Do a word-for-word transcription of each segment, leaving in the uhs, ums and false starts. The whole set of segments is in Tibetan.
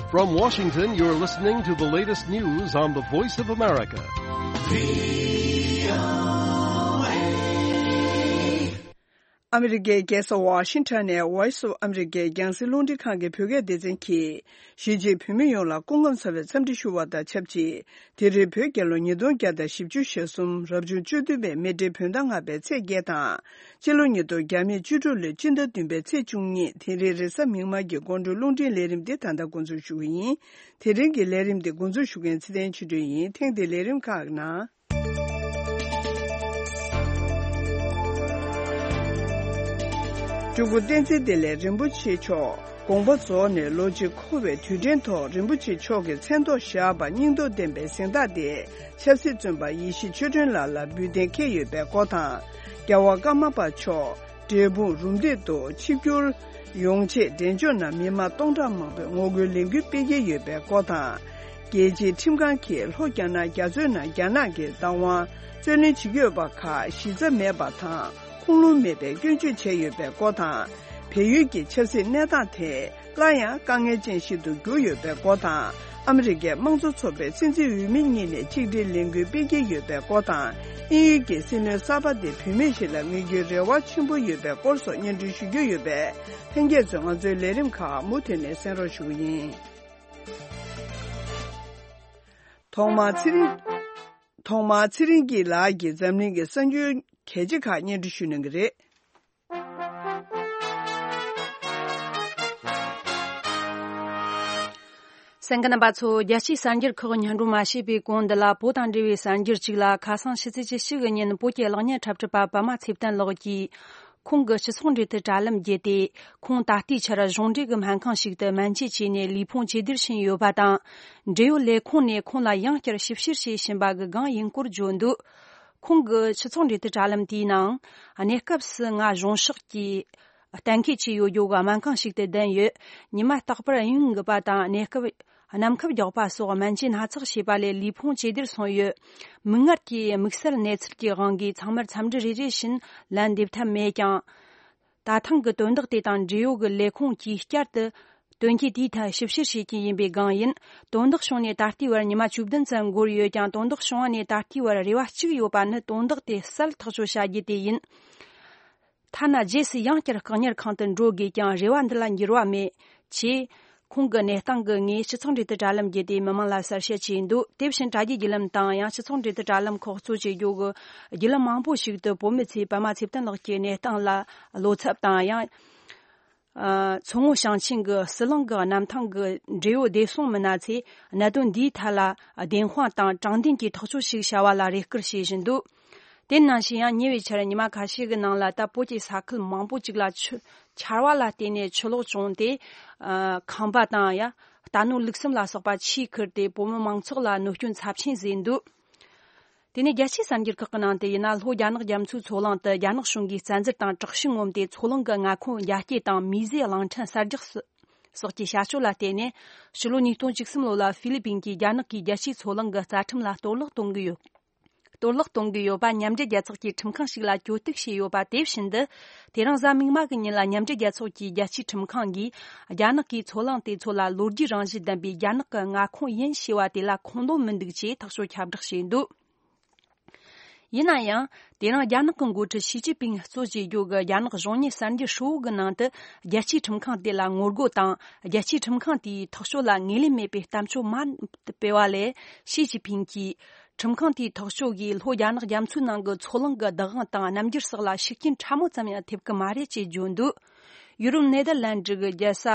From Washington, you're listening to the latest news on the Voice of America. ཨ་མི་རི་ཀའི་རྒྱལ་ས་ཝ་ཤིང་ཊོན་ནས་Voice of America རྒྱང་སྲིང་རླུང་འཕྲིན་ཁང་གི་བོད་སྐད་སྡེ་ཚན་གྱིས། གཞིས་བྱེས་བོད་མི་ཡོངས་ལ་སྐུ་ཁམས་བཟང་བའི་འཚམས་འདྲི་ཞུ་བ་དང་ཆབས་ཅིག་དེ་རིང་བོད་རྒྱལ་ལོ་ཉིས་སྟོང་བརྒྱ་དང་བཞི་བཅུ་ཞེ་གསུམ། རབ་བྱུང་བཅུ་བདུན་པའི་མེ་སྤྲེལ་བོད་ཟླ་ལྔ་པའི་ཚེས་བརྒྱད་དང་། སྤྱི་ལོ་ཉིས་སྟོང་བརྒྱ་མེད་བཅུ་དྲུག་ལོའི་སྤྱི་ཟླ་བདུན་པའི་ཚེས་བཅུ་གཉིས། དེ་རིང་རེས་གཟའ་མིག་དམར་གྱི་དགོང་དྲོའི་རླུང་འཕྲིན་ལས་རིམ་འདི་ད་ལྟ་འགོ་འཛུགས་ཞུ་གི་ཡིན། དེ་རིང་གི་ལས་རིམ་འདི་འགོ་འཛུགས་ཞུ་མཁན་ཚེ་བརྟན་ཆོས་སྒྲོན་ཡིན། ཐེངས་འདིའི་ལས་རིམ་ཁག་ནང་། སྤྲུལ་སྐུ་བསྟན་འཛིན་བདེ་ལེགས་རིན་པོ་ཆེ་མཆོག་དགོངས་པ་རྫོགས་ནས་ལོ་གཅིག་འཁོར་བའི་དུས་དྲན་ཐོག་རིན་པོ་ཆེ་མཆོག་གི་མཚན་ཐོག་བཞག་པ་སྙིང་སྟོབས་ལྡན་པའི་གཟེངས་རྟགས་དེ་ཆབ་སྲིད་བཙོན་པ་ཡེ་ཤེས་ཆོས་སྒྲོན་ལགས་ལ་འབུལ་གཏན་འཁེལ་ཡོད་པའི་སྐོར་དང་། རྒྱལ་བ་ཀརྨ་པ་མཆོག་འབྲས་སྤུངས་རུམ་བཏེག་ཏུ་ཆིབས་བསྒྱུར་ཡོང་ཆེད་འབྲས་ལྗོངས་ནང་མི་མང་སྟོང་ཕྲག་མང་པོས་ངོ་རྒོལ་ལས་འགུལ་སྤེལ་གྱི་ཡོད་པའི་སྐོར་དང་། རྒྱལ་སྤྱིའི་ཁྲིམས་ཁང་གིས་ལྷོ་རྒྱ་ནག་རྒྱ་མཚོའི་ནང་རྒྱ་ནག་གི་བདག་དབང་རྩོད་ལེན་བྱེད་ཀྱི་ཡོད་པ་ཁག་གཞི་རྩ་མེད་པ་དང་ཁུངས་ལུང་མེད་པའི་སྐྱོན་བརྗོད་བྱས་ཡོད་པའི་སྐོར་དང་། བལ་ཡུལ་གྱི་ཆབ་སྲིད་གནས་སྟངས་དེ་སླར་ཡང་དཀའ་ངལ་ཅན་ཞིག་ཏུ་གྱུར་ཡོད་པའི་སྐོར་དང་། ཨ་མི་རི་ཀའི་དམངས་གཙོ་ཚོགས་པའི་སྲིད་འཛིན་འོས་མི་གཉིས་ནས་ཆིག་སྒྲིལ་ལས་འགུལ་སྤེལ་གྱི་ཡོད་པའི་སྐོར་དང་། དབྱིན་ཡུལ་གྱི་སྲིད་བློན་གསར་པ་དེ་བུད་མེད་ཞིག་ལ་དམིགས་རྒྱུའི་རེ་བ་ཆེན་པོ་ཡོད་པའི་སྐོར་སོགས་སྙན་སྒྲོན་ཞུ་རྒྱུ་ཡོད་པས། ལྷན་རྒྱས་ཚོས་ང་ཚོའི་ལས་རིམ་ཁག་མུ་མཐུད་ནས་གསན་རོགས་ཞུ་གི་ཡིན། ཐོག་མར་ཚེ་རིང་། ཐོག་མར་ཚེ་རིང་སྐྱིད་ལགས་ཀྱིས་འཛམ་གླིང་གི་གསར་འགྱུར་གལ་ཆེ་ཁག་སྙན་སྒྲོན་ཞུ་གནང་གི་རེད། གསན་མཁན་རྣམ་པ་ཚོ། རྒྱལ་སྤྱིའི་གསར་འགྱུར་ཁག་སྙན་སྒྲོན་མ་བྱས་པའི་གོང་འདི་ལ་བོད་དང་འབྲེལ་བའི་གསར་འགྱུར་གཅིག་ལ། ཁ་སང་ཕྱི་ཚེས་བཅུ་གཅིག་གི་ཉིན་བོད་ཀྱི་གློག་བརྙན་འཁྲབ་ཁྲིད་པ་པདྨ་ཚེ་བརྟན་ལགས་ཀྱིས། ཁོང་གི་སྤྱི་ཚོགས་འབྲེལ་མཐུད་དྲ་ལམ་བརྒྱུད་དེ། ཁོང་ད་ལྟའི་ཆར་གཞུང་འབྲེལ་གྱི་སྨན་ཁང་ཞིག་ཏུ་སྨན་བཅོས་བྱས་ནས་ལུས་ཕུང་བཅོས་བསྒྱུར་ཕྱིན་ཡོད་པ་དང་། འབྲེལ་ཡོད་ལས་ཁུངས་ནས་ཁོང་ལ་ཡང་བསྐྱར་ཞིབ་བཤེར་བྱས་ཕྱིན་པ་གི་སྒང་ཡིན་སྐོར་བརྗོད་འདུག་ཁོང་གི་སྤྱི་ཚོགས་འབྲེལ་མཐུད་དྲ་ལམ་དེའི་ནང་། གནས་སྐབས་སུ་ང་གཞུང་ཕྱོགས་ཀྱི་གཏན་འཁེལ་བྱས་ཡོད་རྒྱུ་གི་སྨན་ཁང་ཞིག་ཏུ་བསྡད་ཡོད། ཉི་མ་རྟག་པར་ཡུན་རིང་གི་པ་དང་གནས་སྐབས། གནམ་ཁབ་རྒྱག་པ་སོགས་སྨན་བཅོས་སྣ་ཚོགས་བྱས་པ་ལས་ལུས་ཕུང་བཅོས་བསྒྱུར་སོང་ཡོད། མིག་སྔར་གྱི་དམིགས་བསལ་གནས་ཚུལ་གྱི་དབང་གིས་ཚང་མར་འཚམས་འདྲི་རེ་རེ་བཞིན་ལན་འདེབས་ཐབས་མེད་ཀྱང་། ད་ཐེངས་ཀྱི་དོན་དག་དེ་དང་འབྲེལ་ཡོད་ཀྱི་ལས་ཁུངས་ཀྱིས་བསྐྱར་དུ་དོན་རྐྱེན་དེའི་ཐད་ཞིབ་བཤེར་བྱེད་ཀྱི་ཡིན་པའི་སྒང་ཡིན། དོན་དག་བྱུང་ནས་ད་ལྟའི་བར་ཉི་མ་བཅུ་བདུན་ཙམ་འགོར་ཡོད་ཀྱང་། དོན་དག་བྱུང་བ་ནས་ད་ལྟའི་བར་རེ་བ་གཅིག་ཡོད་པ་ནི་དོན་དག་དེ་གསལ་ཐག་གཅོད་བྱ་རྒྱུ་དེ་ཡིན། ཐ་ན་རྗེས་སུ་ཡང་བསྐྱར་བཀག་ཉར་ཁང་དུ་འགྲོ་དགོས་ཀྱང་རེ་བ་འདི་ལ་འགྱུར་བ་མེད། ཅེས། ཁོང་གི་གནས་སྟངས་ཀྱི་ངོས་སྤྱི་ཚོགས་འབྲེལ་མཐུད་དྲ་ལམ་བརྒྱུད་དེ་མི་མང་ལ་གསལ་བཤད་བྱས་འདུག་དེ་བཞིན་དྲ་རྒྱའི་བརྒྱུད་ལམ་དང་ཡང་སྤྱི་ཚོགས་འབྲེལ་མཐུད་དྲ་ལམ་ཁག་གཙོ་བྱེད་རྒྱུ་གི་བརྒྱུད་ལམ་མང་པོ་ཞིག་ཏུ་བོད་མི་ཚོས་པདྨ་ཚེ་བརྟན་ལགས་ཀྱི་གནས་སྟངས་ལ་བློ་འཚབ་དང་ཡང་། ཨ། མཚོ་སྔོན་ཞིང་ཆེན་གྱི་ཟི་ལིང་གི་གནམ་ཐང་གི་འབྲེལ་ཡོད་བདེ་སྲུང་མི་སྣ་ཚོས་གནད་དོན་འདིའི་ཐད་ལ་བདེན་དཔང་དང་དྲང་བདེན་གྱི་ཐག་གཅོད་ཞིག་བྱ་བ་ལ་རེ་སྐུལ་བྱེད་བཞིན་འདུག་དེ་ནང་བཞིན་ཡང་ཉེ་བའི་ཆར་ཉི་མ་ཁ་ཤས་ཀྱི་ནང་ལ་ད་བོད་ཀྱི་ས་ཁུལ་མང་པོ་ཅིག་ལ་ཆུ་ཆར་བ་ལ་བརྟེན་ནས་ཆུ་ལོག་བྱུང་སྟེ། ཨ། ཁང་པ་དང་ཡང་རྟ་ནོར་ལུག་གསུམ་ལ་སོགས་པ་ཆུས་ཁུར་ཏེ་བོད་མི་མང་ཚོགས་ལ་གནོད་སྐྱོན་ཚབས་ཆེན་བཟོས་འདུག་དེ་ནས་རྒྱལ་སྤྱིའི་གསར་འགྱུར་ཁག་གི་ནང་དུ་ཡིན་ན། ལྷོ་རྒྱ་ནག་རྒྱ་མཚོའི་མཚོ་གླིང་དུ་རྒྱ་ནག་གཞུང་གིས་བཙན་འཛུལ་དང་དྲག་ཤུགས་ངོམ་སྟེ་མཚོ་གླིང་གི་མངའ་ཁོངས་རྒྱ་སྐྱེད་དང་མིའི་ཟས་གླིང་ཕྲན་གསར་རྒྱག་སོགས་ཀྱི་བྱ་སྤྱོད་ལ་བརྟེན་ནས། ཕྱི་ལོ་ཉིས་སྟོང་བཅུ་གསུམ་ལོ་ལ་ཧྥི་ལི་པིན་གྱིས་རྒྱ་ནག་གིས་རྒྱལ་སྤྱིའི་མཚོ་གླིང་གི་རྩ་ཁྲིམས་ལ་གཏོར་བརླག་གཏོང་གི་ཡོད། གཏོར་བརླག་གཏོང་གི་ཡོད་པ་མཉམ་འབྲེལ་རྒྱལ་ཚོགས་ཀྱི་ཁྲིམས་ཁང་ཞིག་ལ་གྱོད་གཏུག་བྱས་ཡོད་པ་དེ་བཞིན་དུ། དེ་རིང་གཟའ་མིག་དམར་གྱི་ཉིན་ལ་མཉམ་འབྲེལ་རྒྱལ་ཚོགས་ཀྱི་རྒྱལ་སྤྱིའི་ཁྲིམས་ཁང་གིས་རྒྱ་ནག་གིས་མཚོ་གླིང་དེ་ཚོ་ལ་ལོ་རྒྱུས་རང་བཞིན་ལྡན་པའི་རྒྱ་ནག་གི་མངའ་ཁོངས་ཡིན་ཞེས་པ་དེ་ལ་ཁུངས་ལུང་མི་འདུག་ཅེས་ཐག་གཅོད་ཁྱབ་བསྒྲགས་བྱས་འདུག་ཡིན་ན་ཡང་། དེ་རིང་རྒྱ་ནག་གི་འགོ་ཁྲིད་ཞི་ཅིན་ཕིང་གཙོ་བྱས་རྒྱུ་གི་རྒྱ་ནག་གཞུང་གཉེར་གསར་འགྱུར་ཧྲིལ་བོ་གི་ནང་དུ། རྒྱལ་སྤྱིའི་ཁྲིམས་ཁང་དེ་ལ་ངོ་རྒོལ་དང་། རྒྱལ་སྤྱིའི་ཁྲིམས་ཁང་དེའི་ཐག་གཅོད་ལ་ངོས་ལེན་མེད་པའི་གཏམ་བརྗོད་མང་དུ་སྤེལ་བ་ལས། ཞི་ཅིན་ཕིང་གིས། ཁྲིམས་ཁང་དེའི་ཐག་གཅོད་ཀྱིས་ལྷོ་རྒྱ་ནག་རྒྱ་མཚོའི་ནང་གི་མཚོ་གླིང་གི་བདག་དབང་དང་རྣམ་འགྱུར་སོགས་ལ་ཤུགས་རྐྱེན་ཕྲ་མོ་ཙམ་ཡང་ཐེབས་ཀྱི་མ་རེད་ཅེས་བརྗོད་འདུག་ཡུ་རོབ་ནེ་དར་ལན་ཌི་གི་རྒྱལ་ས་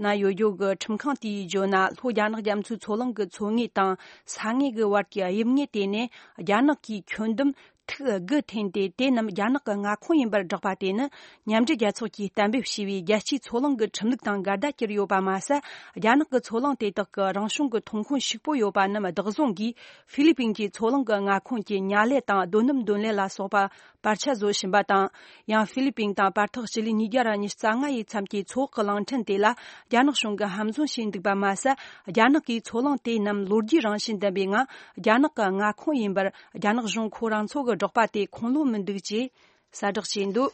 ན་ཡོད་རྒྱུ་གི་ཁྲིམས་ཁང་དེས་བརྗོད་ན། ལྷོ་རྒྱ་ནག་རྒྱ་མཚོའི་མཚོ་གླིང་གི་མཚོ་ངོས་དང་ས་ངོས་ཀྱི་བར་གྱི་དབྱིབས་ངོས་དེ་ནི་རྒྱ་ནག་གིས་ཁྱོན་བསྡོམས་ཐིག་དགུ་འཐེན་ཏེ། དེ་རྣམས་རྒྱ་ནག་གི་མངའ་ཁོངས་ཡིན་པར་བསྒྲགས་པ་དེ་ནི། མཉམ་འབྲེལ་རྒྱལ་ཚོགས་ཀྱིས་གཏན་འབེབས་བྱས་པའི་རྒྱལ་སྤྱིའི་མཚོ་གླིང་གི་ཁྲིམས་ལུགས་དང་འགལ་ཟླ་གྱུར་ཡོད་པ་མ་ཟད། རྒྱ་ནག་གི་མཚོ་གླིང་དེ་དག་གི་རང་བྱུང་གི་ཐོན་ཁུངས་ཕྱུག་པོ་ཡོད་པ་རྣམས་བདག་བཟུང་གིས། ཧྥི་ལི་པིན་གྱི་མཚོ་གླིང་གི་མངའ་ཁོངས་ཀྱི་ཉ་ལས་དང་རྡོ་སྣུམ་འདོན་ལས་ལ་སོགས་པ་བར་ཆད་བཟོ་བཞིན་པ་དང་། ཡང་ཧྥི་ལི་པིན་དང་བར་ཐག་སྤྱི་ལེ་ཉིས་བརྒྱ་ར་ཉི་ཤུ་རྩ་ལྔ་ཡི་མཚམས་ཀྱི་མཚོ་འོག་གི་གླིང་ཕྲན་དེ་ལ་རྒྱ་ནག་གཞུང་གིས་ཧམ་བཟུང་བྱས་འདུག་པ་མ་ཟད། རྒྱ་ནག་གིས་མཚོ་གླིང་དེ་རྣམས་ལོ་རྒྱུས་རང་བཞིན་ལྡན་པའི་ངང་རྒྱ་ནག་གི་མངའ་ཁོངས་ཡིན་པར་རྒྱ་ནག་གཞུང་ཁོ་རང་ཚོ་གིས་བསྒྲགས་པ་དེ་ཁུངས་ལུང་མི་འདུག་ཅེས་གསལ་བསྒྲགས་བྱས་འདུག་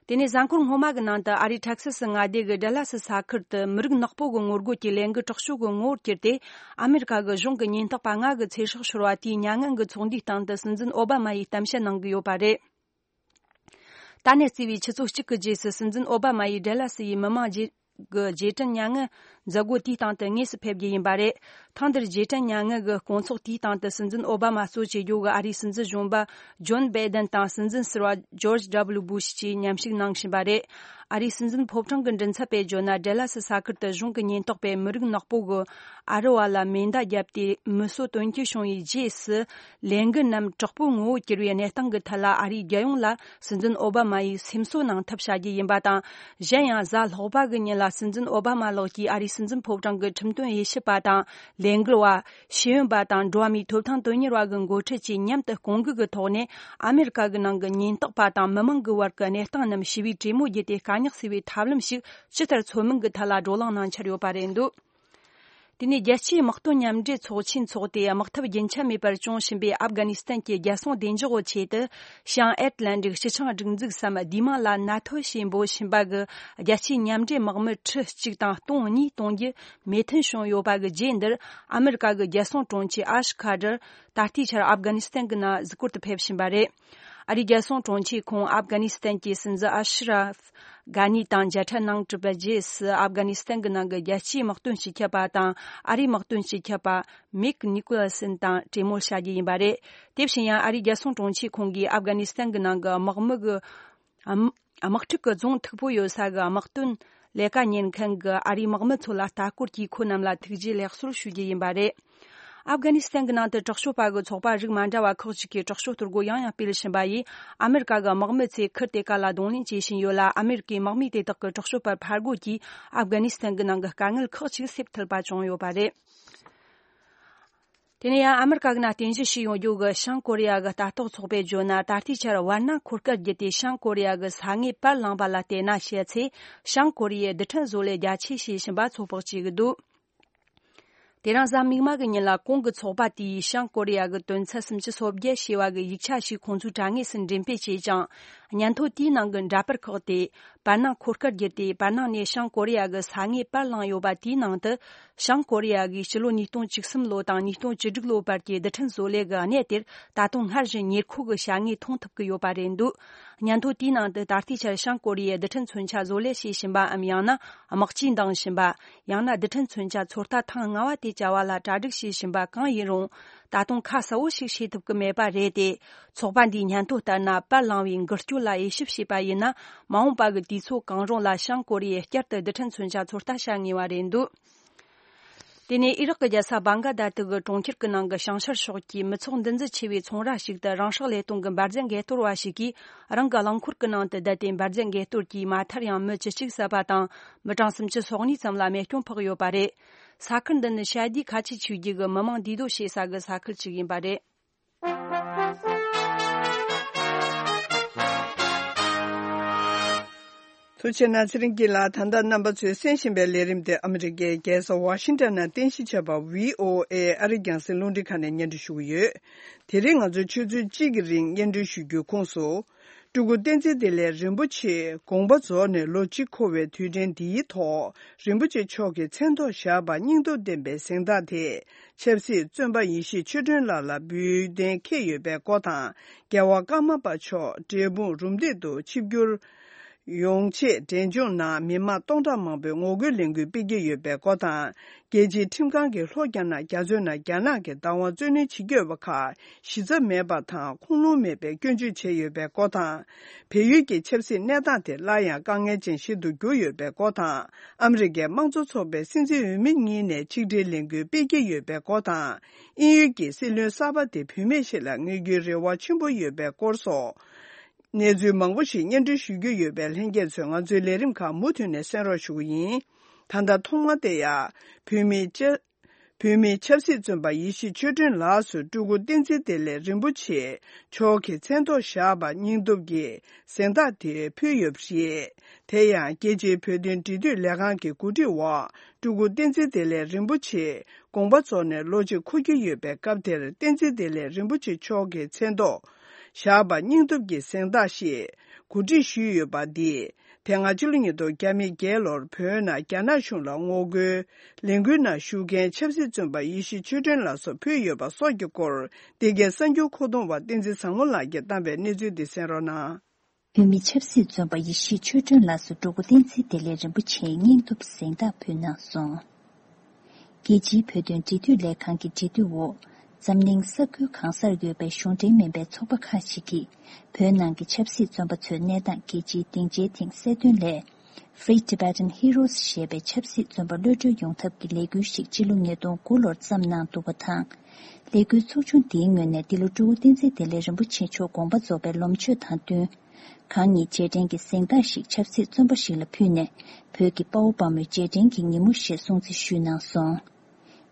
དེ་ནས་གཟའ་འཁོར་སྔོན་མ་གི་ནང་དུ་ཨ་རིའི་ཊེག་སཱ་སི་མངའ་སྡེ་གི་ཌལ་ལཱ་སི་ས་ཁུལ་དུ་མི་རིགས་ནག་པོ་གི་ངོ་རྒོལ་གྱི་ལས་འགུལ་དྲག་ཤོས་ཀྱི་ངོ་བོར་གྱུར་ཏེ། ཨ་མེ་རི་ཁ་གི་གཞུང་གི་ཉེན་རྟོག་པ་ལྔ་གི་ཚེ་སྲོག་ཤོར་བ་དེའི་མྱ་ངན་གྱི་ཚོགས་འདུའི་སྟེང་དུ་སྲིད་འཛིན་ཨོ་བྷ་མ་ཡིས་གཏམ་བཤད་གནང་གི་ཡོད་པ་རེད། ད་ནས་བརྩིས་པའི་ཆུ་ཚོད་གཅིག་གི་རྗེས་སུ་སྲིད་འཛིན་ཨོ་བྷ་མ་ཡིས་ཌལ་ལཱ་སི་ཡི་མི་མང་རྗེས་ཀྱི་རྗེས་དྲན་མྱ་ངན་མཛད་སྒོ་དེའི་སྟེང་དུ་དངོས་སུ་ཕེབས་རྒྱུ་ཡིན་པ་རེད། ཐེངས་འདིར་རྗེས་དྲན་མྱ་ངན་གྱི་དགོང་ཚོགས་དེའི་སྟེང་དུ་སྲིད་འཛིན་ཨོ་བྷ་མ་གཙོ་བྱེད་རྒྱུ་གི་ཨ་རིའི་སྲིད་འཛིན་གཞོན་པ་ཇོན་བྷའི་ཌེན་དང་སྲིད་འཛིན་ཟུར་པ་ཇོརྗ་ཌབ་ལུ་སྦུ་ཤི་བཅས་མཉམ་ཞུགས་གནང་བཞིན་པ་རེད། ཨ་རིའི་སྲིད་འཛིན་ཕོ་བྲང་གི་མགྲིན་ཚབ་པས་བརྗོད་ན། ཌལ་ལཱ་སི་ས་ཁུལ་དུ་གཞུང་གི་ཉེན་རྟོག་པས་མི་རིགས་ནག་པོ་གི་ཨ་རི་བ་ལ་མེ་མདའ་བརྒྱབ་སྟེ་མི་གསོད་དོན་རྐྱེན་བྱུང་བའི་རྗེས་སུ། ལས་འགུལ་རྣམས་དྲག་པོའི་ངོ་བོར་གྱུར་བའི་གནས་སྟངས་ཀྱི་ཐད་ལ་ཨ་རིའི་རྒྱལ་ཡོངས་ལ་སྲིད་འཛིན་ཨོ་བྷ་མ་ཡིས་སེམས་གསོ་གནང་ཐབས་བྱ་རྒྱུ་ཡིན་པ་དང་། གཞན་ཡང་གཟའ་ལྷག་པ་གི་ཉིན་ལ་སྲིད་འཛིན་ཨོ་བྷ་མ་ལགས་ཀྱིས་ཨ་རིའི་སྲིད་འཛིན་ཕོ་བྲང་གི་ཁྲིམས་དོན་དབྱེ་ཞིབ་པ་དང་། ལས་འགུལ་བ། ཤེས་ཡོན་པ་དང་འགྲོ་བ་མིའི་ཐོབ་ཐང་དོན་གཉེར་བ་གི་འགོ་ཁྲིད་བཅས་མཉམ་དུ་སྐོང་འགུག་གི་ཐོག་ནས། ཨ་མེ་རི་ཁ་གི་ནང་གི་ཉེན་རྟོག་པ་དང་མི་མང་གི་བར་གྱི་གནས་སྟངས་རྣམས་ཞི་བའི་གྲོས་མོལ་བརྒྱུད་དེ་དཀའ་རྙོག་སེལ་བའི་ཐབས་ལམ་ཞིག་ཇི་ལྟར་འཚོལ་མིན་གྱི་ཐད་ལ་བགྲོ་གླེང་གནང་འཆར་ཡོད་པ་རེད་འདུག་དེ་ནས་རྒྱལ་སྤྱིའི་དམག་དོན་མཉམ་འབྲེལ་ཚོགས་ཆེན་འཚོགས་ཏེ། དམག་འཐབ་རྒྱུན་ཆད་མེད་པར་བྱུང་བཞིན་པའི་ཨབ་གྷ་ནི་སི་ཐན་གྱི་རྒྱལ་སྲུང་བདེ་འཇགས་ཀྱི་ཆེད་དུ། བྱང་ཨེཊ་ལན་ཊིག་སྤྱི་ཆིངས་སྒྲིག་འཛུགས་སམ་བདེ་དམག་ལ་ན་ཐོ་ཞེས་འབོད་བཞིན་པ་གི་རྒྱལ་སྤྱིའི་མཉམ་འབྲེལ་དམག་མི་ཁྲི་གཅིག་དང་སྟོང་གཉིས་གཏོང་རྒྱུ་མོས་མཐུན་བྱུང་ཡོད་པ་གི་རྗེས་འདིར། ཨ་མེ་རི་ཀ་གི་རྒྱལ་སྲུང་དྲུང་ཆེ་ཨ་ཤ་ཁ་ཏར་ད་ལྟའི་ཆར་ཨབ་གྷ་ནི་སི་ཐན་གྱི་ནང་གཟིགས་སྐོར་དུ་ཕེབས་བཞིན་པ་རེད། ཨ་རིའི་རྒྱལ་སྲུང་དྲུང་ཆེས་ཁོང་ཨབ་གྷ་ནི་སི་ཐན་གྱི་སྲིད་འཛིན་ཨ་ཤ་ར་ཕ་གྷ་ནི་དང་མཇལ་འཕྲད་གནང་གྲུབ་པའི་རྗེས་སུ། ཨབ་གྷ་ནི་སི་ཐན་གྱི་ནང་གི་རྒྱལ་སྤྱིའི་དམག་དོན་སྤྱི་ཁྱབ་པ་དང་ཨ་རིའི་དམག་དོན་སྤྱི་ཁྱབ་པ་མིག་ནི་ཀོ་ལ་སན་དང་གྲོས་མོལ་བྱ་རྒྱུ་ཡིན་པ་རེད། དེ་བཞིན་ཡང་ཨ་རིའི་རྒྱལ་སྲུང་དྲུང་ཆེ་ཁོང་གིས་ཨབ་གྷ་ནི་སི་ཐན་གྱི་ནང་གི་དམག་མི་གི་དམག་འཁྲུག་གི་རྫོང་མཐུག་པོ་ཡོད་ས་གི་དམག་དོན་ལས་ཀ་གཉེར་མཁན་གྱི་ཨ་རིའི་དམག་མི་ཚོ་ལ་ལྟ་སྐོར་གྱིས་ཁོ་རྣམས་ལ་ཐུགས་རྗེ་ལེགས་གསོལ་ཞུ་རྒྱུ་ཡིན་པ་རེད། ཨབ་གྷ་ནི་སི་ཐན་གྱི་ནང་དུ་དྲག་སྤྱོད་པ་གི་ཚོགས་པ་རིགས་མ་འདྲ་བ་ཁག་ཅིག་གིས་དྲག་སྤྱོད་གཏོར་རྒོལ་ཡང་ཡང་སྤེལ་བཞིན་པ་ཡིས། ཨ་མེ་རི་ཀ་གི་དམག་མི་ཚོས་ཁུར་དེ་ག་ལ་གདོང་ལེན་བྱེད་བཞིན་ཡོད་ལ། ཨ་མེ་རི་ཀའི་དམག་མིས་དེ་དག་གི་དྲག་སྤྱོད་པར་ཕར་རྒོལ་གྱིས། ཨབ་གྷ་ནི་སི་ཐན་གྱི་ནང་གི་དཀའ་ངལ་ཁག་ཅིག་སེལ་ཐུབ་པ་བྱུང་ཡོད་པ་རེད། དེ་ནས་ཡང་ཨ་མེ་རི་ཀ་གི་ནང་རྟེན་གཞི་བྱས་ཡོང་རྒྱུ་གི་བྱང་ཀོ་རི་ཡ་གི་ལྟ་རྟོག་ཚོགས་པས་བརྗོད་ན། ད་ལྟའི་ཆར་བར་སྣང་འཁོར་སྐར་བརྒྱུད་དེ་བྱང་ཀོ་རི་ཡ་གི་ས་ངོས་པར་ལངས་པ་ལ་བལྟས་ན། བྱས་ཚེ་བྱང་ཀོ་རི་ཡའི་རྡུལ་ཕྲན་བཟོ་ལས་རྒྱ་ཆེ་བྱེད་བཞིན་པ་ཚོད་དཔག་བྱེད་ཀྱི་འདུག་དེ་རིང་གཟའ་མིག་དམར་གྱི་ཉིན་ལ་གོང་གི་ཚོགས་པ་དེས་བྱང་ཀོ་རི་ཡ་གི་དོན་ཚན་སུམ་ཅུ་སོ་བརྒྱད་ཞེས་པ་གི་ཡིག་ཆ་ཞིག་ཁོང་ཚོའི་དྲ་ངོས་སུ་འགྲེམས་སྤེལ་བྱས་ཀྱང་། སྙན་ཐོ་དེའི་ནང་གི་འདྲ་པར་ཁག་དེ་བར་སྣང་འཁོར་སྐར་བརྒྱུད་དེ་བར་སྣང་ནས་བྱང་ཀོ་རི་ཡ་གི་ས་ངོས་པར་ལངས་ཡོད་པ་དེའི་ནང་དུ། བྱང་ཀོ་རི་ཡ་གིས་ཕྱི་ལོ་ཉིས་སྟོང་བཅུ་གསུམ་ལོ་དང་ཉིས་སྟོང་བཅུ་དྲུག་ལོ་བར་གྱི་རྡུལ་ཕྲན་བཟོ་ལས་ཀྱི་གནས་དེར་ད་དུང་སྔར་བཞིན་ཉེར་མཁོ་གི་བྱ་དངོས་མཐོང་ཐུབ་ཀྱི་ཡོད་པ་རེད་འདུག་སྙན་ཐོ་དེའི་ནང་དུ་ད་ལྟའི་ཆར་བྱང་ཀོ་རི་ཡས་རྡུལ་ཕྲན་མཚོན་ཆ་བཟོ་ལས་བྱེད་བཞིན་པའམ། ཡང་ན་དམག་ཇུས་འདིང་བཞིན་པ། ཡང་ན་རྡུལ་ཕྲན་མཚོན་ཆ་ཚོད་ལྟ་ཐེངས་ལྔ་པ་དེ་བྱ་བ་ལ་གྲ་སྒྲིག་བྱེད་བཞིན་པ་གང་ཡིན་རུང་། ད་དུང་ཁ་གསལ་བོ་ཞིག་བྱེད་ཐུབ་ཀྱི་མེད་པ་རེད་དེ། ཚོགས་པ་འདིའི་སྙན་ཐོ་ལྟར་ན། པར་ལངས་པའི་འགུལ་སྐྱོད་ལ་དབྱེ་ཞིབ་བྱས་པ་ཡིན་ན། མ་འོངས་པ་གི་དུས་ཚོད་གང་རུང་ལ་བྱང་ཀོ་རི་ཡས་བསྐྱར་དུ་རྡུལ་ཕྲན་མཚོན་ཆ་ཚོད་ལྟ་བྱ་ངེས་པ་རེད་འདུག་དེ་ནས་ཨི་རག་གི་རྒྱལ་ས་བྷང་ག་དྷ་ཏི་གི་གྲོང་ཁྱེར་གྱི་ནང་གི་བྱང་ཤར་ཕྱོགས་ཀྱི་མི་ཚོགས་འདུ་འཛི་ཆེ་བའི་ཚོང་ར་ཞིག་ཏུ་རང་སྲོག་བློས་གཏོང་གི་འབར་རྫས་འགས་གཏོར་བ་ཞིག་གིས་རང་གི་རླངས་འཁོར་གྱི་ནང་དུ་བསྡད་དེ། འབར་རྫས་འགས་གཏོར་གྱིས་མ་མཐར་ཡང་མི་བཅུ་གཅིག་བསད་པ་དང་། མི་གྲངས་སུམ་ཅུ་སོ་གཉིས་ཙམ་ལ་རྨས་སྐྱོན་ཕོག་ཡོད་པ་རེད། ས་ཁུལ་འདི་ནི་ཤ་དུའི་ཁ་ཆེ་ཆོས་བརྒྱུད་ཀྱི་མི་མང་འདུས་སྡོད་བྱེད་ས་གི་ས་ཁུལ་ཅིག་ཡིན་པ་རེད། ཐུགས་རྗེ་གནང་། ཚེ་རིང་སྐྱིད་ལགས། ད་ལྟ་རྣམ་པ་ཚོས་གསན་བཞིན་པའི་ལས་རིམ་དེ་ཨ་མི་རི་ཀའི་རྒྱལ་ས་ཝ་ཤིང་ཊོན་ནང་རྟེན་གཞི་བྱས་པ་བྷི་ཨོ་ཨེ་ཨ་རིའི་རྒྱང་སྲིང་རླུང་འཕྲིན་ཁང་ནས་སྙན་སྒྲོན་ཞུ་གི་ཡོད། དེ་རིང་ང་ཚོས་ཆུ་ཚོད་གཅིག་གི་རིང་སྙན་སྒྲོན་ཞུ་རྒྱུའི་ཁོངས་སུ། སྤྲུལ་སྐུ་བསྟན་འཛིན་བདེ་ལེགས་རིན་པོ་ཆེ་དགོངས་པ་རྫོགས་ནས་ལོ་གཅིག་འཁོར་བའི་དུས་དྲན་འདིའི་ཐོག་རིན་པོ་ཆེ་མཆོག་གི་མཚན་ཐོག་བཞག་པ་སྙིང་སྟོབས་ལྡན་པའི་གཟེངས་རྟགས་དེ། ཆབ་སྲིད་བཙོན་པ་ཡེ་ཤེས་ཆོས་སྒྲོན་ལགས་ལ་འབུལ་གཏན་འཁེལ་ཡོད་པའི་སྐོར་དང་། རྒྱལ་བ་ཀརྨ་པ་མཆོག་འབྲས་སྤུངས་རུམ་བཏེག་ཏུ་ཆིབས་བསྒྱུར་ཡོང་ཆེད་འབྲས་ལྗོངས་ནང་མི་མང་སྟོང་ཕྲག་མང་པོས་ངོ་རྒོལ་ལས་འགུལ་སྤེལ་གྱི་ཡོད་པའི་སྐོར་དང་། རྒྱལ་སྤྱིའི་ཁྲིམས་ཁང་གིས་ལྷོ་རྒྱ་ནག་རྒྱ་མཚོའི་ནང་རྒྱ་ནག་གི་བདག་དབང་རྩོད་ལེན་བྱེད་ཀྱི་ཡོད་པ་ཁག་གཞི་རྩ་མེད་པ་དང་ཁུངས་ལུང་མེད་པའི་སྐྱོན་བརྗོད་བྱས་ཡོད་པའི་སྐོར་དང་། བལ་ཡུལ་གྱི་ཆབ་སྲིད་གནས་སྟངས་དེ་སླར་ཡང་དཀའ་ངལ་ཅན་ཞིག་ཏུ་གྱུར་ཡོད་པའི་སྐོར་དང་། ཨ་མི་རི་ཀའི་དམངས་གཙོ་ཚོགས་པའི་སྲིད་འཛིན་འོས་མི་གཉིས་ནས་ཆིག་སྒྲིལ་ལས་འགུལ་སྤེལ་གྱི་ཡོད་པའི་སྐོར་དང་། དབྱིན་ཡུལ་གྱི་སྲིད་བློན་གསར་པ་དེ་བུད་མེད་ཞིག་ལ་དངོས་རྒྱུའི་རེ་བ་ཆེན་པོ་ཡོད་པའི་སྐོར་སོགས། གནས་ཚུལ་མང་པོ་ཞིག་སྙན་སྒྲོན་ཞུ་རྒྱུ་ཡོད་པས། ལྷན་རྒྱས་ཚོས་ང་ཚོའི་ལས་རིམ་ཁག་མུ་མཐུད་ནས་གསན་རོགས་ཞུ་གི་ཡིན། ད་ལྟ་ཐོག་མ་དེ་ཡང་བོད་མིའི་བཅའ། བོད་མིའི་ཆབ་སྲིད་བཙོན་པ་ཡེ་ཤེས་ཆོས་སྒྲོན་ལགས་སུ་སྤྲུལ་སྐུ་བསྟན་འཛིན་བདེ་ལེགས་རིན་པོ་ཆེ་མཆོག་གི་མཚན་ཐོག་བཞག་པ་སྙིང་སྟོབས་ཀྱི་གཟེངས་རྟགས་དེ་ཕུལ་ཡོད་པ་རེད། དེ་ཡང་རྒྱལ་སྤྱིའི་བོད་དོན་འབྲེལ་མཐུད་ལས་ཁང་གི་གོ་སྒྲིག་འོག་སྤྲུལ་སྐུ་བསྟན་འཛིན་བདེ་ལེགས་རིན་པོ་ཆེ་དགོངས་པ་རྫོགས་ནས་ལོ་གཅིག་འཁོར་གྱི་ཡོད་པའི་སྐབས་དེར། བསྟན་འཛིན་བདེ་ལེགས་རིན་པོ་ཆེ་མཆོག་གི་མཚན་ཐོག་བཞག་པ་སྙིང་སྟོབས་ཀྱི་གཟེངས་རྟགས་ཞེས་ གོ་སྒྲིག་ཞུས་ཡོད་པ་འདིས། དེ་སྔ་ཕྱི་ལོ་ཉིས་སྟོང་བརྒྱ་མེད་བརྒྱད་ལོར་བོད་ནང་རྒྱ་ནག་གཞུང་ལ་ངོ་རྒོལ་ལས་འགུལ་ནང་ཞུགས་མཁན་ཆབ་སྲིད་བཙོན་པ་ཡེ་ཤེས་ཆོས་སྒྲོན་ལགས་སུ་ཕུལ་ཡོད་པ་སོགས་ཀྱི་སྐོར། འདི་གའི་གསར་འགྱུར་མཁོ་གཏོང་བ་བསྟན་འཛིན་བཟང་མོ་ལགས་ཀྱིས་བཏང་པའི་གནས་ཚུལ་འདི་གསན་རོགས་གནང་། བོད་མི་ཆབ་སྲིད་བཙོན་པ་ཡེ་ཤེས་ཆོས་སྒྲོན་ལགས་སུ་འགྲོ་མགོན་བསྟན་འཛིན་བདེ་ལེགས་རིན་པོ་ཆེའི་སྙིང་སྟོབས་གཟེངས་རྟགས་ཕུལ་གནང་སོང་། རྒྱལ་སྤྱིའི་བོད་དོན་འབྲེལ་མཐུད་ལས་ཁང་གི་འབྲེལ་མཐུད་འོག་འཛམ་གླིང་ས་ཁུལ་གང་སར་ཡོད་པའི་གཞུང་འབྲེལ་མིན་པའི་ཚོགས་པ་ཁག་ཅིག་གིས། བོད་ནང་གི་ཆབ་སྲིད་བཙོན་པ་ཚོའི་གནས་སྟངས་རྒྱལ་སྤྱིའི་སྡིངས་ཆའི་སྟེང་གསལ་སྟོན་སླད། Free Tibetan Heroes ཞེས་པའི་ཆབ་སྲིད་བཙོན་པ་གློད་གྲོལ་ཡོང་ཐབས་ཀྱི་ལས་འགུལ་ཞིག་སྤྱི་ལོ་ཉིས་སྟོང་དགུ་ལོར་བརྩམས་གནང་འདུག་པ་དང་། ལས་འགུལ་ཚོགས་ཆུང་འདིའི་ངོས་ནས་འདི་ལོ་སྤྲུལ་སྐུ་བསྟན་འཛིན་བདེ་ལེགས་རིན་པོ་ཆེ་མཆོག་དགོངས་པ་རྫོགས་པའི་ལོ་མཆོད་དང་བསྟུན། གང་ཉིད་རྗེས་དྲན་གྱི་གཟེངས་རྟགས་ཤིག་ཆབ་སྲིད་བཙོན་པ་ཞིག་ལ་ཕུལ་ནས། བོད་ཀྱི་དཔའ་བོ་དཔའ་མོའི་རྗེས་དྲན་གྱི་ཉིན་མོ་ཞེས་སྲུང་བརྩི་ཞུས་གནང་སོང་།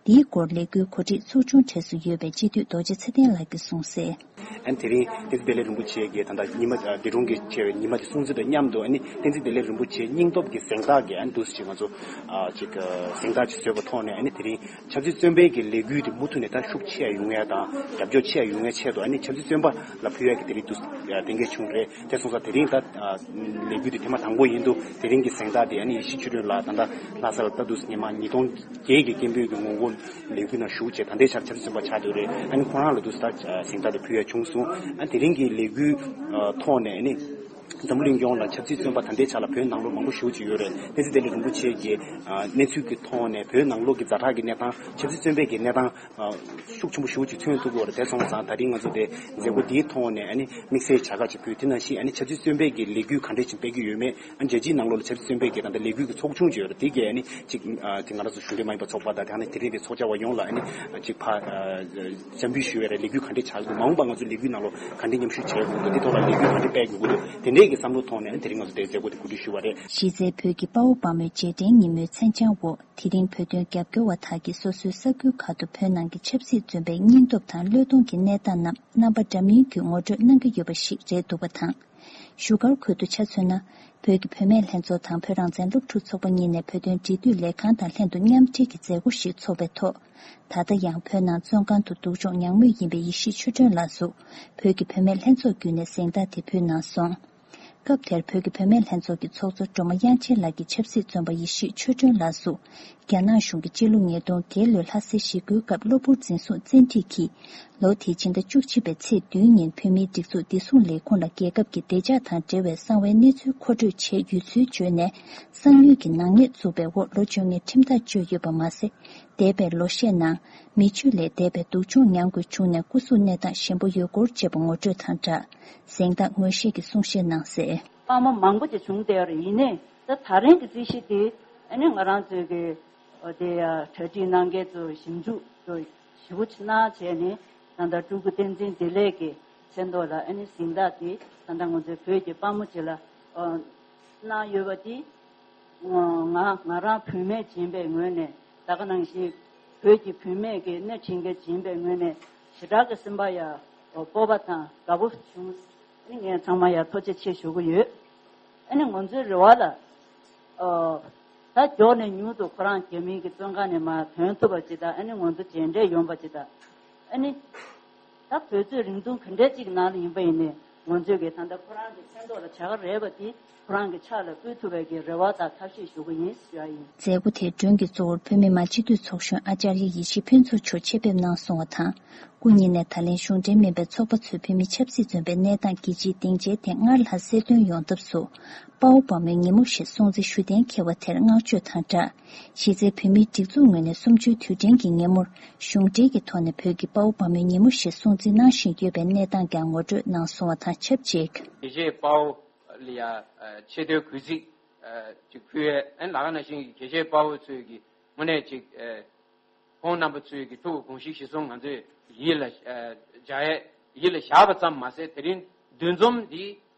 འདིའི་སྐོར་ལས་འགུལ་གོ་སྒྲིག་ཚོགས་ཆུང་གྲས་སུ་ཡོད་པའི་སྤྱི་འཐུས་རྡོ་རྗེ་ཚེ་བརྟན་ལགས་ཀྱིས་གསུངས་གསལ། ཨན་དེ་རིང་བསྟན་འཛིན་བདེ་ལེགས་རིན་པོ་ཆེ་གིས་ད་ལྟ་ཉི་མ་ཨ་འདི་སྒྲུང་གི་ཆེ་བའི་ཉི་མ་དེ་སྲུང་བརྩི་དང་མཉམ་དུ། ཨ་ནི་བསྟན་འཛིན་བདེ་ལེགས་རིན་པོ་ཆེའི་སྙིང་སྟོབས་ཀྱི་གཟེངས་རྟགས་ཀྱི་ཨ་ནི་འདུག་སེ་ཅིག་ང་ཚོ་ཨ་ཅིག་ཨ་གཟེངས་རྟགས་ཅིག་བཟོས་པ་ཐོག་ནས། ཨ་ནི་དེ་རིང་ཆབ་སྲིད་བཙོན་པའི་གི་ལས་འགུལ་དེ་མུ་མཐུད་ནས་ད་ཤུགས་ཆེ་ཡོང་ཡ་དང་རྒྱབ་སྐྱོར་ཆེ་ཡོང་ཡ་ཆེད་དུ། ཨ་ནི་ཆབ་སྲིད་བཙོན་པ་ལ་ཕུལ་ཡ་གི་དེ་རིང་འདུག་སེ་གཏན་འཁེལ་བྱུང་རེད། དེ་སོང་ཙང་དེ་རིང་ད་ཨ་ལས་འགུལ་དེ་ཐེངས་མ་དང་པོ་ཡིན་འདུག་དེ་རིང་གི་གཟེངས་རྟགས་དེ་ཨ་ནི་ཡེ་ཤེས་ཆོས་སྒྲོན་ལགས་ད་ལྟ་ལྷ་ས་ལ་ད་འདུག་སེ་སྔོན་མ་ཉིས་སྟོང་བརྒྱད་ཀྱི་སྐད་འབོད་ཀྱི་ངོ་རྒོལ་ལས་འགུལ་ནང་ཞུགས་བྱས། ད་ལྟའི་ཆར་ཆབ་སྲིད་བཙོན་པ་ཆགས་བསྡད་རེད། ཨ་ནི་ཁོ་རང་ལ་འདུག་སེ་ད་གཟེངས་རྟགས་དེ་ཕུལ་ཡ་བྱུང་སོང་། ཨ་དེ་རིང་གི་ལས་འགུལ་ཐོག་ནས་ཨ་ནི་འཛམ་བུ་གླིང་ཡོངས་ལ་ཆབ་སྲིད་བཙོན་པ་ད་ལྟའི་ཆར་ལ་བོད་ནང་ལོགས་མང་པོ་ཞེ་པོ་ཅིག་ཡོད་རེད། བསྟན་འཛིན་བདེ་ལེགས་རིན་པོ་ཆེ་གི་གནས་ཚུལ་གྱི་ཐོག་ནས་བོད་ནང་ལོགས་ཀྱི་ཛ་དྲག་གི་གནས་སྟངས། ཆབ་སྲིད་བཙོན་པའི་གི་གནས་སྟངས་ཤུགས་ཆེན་པོ་ཞེ་པོ་ཅིག་མཚོན་ཐུབ་ཀྱི་ཡོད་རེད། དེ་སོང་ཙང་ད་རིང་ང་ཚོ་དེ་མཛད་སྒོ་འདིའི་ཐོག་ནས་ཨ་ནི་དམིགས་བསལ་བྱ་དགའ་ཅིག་ཕུལ། དེ་ནང་བཞིན་ཨ་ནི་ཆབ་སྲིད་བཙོན་པའི་གི་ལས་འགུལ་ག་འདྲས་ཅིག་སྤེལ་གྱི་ཡོད་མེད། ཨ་ནི་རྒྱལ་སྤྱིའི་ནང་ལོགས་ལ་ཆབ་སྲིད་བཙོན་པའི་གི་ད་ལྟ་ལས་འགུལ་གྱི་ཚོགས་ཆུང་ཅིག་ཡོད་རེད། དེ་གས་ཨ་ནི་ཅིག་ཨ་དེ་ང་རང་ཚོ་གཞུང་འབྲེལ་མ་ཡིན་པ་ཚོགས་པ་དང་། དེ་ནང་དེ་རིང་དེ་ཚོགས་བཅར་བ་ཡོངས་ལ་ཨ་ནི་ཅིག་ཕ་ཨ་འཚམས་འདྲི་ཞུ་ཡ་རེད། ལས་འགུལ་ག་འདྲས་ཆགས་ཀྱི་འདུག་མ་འོངས་པ་ང་ཚོ་ལས་འགུལ་ནང་ལོགས་ག་འདྲས་མཉམ་ཞུགས་བྱེད་དགོས་འདུག་དེ་ཐོག་ལ་ལས་འགུལ་ག་འདྲས་སྤེལ་དགོས་ཀྱི་འདུག་དེ་འདྲས་ཀྱི་བསམ་བློ་ཐོག་ནས་ཨ་ནི་དེ་རིང་ང་ཚོ་དེ་མཛད་སྒོ་དེ་གོ་སྒྲིག་ཞུས་པ་རེད། གཞི་རྩའི་བོད་ཀྱི་དཔའ་བོ་དཔའ་མོའི་རྗེས་དྲན་ཉིན་མོའི་མཚན་བྱང་འོག་དེ་རིང་བོད་དོན་རྒྱབ་སྐྱོར་བ་དག་གིས་སོ་སོའི་ས་ཁུལ་ཁག་ཏུ་བོད་ནང་གི་ཆབ་སྲིད་བཙོན་པའི་སྙིང་སྟོབས་དང་བློས་གཏོང་གི་གནས་སྟངས་རྣམས་རྣམ་པ་འདྲ་མིན་གྱིས་ངོ་སྤྲོད་གནང་གི་ཡོད་པ་ཞིག་རེད་འདུག་པ་དང་། བཞུགས་སྒར་ཁུལ་དུ་ཆ་མཚོན་ན། བོད་ཀྱི་བུད་མེད་ལྷན་ཚོགས་དང་བོད་རང་བཙན་སློབ་ཕྲུག་ཚོགས་པ་གཉིས་ནས་བོད་དོན་འབྲེལ་མཐུད་ལས་ཁང་དང་ལྷན་དུ་མཉམ་འབྲེལ་གྱི་མཛད་སྒོ་ཞིག་ཚོགས་པའི་ཐོག་ད་ལྟ་ཡང་བོད་ནང་བཙོན་ཁང་དུ་སྡུག་སྦྱོང་མྱངས་མུས་ཡིན་པའི་ཡེ་ཤེས་ཆོས་སྒྲོན་ལགས་སུ། བོད་ཀྱི་བུད་མེད་ལྷན་ཚོགས་བརྒྱུད་ནས་གཟེངས་རྟགས་དེ་ཕུལ་གནང་སོང་། སྐབས་དེར་བོད་ཀྱི་བུད་མེད་ལྷན་ཚོགས་ཀྱི་ཚོགས་གཙོ་སྒྲོལ་མ་དབྱངས་ཅན་ལགས་ཀྱིས་ཆབ་སྲིད་བཙོན་པ་ཡེ་ཤེས་ཆོས་སྒྲོན་ལགས་སུ། རྒྱ་ནག་གཞུང་གིས་སྤྱི་ལོ་ཉིས་སྟོང་བརྒྱད་ལོའི་ལྷ་སའི་ཞི་རྒོལ་སྐབས་གློ་བུར་འཛིན་བཟུང་བཙན་ཁྲིད་ཀྱིས། ལོ་དེའི་ཕྱི་ཟླ་བཅུ་གཅིག་པའི་ཚེས་བདུན་ཉིན་བོད་མིའི་སྒྲིག་འཛུགས་བདེ་སྲུང་ལས་ཁུངས་ལ་རྒྱལ་ཁབ་ཀྱི་བདེ་འཇགས་དང་འབྲེལ་བའི་གསང་བའི་གནས་ཚུལ་མཁོ་སྤྲོད་བྱས་ཡོད་ཚུལ་བརྗོད་ནས། གསང་ཉུལ་གྱི་ནག་ཉེས་བཙུགས་པའི་འོག་ལོ་བཅོ་ལྔའི་ཁྲིམས་ཐག་གཅོད་ཡོད་པ་མ་ཟད། འདས་པའི་ལོ་ཤས་ནང་མི་སྤྱོད་ལས་འདས་པའི་སྡུག་སྦྱོང་མྱངས་དགོས་བྱུང་ནས་སྐུ་གཟུགས་གནས་སྟངས་ཞན་པོ་ཡོད་སྐོར་བཅས་པ་ངོ་སྤྲོད་དང་སྦྲགས། གཟེངས་རྟགས་ངོས་བཞེས་ཀྱི་གསུང་བཤད་གནང་གསལ། དཔའ་མོ་མང་པོ་ཅིག་བྱུང་བསྡད་ཡོད་རེད། ཡིན་ནའི་ད་ད་རིང་གི་རྩིས་གཞི་དེ་ཨ་ནི་ང་རང་ཚོའི་གི་ཨོ་དེ་ཡ་གྲ་སྒྲིག་གནང་མཁན་ཚོ་ཞིབ་འཇུག་ཚོ་ཞེ་པོ་ཅིག་གནང་བྱས་ནས། ད་ལྟ་སྤྲུལ་སྐུ་བསྟན་འཛིན་བདེ་ལེགས་ཀྱི་མཚན་ཐོག་ལ་ཨ་ནི་གཟེངས་རྟགས་དེ་ད་ལྟ་ང་ཚོའི་བོད་ཀྱི་དཔའ་མོ་ཅིག་ལ་ཨོ་གནང་ཡོད་པ་དེ། ང་ང་རང་བུད་མེད་ཡིན་པའི་ངོས་ནས། ད་ག་ནང་བཞིན་བོད་ཀྱི་བུད་མེད་ཀྱི་སྣེ་ཁྲིད་མཁན་ཡིན་པའི་ངོས་ནས་ཞེ་དྲག་གི་སེམས་པ་ཡ་སྤོབས་པ་དང་དགའ་པོ་བྱུང་། ཨ་ནི་ངས་ཚང་མ་ཡ་ཐུགས་རྗེ་ཆེ་ཞུ་གི་ཡོད། ཨ་ནི་ང་ཚོའི་རེ་བ་ལ། ཨོ། ད་མགྱོགས་ནས་མྱུར་དུ་ཁོ་རང་རྒྱ་མིའི་གི་བཙོན་ཁང་ནས་མར་ཐོན་ཐུབ་པ་ཅིག་དང་། ཨ་ནི་ང་ཚོ་མཇལ་འཕྲད་ཡོང་པ་ཅིག་དང་། ཨ་ནི། ད་བོད་རྩོད་རིང་ཐུང་ག་འདྲ་ཅིག་ནང་ལ་ཡིན་པ་ཡིན་ནའི། ང་ཚོས་གི་ད་ལྟ་ཁོ་རང་གི་མཚན་ཐོག་ལ་བྱ་དགའ་རེད་པ་དེ་ཁོ་རང་གི་ཕྱག་ལ་ཕུལ་ཐུབ་པའི་གི་རེ་བ་དང་ཐབས་ཤེས་ཞུ་གི་ཡིན་ཞུ་ཡ་ཡིན། མཛད་སྒོ་དེའི་མགྲོན་གྱི་གཙོ་བོར་བོད་མི་མང་སྤྱི་འཐུས་ཚོགས་གཞོན་ཨ་ཅར་ཡ་ཡེ་ཤེས་ཕུན་ཚོགས་མཆོག་ཆེད་ཕེབས་གནང་སོང་བ་དང་། སྐུ་ཉིད་ནས་ད་ལན་གཞུང་འབྲེལ་མིན་པའི་ཚོགས་པ་ཚོས་བོད་མི་ཆབ་སྲིད་བཙོན་པའི་གནས་སྟངས་རྒྱལ་སྤྱིའི་སྡིངས་ཆའི་སྟེང་སྔར་ལྷག་གསལ་སྟོན་ཡོང་ཐབས་སུ། དཔའ་བོ་དཔའ་མོའི་ཉིན་མོ་ཞེས་སྲུང་བརྩི་ཞུ་གཏན་འཁེལ་བ་དེར་བསྔགས་བརྗོད་དང་སྦྲགས། གཞི་རྩའི་བོད་མིའི་སྒྲིག་འཛུགས་ངོས་ནས་གསུམ་བཅུའི་དུས་དྲན་གྱི་ཉིན་མོར་གཞུང་འབྲེལ་གྱི་ཐོག་ནས་བོད་ཀྱི་དཔའ་བོ་དཔའ་མོའི་ཉིན་མོ་ཞེས་སྲུང་བརྩི་གནང་བཞིན་ཡོད་པའི་གནས་སྟངས་ཀྱང་ངོ་སྤྲོད་གནང་སོང་བ་དང་ཆབས་ཅིག། དགེ་བཤེས་དཔའ་བོ་ལ་ཡ་ཆེ་བསྟོད་གུས་བརྩི་ཅིག་ཕུལ་ཡས། ཨན་ལ་ཁ་ནང་བཞིན་གྱི་དགེ་བཤེས་དཔའ་བོ་ཚོས་ཀྱི་དངོས་གནས་ཅིག་ཁོང་རྣམ་པ་ཚོས་ཀྱི་ཐུགས་ཀྱི་དགོངས་གཞི་གཞིར་བཟུང་ང་ཚོས་ཡིད་ལ་འཇགས་ཡས་ཡིད་ལ་བཞག་པ་ཙམ་མ་ཟད། དེ་རིང་འདུ་འཛོམས་འདི་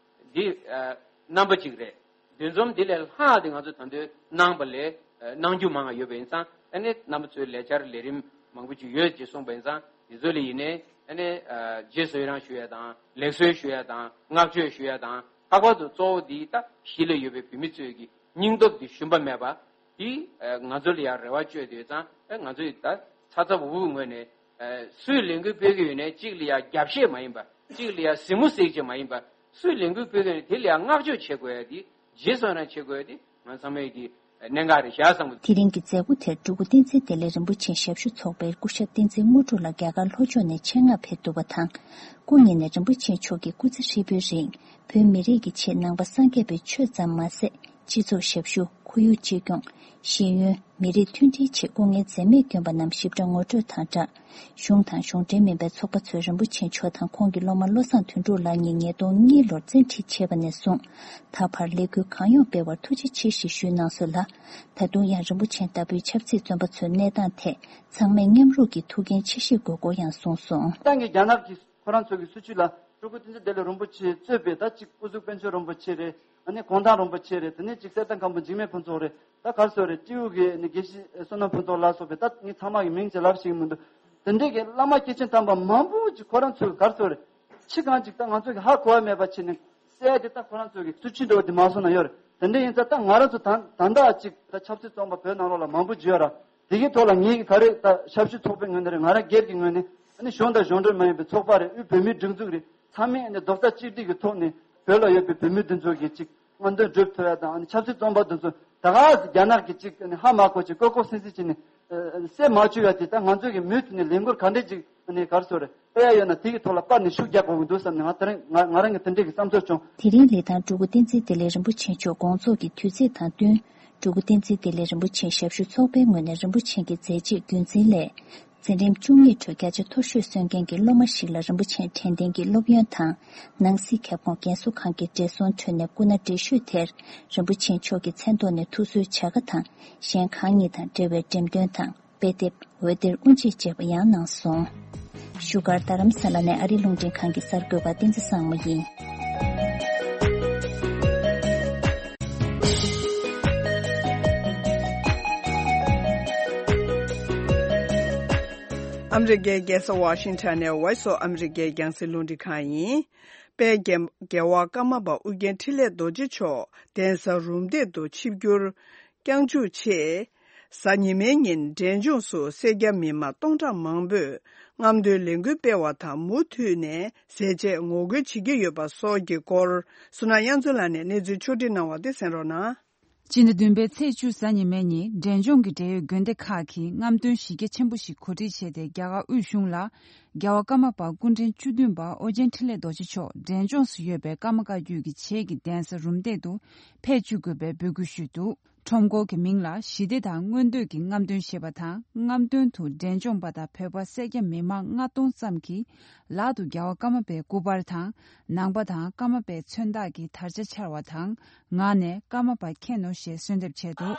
འདི་རྣམ་པ་གཅིག་རེད། འདུ་འཛོམས་འདི་ལས་ལྷག་དེ་ང་ཚོ་ད་དུང་གནང་པ་ལས་གནང་རྒྱུ་མང་བ་ཡོད་པ་ཡིན་ཙང་། ཨ་ནི་རྣམ་པ་ཚོའི་ལས་འཆར་ལས་རིམ་མང་པོ་ཅིག་ཡོད་ཅེས་གསུངས་པ་ཡིན་ཙང་། འདི་ཚོ་ལ་ཡིན་ནའི་ཨ་ནི་རྗེས་སུ་ཡི་རང་ཞུ་ཡ་དང་། ལེགས་གསོལ་ཞུ་ཡ་དང་། བསྔགས་བརྗོད་ཞུ་ཡ་དང་། ལྷག་པར་དུ་གཙོ་བོ་འདི་ད་གཞིས་ལ་ཡོད་པའི་བོད་མི་ཚོས་ཀྱི་སྙིང་སྟོབས་འདི་ཞུམ་པ་མེད་པ། དེ་ང་ཚོ་ལ་ཡང་རེ་བ་བཅོལ་དུས་ཙང་། ང་ཚོས་ད་ཚ་ཚ་འུར་འུར་ངོས་ནས་སུས་ལས་འགུལ་སྤེལ་གྱི་ཡོད་ནའི་གཅིག་ལ་ཡང་རྒྱབ་བཤད་མ་ཡིན་པ། གཅིག་ལ་ཡང་གཟིགས་མོ་གཟིགས་བྱེད་མ་ཡིན་པ། སུས་ལས་འགུལ་སྤེལ་མཁན་རེད། དེ་ལ་ཡང་བསྔགས་བརྗོད་བྱེད་དགོས་ཡ་དེ། རྗེས་སུ་ཡི་རང་བྱེད་དགོས་ཡ་དེ་ང་ཚང་མའི་གི་གནད་འགག་རེད་ཤག་བསམ་གི་འདུག་དེ་རིང་གི་མཛད་སྒོ་དེར་སྤྲུལ་སྐུ་བསྟན་འཛིན་བདེ་ལེགས་རིན་པོ་ཆེའི་ཞབས་ཞུ་ཚོགས་པའི་སྐུ་ཞབས་བསྟན་འཛིན་དངོས་གྲུབ་ལགས་རྒྱ་གར་ལྷོ་ཕྱོགས་ནས་ཆེད་མངགས་ཕེབས་འདུག་པ་དང་། སྐུ་ཉིད་ནས་རིན་པོ་ཆེ་མཆོག་གིས་སྐུ་ཚེ་ཧྲིལ་པོའི་རིང་བོད་མི་རིགས་ཀྱི་ཆེད་ནང་པ་སངས་རྒྱས་པའི་ཆོས་ཙམ་མ་ཟད། སྤྱི་ཚོགས་ཞབས་ཞུ། ཁོར་ཡུག་གཅེས་སྐྱོང་། ཤེས་ཡོན། མི་རིགས་མཐུན་སྒྲིལ་ཆེད་སྐུ་ངལ་འཛེམས་མེད་བསྐྱོན་པ་རྣམས་ཞིབ་ཕྲ་ངོ་སྤྲོད་དང་སྦྲགས། གཞུང་དང་གཞུང་འབྲེལ་མིན་པའི་ཚོགས་པ་ཚོས་རིན་པོ་ཆེ་མཆོག་དང་ཁོང་གི་སློབ་མ་བློ་བཟང་དོན་གྲུབ་ལགས་གཉིས་ཉིས་སྟོང་གཉིས་ལོར་བཙན་ཁྲིད་བྱས་པ་ནས་བཟུང་། ད་བར་ལས་འགུལ་གང་ཡོང་སྤེལ་བར་ཐུགས་རྗེ་ཆེ་ཞེས་ཞུས་གནང་སོང་ལ། ད་དུང་ཡང་རིན་པོ་ཆེ་ལྟ་བུའི་ཆབ་སྲིད་བཙོན་པ་ཚོའི་གནས་སྟངས་ཐད་ཚང་མས་མཉམ་རུབ་ཀྱིས་ཐུགས་འགན་ཆེ་བཞེས་དགོས་སྐོར་ཡང་གསུངས་སོང་། ཏང་གིས་རྒྱ་ནག་གིས་ཁོ་རང་ཚོ་གི་སྲིད་བྱུས་ལ་སྤྲུལ་སྐུ་བསྟན་འཛིན་བདེ་ལེགས་རིན་པོ་ཆེ་གཙོས་པའི་ད་གཅིག་སྐུ་གཟུགས་དཔལ་འབྱོར་རིན་པོ་ཆེ་རེད། ཨ་ནི་གུང་ཐང་རིན་པོ་ཆེ་རེད། དེ་ནས་གཅིག་གསེར་ཐང་མཁན་པོ་འཇིགས་མེད་ཕུན་ཚོགས་རེད། ད་གར་སོ་རེད། སྤྲེའུ་གི་ནི་དགེ་བཤེས་བསོད་ནམས་ཕུན་ཚོགས་ལ་སོགས་པའི་ད་ངས་ཚང་མ་གི་མིང་ཅིག་ལབ་ཤེས་ཀྱི་མི་འདུག་དེ་འདྲས་ཀྱི་བླ་མ་སྐྱེས་ཆེན་དམ་པ་མང་པོ་ཅིག་ཁོ་རང་ཚོས་གར་སོ་རེད། ཕྱི་གང་ཅིག་ད་ང་ཚོ་གི་ཧ་གོ་བ་མེད་པ་བྱས་ནས་གསལ་དེ་ད་ཁོ་རང་ཚོ་གི་སྲིད་བྱུས་འདྲ་བོ་དེ་མ་སོང་ན་ཡོད་རེད། དེ་འདྲས་ཡིན་ཙང་ད་ང་རང་ཚོ་ད་ད་ལྟ་ཅིག་ད་ཆབ་སྲིད་བཙོན་པ་བོད་ནང་ལོགས་ལ་མང་པོ་ཅིག་ཡོད་ར། དེ་གི་ཐོག་ལ་ངེད་ཀྱི་ག་རེ་ད་ཞབས་ཞུ་ཚོགས་པའི་ངོས་ནས་རེད། ང་རང་སྒེར་གྱི་ངོས་ནས་ཨ་ནི་གཞུང་དང་གཞུང་འབྲེལ་མ་ཡིན་པའི་ཚོགས་པ་རེད། དབུས་བོད་མིའི་སྒྲིག་འཛུགས་རེད། ཚང་མས་ཨ་ནི་རྡོག་རྩ་གཅིག་སྒྲིལ་གྱི་ཐོག་ནས་བོད་ལ་ཡོད་པའི་བོད་མི་འདི་ཚོ་གི་ཅིག་རྔམ་སྟོན་སྒྲུབ་ཐུབ་ཡ་དང་། ཨ་ནི་ཆབ་སྲིད་བཙོན་པ་འདི་ཚོ་ད་ག་རྒྱ་ནག་གི་ཅིག་ཨ་ནི་ཧ་མ་གོ་ཅིག་ལྐོག་ལྐོག་སིང་སིང་བྱས་ནས་ཨ་ཨ་སེལ་མ་བཅུག་ཡ་དེ་ད་ང་ཚོ་གི་མུ་མཐུད་ནས་ལས་འགུལ་ག་འདྲས་ཅིག་ཨ་ནི་གར་སོ་རེད། དཔེ་ཡ་ཡོད་ན་དེ་གི་ཐོག་ལ་སྤར་ནས་ཤུགས་རྒྱག་དགོས་ཀྱི་འདུག་བསམ་ནས་ང་དེ་རིང་ང་ང་རང་གི་དེ་འདྲས་ཀྱི་བསམ་ཚོར་བྱུང་། དེ་རིང་ལི་ཐང་སྤྲུལ་སྐུ་བསྟན་འཛིན་བདེ་ལེགས་རིན་པོ་ཆེ་མཆོག་དགོངས་རྫོགས་ཀྱི་དུས་ཚིགས་དང་བསྟུན། སྤྲུལ་སྐུ་བསྟན་འཛིན་བདེ་ལེགས་རིན་པོ་ཆེའི་ཞབས་ཞུ་ཚོགས་པའི་ངོས་ནས་རིན་པོ་ཆེ་གི་མཛད་རྗེས་རྒྱུན་འཛིན་སླད། འཛིན་རིམ་བཅུ་གཉིས་ཁྲོད་བརྒྱ་ཆ་མཐོ་ཤོས་སོན་མཁན་གྱི་སློབ་མ་ཞིག་ལ་རིན་པོ་ཆེ་དྲན་རྟེན་གྱི་སློབ་ཡོན་དང་། ནང་སྲིད་ཁྱབ་ཁོངས་རྒན་གསོ་ཁང་གི་བགྲེས་སོང་ཁྲོད་ནས་སྐུ་ན་བགྲེས་ཤོས་དེར་རིན་པོ་ཆེ་མཆོག་གི་མཚན་ཐོག་ནས་ཐུགས་གསོའི་བྱ་དགའ་དང་གཞན་གང་ཉིད་དང་འབྲེལ་བའི་འགྲེམས་སྟོན་དང་། དཔེ་དེབ། འོད་སྡེར་དབུ་འབྱེད་བཅས་པ་ཡང་གནང་སོང་། བཞུགས་སྒར་རྡ་རམ་ས་ལ་ནས་ཨ་རིའི་རླུང་འཕྲིན་ཁང་གི་གསར་འགོད་པ་བསྟན་འཛིན་བཟང་མོ་ཡིན། ཨ་མི་རི་ཀའི་རྒྱལ་ས་ཝ་ཤིང་ཊོན་ནས་Voice of America རྒྱང་སྲིང་རླུང་འཕྲིན་ཁང་ཡིན། དཔལ་རྒྱལ་རྒྱལ་བ་ཀརྨ་པ་ཨོ་རྒྱན་འཕྲིན་ལས་རྡོ་རྗེ་མཆོག་གདན་ས་རུམ་བཏེག་ཏུ་ཆིབས་བསྒྱུར། བསྐྱངས་འཇུག་ཆེད། གཟའ་ཉི་མའི་ཉིན་འབྲས་ལྗོངས་སུ་སེར་སྐྱ་མི་མང་སྟོང་ཕྲག་མང་པོས་རྔམ་སྟོན་ལས་འགུལ་སྤེལ་བ་དང་མུ་མཐུད་ནས་ཟས་བཅད་ངོ་རྒོལ་བྱེད་ཀྱི་ཡོད་པ་སོགས་ཀྱི་སྐོར། བསོད་ནམས་དབྱངས་མཚོ་ལགས་ནས་གནས་ཚུལ་ཕྱོགས་སྒྲིག་གནང་བ་དེ་གསན་རོགས་གནང་། སྤྱི་ཟླ་བདུན་པའི་ཚེས་བཅུ་གཟའ་ཉི་མའི་ཉིན་འབྲས་ལྗོངས་ཀྱི་འབྲེལ་ཡོད་དགོན་སྡེ་ཁག་གིས་རྔམ་སྟོན་གཞི་རྒྱ་ཆེན་པོ་ཞིག་གོ་སྒྲིག་བྱས་ཏེ། རྒྱ་གར་དབུས་གཞུང་ལ་རྒྱལ་བ་ཀརྨ་པ་སྐུ་ཕྲེང་བཅུ་བདུན་པ་ཨོ་རྒྱན་འཕྲིན་ལས་རྡོ་རྗེ་མཆོག་འབྲས་ལྗོངས་སུ་ཡོད་པའི་ཀརྨ་བཀའ་བརྒྱུད་ཀྱི་བྱེས་ཀྱི་གདན་ས་རུམ་བཏེག་ཏུ་ཕེབས་བཅུག་དགོས་པའི་འབོད་སྐུལ་ཞུས་འདུག་ཁྲོམ་སྐོར་གྱི་མིང་ལ་ཞི་བདེ་དང་མངོན་འདོད་ཀྱི་རྔམ་སྟོན་ཞེས་པ་དང་། རྔམ་སྟོན་དུ་འབྲས་ལྗོངས་པ་དང་བོད་པ་སེར་སྐྱ་མི་མང་ལྔ་སྟོང་ཙམ་གྱིས་ལག་ཏུ་རྒྱལ་བ་ཀརྨ་པའི་སྐུ་པར་དང་། ནང་པ་དང་ཀརྨ་པའི་མཚོན་རྟགས་ཀྱི་དར་ཆ་འཕྱར་བ་དང་། ངག་ནས་ཀརྨ་པ་མཁྱེན་ནོ་ཞེས་གསོལ་འདེབས་བྱས་འདུག་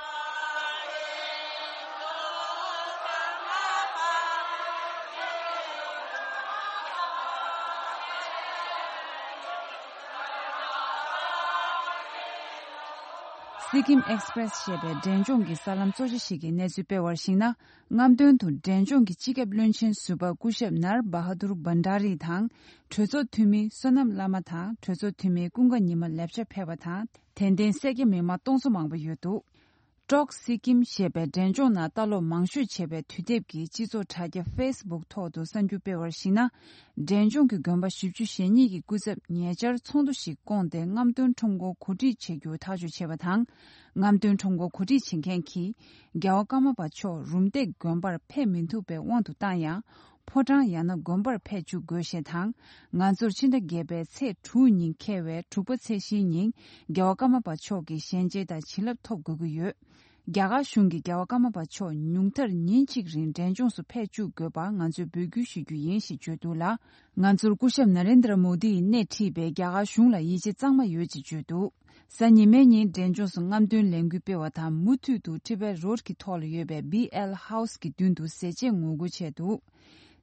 སི་ཀིམ་ཨེགས་པི་རེ་སི་ཞེས་པའི་འབྲས་ལྗོངས་ཀྱི་གསར་ལམ་གཙོ་ཆེ་ཞིག་གིས་གནས་ཚུལ་སྤེལ་བར་གཞིགས་ན། རྔམ་སྟོན་དུ་འབྲས་ལྗོངས་ཀྱི་སྤྱི་ཁྱབ་བློན་ཆེན་ཟུར་པ་སྐུ་ཞབས་ནར་བ་ཧ་དུར་བྷན་ཌ་རི་དང་། གྲོས་ཚོགས་འཐུས་མི་བསོད་ནམས་བླ་མ་དང་གྲོས་ཚོགས་འཐུས་མི་ཀུན་དགའ་ཉི་མ་ལེབ་ཅ་ཕེབས་པ་དང་། དད་ལྡན་སེར་སྐྱ་མི་མང་སྟོང་ཚོ་མང་པོ་ཡོད་འདུག་ཀྲོག་སི་ཀིམ་ཞེས་པའི་འབྲས་ལྗོངས་ནང་ལྟ་ཀློག་མང་ཤོས་བྱས་པའི་དུས་དེབ་ཀྱི་སྤྱི་ཚོགས་དྲ་རྒྱ་ཧྥེ་སི་བུག་ཐོག་ཏུ་གསར་འགྱུར་སྤེལ་བར་གཞིགས་ན། འབྲས་ལྗོངས་ཀྱི་དགོན་པ་བཞི་བཅུ་ཞེ་གཉིས་ཀྱི་སྐུ་ཚབ་ཉེ་ཆར་ཚོགས་འདུ་ཞིག་བསྐོངས་ཏེ་རྔམ་སྟོན་ཁྲོམ་སྐོར་གོ་སྒྲིག་བྱེད་རྒྱུ་ཐག་གཅོད་བྱས་པ་དང་། རྔམ་སྟོན་ཁྲོམ་སྐོར་གོ་སྒྲིག་བྱེད་མཁན་གྱིས་རྒྱལ་བ་ཀརྨ་པ་མཆོག་རུམ་བཏེག་དགོན་པར་ཕེབས་མི་ཐུབ་པའི་དབང་དུ་བཏང་ཡང་། ཕོ་བྲང་ཡང་ན་དགོན་པར་ཕེབས་བཅུག་དགོས་ཞེས་དང་། ང་ཚོར་ཕྱི་ཟླ་བརྒྱད་པའི་ཚེས་དྲུག་ཉིན་འཁེལ་བའི་དྲུག་པ་ཚེས་བཞིའི་ཉིན་རྒྱལ་བ་ཀརྨ་པ་མཆོག་གི་ཞལ་མཇལ་དང་བྱིན་རླབས་ཐོབ་དགོས་ཀྱི་ཡོད། རྒྱ་གར་གཞུང་གིས་རྒྱལ་བ་ཀརྨ་པ་མཆོག་ཉུང་མཐར་ཉིན་གཅིག་རིང་འབྲས་ལྗོངས་སུ་ཕེབས་བཅུག་དགོས་པར་ང་ཚོས་འབོད་སྐུལ་ཞུ་རྒྱུ་ཡིན་ཞེས་བརྗོད་འདུག་ལ། ང་ཚོར་སྐུ་ཞབས་ན་རེན་དྲ་མོ་དི་ཡིས་སྣེ་ཁྲིད་པའི་རྒྱ་གར་གཞུང་ལ་ཡིད་ཆེས་གཙང་མ་ཡོད་ཅེས་བརྗོད་འདུག་གཟའ་ཉི་མའི་ཉིན་འབྲས་ལྗོངས་སུ་རྔམ་སྟོན་ལས་འགུལ་སྤེལ་བ་དང་མུ་མཐུད་དུ་ཊི་བེཊ་རོཌ་ཀྱི་ཐོག་ལ་ཡོད་པའི་བྷི་ཨེལ་ཧའུ་སི་གི་མདུན་དུ་ཟས་བཅད་ངོ་རྒོལ་བྱས་འདུག་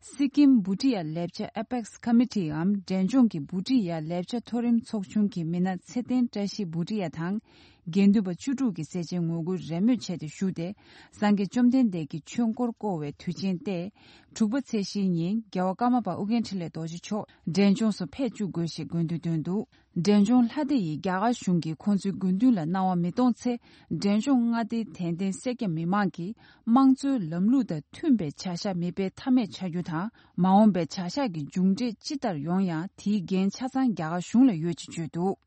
སི་ཀིམ་བྷུ་ཊི་ཡ་ལེབ་ཅ་ཨེ་པེག་སི་ཁོ་མི་ཊི་འམ་འབྲས་ལྗོངས་ཀྱི་བྷུ་ཊི་ཡ་ལེབ་ཅ་མཐོ་རིམ་ཚོགས་ཆུང་གི་མི་སྣ་ཚེ་བརྟན་བཀྲ་ཤིས་བྷུ་ཊི་ཡ་དང་ དགེ་འདུན་པ་བཅུ་དྲུག་གིས་སེ་ཆེན་ངོ་རྒོལ་རེས་མོས་བྱས་ཏེ་ཞུས་ཏེ། སངས་རྒྱས་བཅོམ་ལྡན་འདས་ཀྱིས་ཆོས་འཁོར་བསྐོར་བའི་དུས་ཆེན་ཏེ། དྲུག་པ་ཚེས་བཞིའི་ཉིན་རྒྱལ་བ་ཀརྨ་པ་ཨོ་རྒྱན་འཕྲིན་ལས་རྡོ་རྗེ་མཆོག་འབྲས་ལྗོངས་སུ་ཕེབས་བཅུག་དགོས་ཞེས་དགོས་འདུན་བཏོན་འདུག་འབྲས་ལྗོངས་ལྷ་སྡེ་ཡིས་རྒྱ་གར་གཞུང་གིས་ཁོང་ཚོའི་དགོས་འདུན་ལ་སྣང་བ་མི་གཏོང་ཚེ། འབྲས་ལྗོངས་མངའ་སྡེའི་དད་ལྡན་སེར་སྐྱ་མི་མང་གིས་དམངས་གཙོའི་ལམ་ལུགས་དང་མཐུན་པའི་བྱ་གཞག་མི་སྤེལ་ཐབས་མེད་ཆགས་རྒྱུ་དང་། མ་འོངས་པའི་བྱ་གཞག་གི་མཇུག་འབྲས་ཅི་ལྟར་ཡོང་ཡང་དེའི་འགན་ཆ་ཚང་རྒྱ་གར་གཞུང་ལ་ཡོད་ཅེས་བརྗོད་འདུག་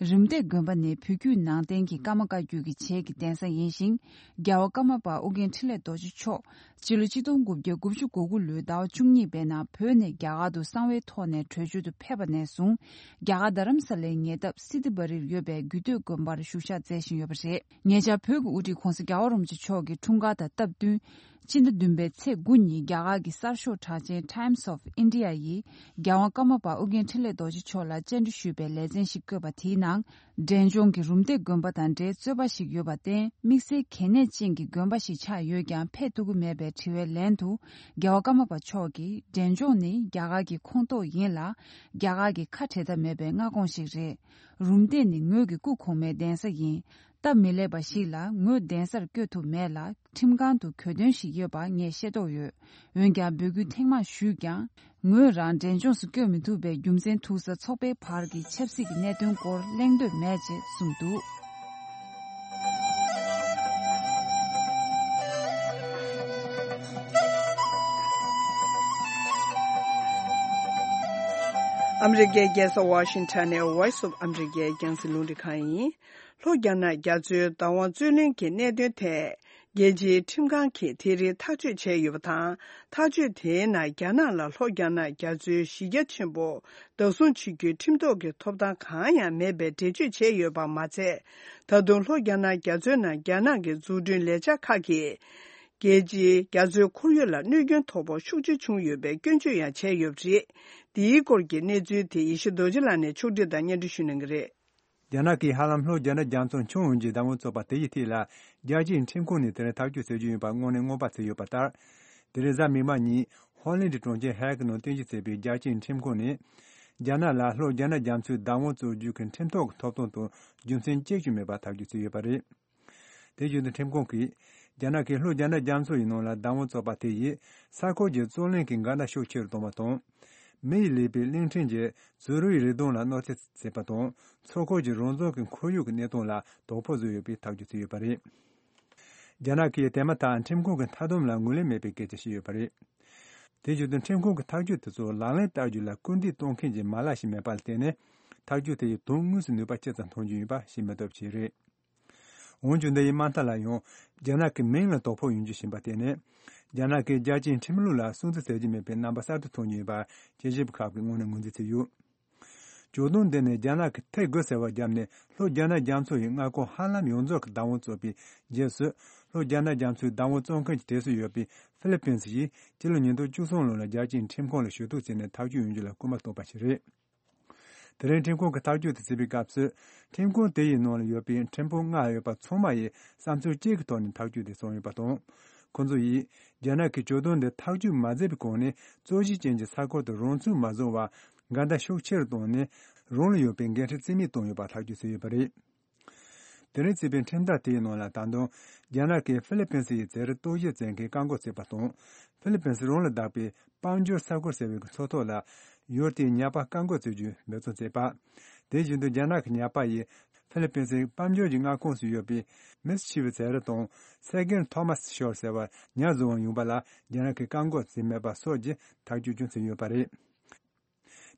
རིམ་བསྟེ་དགོན་པ་ནི་བོད་བརྒྱུད་ནང་བསྟན་གྱི་ཀརྨ་བཀའ་བརྒྱུད་ཀྱི་བྱེས་ཀྱི་གདན་ས་ཡིན་ཞིང་། རྒྱལ་བ་ཀརྨ་པ་ཨོ་རྒྱན་འཕྲིན་ལས་རྡོ་རྗེ་མཆོག་སྤྱི་ལོ་ཆིག་སྟོང་དགུ་བརྒྱ་དགུ་བཅུ་གོ་དགུ་ལོའི་ཟླ་བ་བཅུ་གཉིས་པའི་ནང་བོད་ནས་རྒྱ་གར་དུ་གསང་བའི་ཐོག་ནས་བྲོས་བྱོལ་དུ་ཕེབས་པ་ནས་བཟུང་། རྒྱ་གར་རྡ་རམ་ས་ལའི་ཉེ་འདབས་སི་ཏི་བ་རིར་ཡོད་པའི་རྒྱུད་སྟོད་དགོན་པར་བཞུགས་ཞག་མཛད་བཞིན་ཡོད་པ་རེད། ཉེ་ཆར་བོད་ཀྱི་དབུ་ཁྲིད་ྋགོང་ས་རྒྱལ་བ་རིན་པོ་ཆེ་མཆོག་གི་འཁྲུངས་སྐར་དང་སྟབས་བསྟུན། ཕྱི་ཟླ་བདུན་པའི་ཚེས་དགུ་ཉིན་རྒྱ་གར་གྱི་གསར་ཤོག་གྲགས་ཅན་Times of India ཡིས་རྒྱལ་དབང་ཀརྨ་པ་ཨོ་རྒྱན་འཕྲིན་ལས་རྡོ་རྗེ་མཆོག་ལ་བཅར་འདྲི་ཞུས་པའི་ལེ་ཚན་ཞིག་བཀོད་པ་དེའི་ནང་། འབྲས་ལྗོངས་ཀྱི་རུམ་བཏེག་དགོན་པ་དང་འབྲེལ་རྩོད་པ་ཞིག་ཡོད་པར་བརྟེན། དམིགས་བསལ་གལ་གནད་ཅན་གྱི་དགོན་པ་ཞིག་ཆགས་ཡོད་ཀྱང་ཕེབས་ཐུབ་ཀྱི་མེད་པའི་དྲི་བའི་ལན་དུ། རྒྱལ་བ་ཀརྨ་པ་མཆོག་གིས་འབྲས་ལྗོངས་ནི་རྒྱ་གར་གྱི་ཁོངས་གཏོགས་ཡིན་ལ། རྒྱ་གར་གྱི་ཁ་བྲལ་ཐབས་མེད་པའི་མངའ་ཁོངས་ཤིག་རེད། རུམ་བཏེག་ནི་ངོས་ཀྱི་སྐུ་གོང་མའི་གདན་ས་ཡིན། སྟབས་མི་ལེགས་པ་ཞིག་ལ་ངོས་གདན་སར་བསྐྱོད་ཐུབ་མེད་ལ། ཁྲིམས་ཁང་དུ་གྱོད་དོན་ཞིག་ཡོད་པ་ངས་ཤེས་རྟོགས་ཡོད། འོན་ཀྱང་འབོད་སྐུལ་ཐེངས་མང་ཞུས་ཀྱང་། ངོས་རང་འབྲས་ལྗོངས་སུ་བསྐྱོད་མི་ཐུབ་པའི་རྒྱུ་མཚན་ཐུག་ས་ཚོགས་པའི་བར་གྱི་ཆབ་སྲིད་ཀྱི་གནད་དོན་སྐོར་གླེང་འདོད་མེད་ཅེས་གསུངས་འདུག་ཨ་མི་རི་ཀའི་རྒྱལ་ས་ཝ་ཤིང་ཊོན་ནས་Voice of America རྒྱང་སྲིང་རླུང་འཕྲིན་ཁང་ཡིན། ལྷོ་རྒྱ་ནག་རྒྱ་མཚོའི་བདག་དབང་རྩོད་ལེན་གྱི་གནད་དོན་ཐད། རྒྱལ་སྤྱིའི་ཁྲིམས་ཁང་གིས་དེ་རིང་ཐག་གཅོད་བྱས་ཡོད་པ་དང་། ཐག་གཅོད་དེའི་ནང་རྒྱ་ནག་ལ་ལྷོ་རྒྱ་ནག་རྒྱ་མཚོའི་གཞི་རྒྱ་ཆེན་པོ་བདག་བཟུང་བྱེད་རྒྱུའི་ཁྲིམས་ཐོག་གི་ཐོབ་ཐང་གང་ཡང་མེད་པའི་འགྲེལ་བརྗོད་བྱས་ཡོད་པ་མ་ཚད། ད་དུང་ལྷོ་རྒྱ་ནག་རྒྱ་མཚོའི་ནང་རྒྱ་ནག་གི་འཛུགས་སྐྲུན་ལས་འཆར་ཁག་གིས། རྒྱལ་སྤྱིའི་རྒྱ་མཚོའི་ཁོར་ཡུག་ལ་གནོད་སྐྱོན་དོ་ཕོག་ཤུགས་ཆེ་བྱུང་ཡོད་པའི་སྐྱོན་བརྗོད་ཡང་བྱས་ཡོད་པ་རེད། འདིའི་སྐོར་གྱི་གནས་ཚུལ་དེ་ཡེ་ཤེས་རྡོ་རྗེ་ལགས་ནས་ཕྱོགས་སྒྲིག་དང་སྙན་སྒྲོན་ཞུ་གནང་གི་རེད། རྒྱ་ནག་གིས་ཧ་ལམ་ལྷོ་རྒྱ་ནག་རྒྱ་མཚོ་མཆོང་ཡོང་རྒྱུའི་བདག་དབང་རྩོད་པ་དེ་ཡི་ཐད་ལ། རྒྱལ་སྤྱིའི་ཁྲིམས་ཁང་ནས་དེ་རིང་ཐག་གཅོད་བྱེད་རྒྱུ་ཡིན་པ་སྔོན་ནས་སྔོན་དཔག་བྱས་ཡོད་པ་ལྟར། དེ་རིང་གཟའ་མིག་དམར་ཉིན་ཧོ་ལན་གྱི་གྲོང་ཁྱེར་ཧེག་ནང་རྟེན་གཞི་བྱས་པའི་རྒྱལ་སྤྱིའི་ཁྲིམས་ཁང་ནས། རྒྱ་ནག་ལ་ལྷོ་རྒྱ་ནག་རྒྱ་མཚོའི་བདག་དབང་རྩོད་རྒྱུ་གི་ཁྲིམས་ཐོག་གི་ཐོབ་ཐང་དང་རྒྱུ་མཚན་གཅིག་ཀྱང་མེད་པར་ཐག་གཅོད་བྱས་ཡོད་པ་རེད། དེ་བཞིན་དུ་ཁྲིམས་ཁང་གིས། རྒྱ་ནག་གིས་ལྷོ་རྒྱ་ནག་རྒྱ་མཚོ་ཡི་ནང་ལ་བདག་དབང་རྩོད་པ་དེ་ཡིས་ས་ཁུལ་གྱི་བརྩོན་ལེན་གྱི་འགལ་ཟླ་ཤུགས་ཆེ་རུ་གཏོང་བ་དང་། མི་ཡི་ལུས་པོའི་གླིང་ཕྲན་གྱི་རྫུ་རུའི་རི་སྡོང་ལ་གནོད་འཚེ་བྱས་པ་དང་། མཚོ་ཁུལ་གྱི་རང་བཙན་གྱི་ཁོར་ཡུག་གི་གནས་སྟངས་ལ་དོ་ཕོག་བཟོས་ཡོད་པའི་ཐག་གཅོད་བྱས་ཡོད་པ་རེད། རྒྱ་ནག་གིས་དེ་མ་ཐག་ཁྲིམས་ཁང་གི་མཐའ་སྡོམ་ལ་ངོས་ལེན་མེད་པའི་སྐད་ཆ་བཤད་ཡོད་པ་རེད། དེ་བཞིན་དུ་ཁྲིམས་ཁང་གི་ཐག་གཅོད་དེ་ཚོ་ལག་ལེན་བསྟར་རྒྱུ་ལ་སྐུལ་འདེད་གཏོང་མཁན་གྱི་མ་ལག་ཞིག་མེད་པ་ལ་བརྟེན་ནས། ཐག་གཅོད་དེ་ཡིས་དོན་དངོས་སུ་ནུས་པ་ཅི་ཙམ་ཐོན་རྒྱུ་ཡིན་པ་ཤེས་མི་ཐུབ་ཅིག་རེད། འོན་ཀྱང་འདི་ཡི་དམའ་མཐའ་ལ་ཡང་རྒྱ་ནག་གི་མིང་ལ་དོ་ཕོག་ཡོང་རྒྱུ་ཞིག་ཡིན་པ་དེ་ནི། རྒྱ་ནག་གིས་རྒྱལ་སྤྱིའི་ཁྲིམས་ལུགས་ལ་སྲུང་བརྩི་བྱེད་ཀྱི་མེད་པའི་རྣམ་པ་གསར་དུ་མཐོང་རྒྱུ་ཡིན་པ་དཔྱད་ཞིབ་པ་ཁག་གིས་དངོས་གནས་ངོས་འཛིན་བྱས་ཡོད། ཇོ་བདུན་འདི་ནི་རྒྱ་ནག་གིས་ཐེ་དགུ་ཟེར་བ་བརྒྱབ་ནས་ལྷོ་རྒྱ་ནག་རྒྱ་མཚོ་ཡི་མངའ་ཁོངས་ཧ་ལམ་ཡོངས་རྫོགས་ཀྱི་བདག་དབང་རྩོད་པའི་རྗེས་སུ། ལྷོ་རྒྱ་ནག་རྒྱ་མཚོའི་བདག་དབང་རྩོད་མཁན་གྱི་གྲས་སུ་ཡོད་པའི་ཧྥི་ལི་པིན་སི་ཡིས་སྤྱི་ལོ་ཉིས་སྟོང་བཅུ་གསུམ་ལོ་ལ་རྒྱལ་སྤྱིའི་ཁྲིམས་ཁང་ལ་ཞུ་གཏུག་བྱས་ནས་ཐག་གཅོད་ཡོང་རྒྱུ་ལ་སྐུལ་མ་བཏང་པ་ཞིག་རེད། དེ་རིང་ཁྲིམས་ཁང་གིས་ཐག་གཅོད་དེ་བྱས་པའི་སྐབས་སུ། ཁྲིམས་ཁང་དེ་ཡི་ནང་ལ་ཡོད་པའི་ཁྲིམས་དཔོན་ལྔ་ཡོད་པ་ཚང་མ་ཡིས་བསམ་ཚུལ་གཅིག་གི་ཐོག་ནས་ཐག་གཅོད་དེ་བྱུང་ཡོད་པ་དང་། ཁོང་ཚོ་ཡིས། རྒྱ་ནག་གིས་ཇོ་བདུན་འདི་ཐག་གཅོད་མ་མཛད་པའི་གོང་ནས་རྩོད་གཞི་ཅན་གྱི་ས་ཁུལ་དུ་རང་ཚུགས་མ་བཟུང་བར། འགལ་ཟླ་ཤུགས་ཆེ་རུ་བཏང་ནས། རང་ལ་ཡོད་པའི་འགན་འཁྲི་རྩིས་མེད་བཏང་ཡོད་པ་ཐག་གཅོད་བྱས་ཡོད་པ་རེད། དེ་རིང་བརྩིས་པའི་ཁྲིམས་ཐག་དེའི་ནང་ལ་ད་དུང་། རྒྱ་ནག་གིས་ཧྥི་ལི་པིན་སི་ཡི་རྩིས་རིག་རྟོག་ཞིབ་བྱེད་མཁན་བཀག་འགོག་བྱས་པ་དང་། ཧྥི་ལི་པིན་སི་རང་ལ་བདག་པའི་དཔལ་འབྱོར་ས་ཁུལ་ཟེར་བའི་མཚོ་ཐོག་ལ། ཡུལ་དེའི་ཉ་པ་བཀག་འགོག་བྱེད་རྒྱུའི་འབད་བརྩོན་བྱས་པ། དེ་བཞིན་དུ་རྒྱ་ནག་གི་ཉ་པ་ཡིས་ཧྥི་ལི་པིན་སིའི་དཔལ་འབྱོར་གྱི་མངའ་ཁོངས་སུ་ཡོད་པའི་མིས་ཆི་བི་ཟེར་ར་དང་སེ་གེན་ཐོ་མཱས་ཤོར་ཟེར་བ་ཉ་བཟུང་བར་ཡོང་པ་ལ་རྒྱ་ནག་གིས་བཀག་འགོག་བྱས་མེད་པ་སོགས་ཀྱི་ཐག་གཅོད་ཀྱང་བྱས་ཡོད་པ་རེད།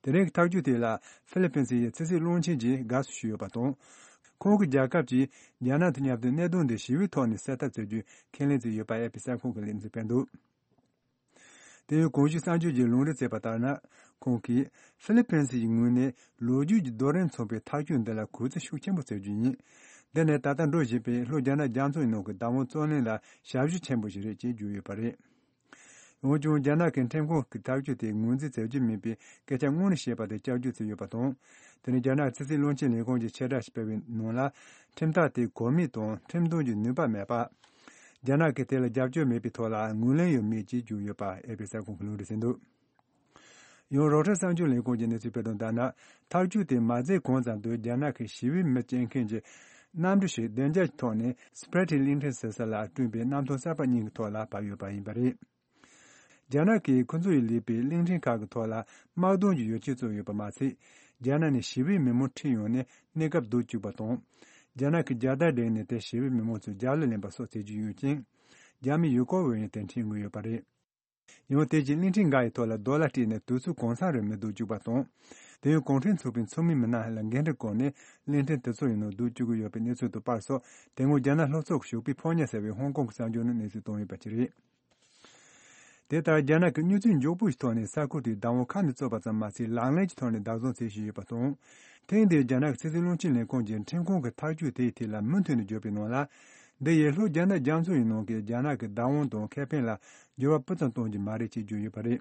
དེ་རིང་གི་ཐག་གཅོད་དེ་ལ་ཧྥི་ལི་པིན་སི་ཡི་ཕྱི་སྲིད་བློན་ཆེན་གྱིས་དགའ་བསུ་ཞུས་ཡོད་པ་དང་། ཁོང་གིས་རྒྱལ་ཁབ་ཀྱིས་རྒྱ་ནག་དང་མཉམ་དུ་གནད་དོན་འདི་ཞི་བའི་ཐོག་ནས་སེལ་ཐབས་བྱ་རྒྱུའི་ཁས་ལེན་བྱས་ཡོད་པ་ཨེ་ཕི་གསར་ཁང་གི་ལེ་ཚན་སྤེལ་འདུག་དེ་ཡང་གོང་ཞུས་གསར་འགྱུར་གྱིས་ལུང་འདྲེན་བྱས་པ་ལྟར་ན། ཁོང་གིས་ཧྥི་ལི་པིན་སི་ཡི་ངོས་ནས་ལོ་རྒྱུས་ཀྱི་རྡོ་རིང་མཚུངས་པའི་ཐག་གཅོད་འདི་ལ་གུས་བརྩི་ཤུགས་ཆེན་པོ་བྱ་རྒྱུ་ཡིན། འདི་ནི་ད་ལྟ་འགྲོ་བཞིན་པའི་ལྷོ་རྒྱ་ནག་རྒྱ་མཚོའི་ནང་གི་བདག་དབང་རྩོད་གླེང་ལ་ཞབས་ཞུ་ཆེན་པོ་ཞིག་རེད་ཅེས་བརྗོད་ཡོད་པ་རེད། འོན་ཀྱང་རྒྱ་ནག་གི་ཁྲིམས་ཁང་གི་ཐག་གཅོད་དེ་ངོས་འཛིན་བྱ་རྒྱུ་མིན་པའི་སྐད་ཆ་སྔོན་ནས་བཤད་པ་དེ་བསྐྱར་བརྗོད་བྱས་ཡོད་པ་དང་། དེ་ནི་རྒྱ་ནག་ཕྱི་སྲིད་བློན་ཆེན་ལས་ཁུངས་ཀྱིས་ཕྱིར་བསྒྲགས་ཤིག་སྤེལ་བའི་ནང་ལ། ཁྲིམས་ཐག་དེ་གོ་མིན་དང་ཁྲིམས་དོན་གྱི་ནུས་པ་མེད་པ། རྒྱ་ནག་གིས་དེ་ལ་རྒྱབ་སྐྱོར་མེད་པའི་ཐོག་ལ་ངོས་ལེན་ཡང་མེད་ཅེས་བརྗོད་ཡོད་པ་ཨེ་ཕི་གསར་ཁང་གིས་ལུང་འདྲེན་བྱས་འདུག་ཡང་རོའི་ཊར་གསར་འགྱུར་ལས་ཁུངས་ཀྱིས་གནས་ཚུལ་སྤེལ་དོན་ལྟར་ན། ཐག་གཅོད་དེ་མ་མཛད་གོང་ཙམ་དུ་རྒྱ་ནག་གི་ཞི་བའི་མི་སྐྱོང་མཁན་གྱི་ གནམ་གྲུ་ཞིག་བདེ་འཇགས་ཀྱི་ཐོག་ནས་སི་པི་རེ་ཊི་གླིང་ཕྲན་ཟེར་ས་ལ་བསྐྲུན་པའི་གནམ་ཐང་གསར་པ་གཉིས་ཀྱི་ཐོག་ལ་བབས་ཡོད་པ་ཡིན་པ་རེད། རྒྱ་ནག་གིས་ཁོ་ཚོ་ཡིས་ལས་པའི་གླིང་ཕྲན་ཁག་གི་ཐོག་ལ་དམག་དོན་གྱི་ཡོ་བྱད་བཙུགས་ཡོད་པ་མ་ཚད། རྒྱ་ནག་ནས་ཞི་བའི་མི་མང་ཁྲིད་ཡོང་ནས་གནས་སྐབས་སྡུག་བཅུག་པ་དང་། རྒྱ་ནག་གིས་རྒྱལ་དར་བསྒྲེངས་ནས་དེར་ཞི་བའི་མི་མང་ཚོས་རྒྱབ་ལ་ལེན་པ་སོགས་བྱེད་ཀྱི་ཡོད་ཅིང་། རྒྱ་མི་ཡུལ་སྐོར་བ་ཡང་དེར་ཁྲིད་མུས་ཡོད་པ་རེད། ཡང་དེ་རྗེས་གླིང་ཕྲན་འགའ་ཡི་ཐོག་ལ་རྡོ་ལ་སྤྲད་ནས་དུས་ཚོད་གང་འཚམ་རིང་མི་སྡོད་བཅུག་པ་དང་། དེ་ཡང་གུང་ཁྲན་ཚོགས་པའི་ཚོགས་མི་མི་སྣ་ལ་འགན་འཁྲི་བསྐོར་ནས་གླིང་ཕྲན་དེ་ཚོ་ཡི་ནང་སྡོད་བཅུག་གི་ཡོད་པའི་གནས་ཚུལ་དང་པར་སོགས། དེ་སྔོན་རྒྱ་ནག་ལྷོ་ཕྱོགས་ཀྱི་ཞོགས་པའི་ཕོ་ཉ་ཟེར་བའི་ཧོང་ཀོང་གི་གསར་འགྱུར་ནང་གནས་ཚུལ་བཏོན་ཡོད་པ་ཅིག་རེད། དེ་ལྟར་རྒྱ་ནག་གིས་མྱུར་ཚད་མགྱོགས་པོ་ཞིག་ཐོག་ནས་ས་ཁུལ་དེའི་བདག་དབང་ཁ་ནས་བཙུགས་པ་ཙམ་མ་ཟད། ལག་ལེན་གྱི་ཐོག་ནས་བདག་བཟུང་བྱེད་བཞིན་ཡོད་པ་དང་། ཐེངས་འདིའི་རྒྱ་ནག་གི་ཕྱི་སྲིད་བློན་ཆེན་ལས་ཁུངས་ཀྱིས་ཁྲིམས་ཁང་གི་ཐག་གཅོད་དེའི་ཐད་ལ་མུ་མཐུད་ནས་བརྗོད་པའི་ནང་ལ། འདི་ཡིས་ལྷོ་རྒྱ་ནག་རྒྱ་མཚོ་ཡི་ནང་གི་རྒྱ་ནག་གི་བདག་དབང་དང་ཁེ་ཕན་ལ་འགྱུར་བ་སྤུ་ཙམ་གཏོང་རྒྱུ་མ་རེད་ཅེས་བརྗོད་ཡོད་པ་རེད།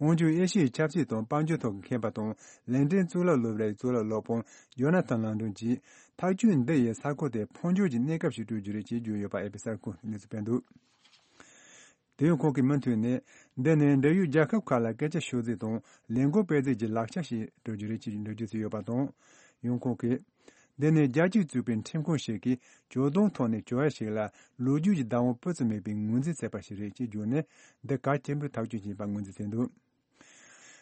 འོན་ཀྱང་ཨེ་ཤི་ཡའི་ཆབ་སྲིད་དང་དཔལ་འབྱོར་ཐོག་གི་མཁས་པ་དང་ལན་ཀྲན་གཙུག་ལག་སློབ་གྲྭའི་གཙུག་ལག་སློབ་དཔོན་ཇོ་ན་ཐན་ལན་ཀྲན་གྱིས། ཐག་གཅོད་འདི་ཡིས་ས་ཁུལ་དེར་འཕོ་འགྱུར་གྱི་གནས་སྐབས་ཤིག་སྤྲོད་རྒྱུ་རེད་ཅེས་བརྗོད་ཡོད་པ་ཨེ་པི་གསར་ཁང་གིས་གནས་ཚུལ་སྤེལ་འདུག་དེ་ཡང་ཁོང་གིས་མུ་མཐུད་ནས། འདི་ནི་འབྲེལ་ཡོད་རྒྱལ་ཁབ་ཁག་ལ་སྐད་ཆ་ཤོད་རྩིས་དང་ལས་འགུལ་སྤེལ་རྩིས་ཀྱི་ལག་ཆ་ཞིག་སྤྲོད་རྒྱུ་རེད་ཅེས་འགྲེལ་བརྗོད་བྱས་ཡོད་པ་དང་། ཡང་ཁོང་གིས། འདི་ནི་རྒྱལ་སྤྱིས་བཙུགས་པའི་ཁྲིམས་ཁང་ཞིག་གིས་བྱོལ་གཏོང་ཐོག་ནས་བྱོལ་ཡ་ཞིག་ལ་ལོ་རྒྱུས་ཀྱི་བདག་དབང་སྤུ་ཙམ་མེད་པའི་ངོས་འཛིན་བྱས་པ་ཞིག་རེད་ཅེས་བརྗོད་ནས། འདི་གལ་ཆེན་པོའི་ཐག་གཅོད་ཅིག་ཡིན་པ་ངོས་འཛིན་བྱས་འདུག་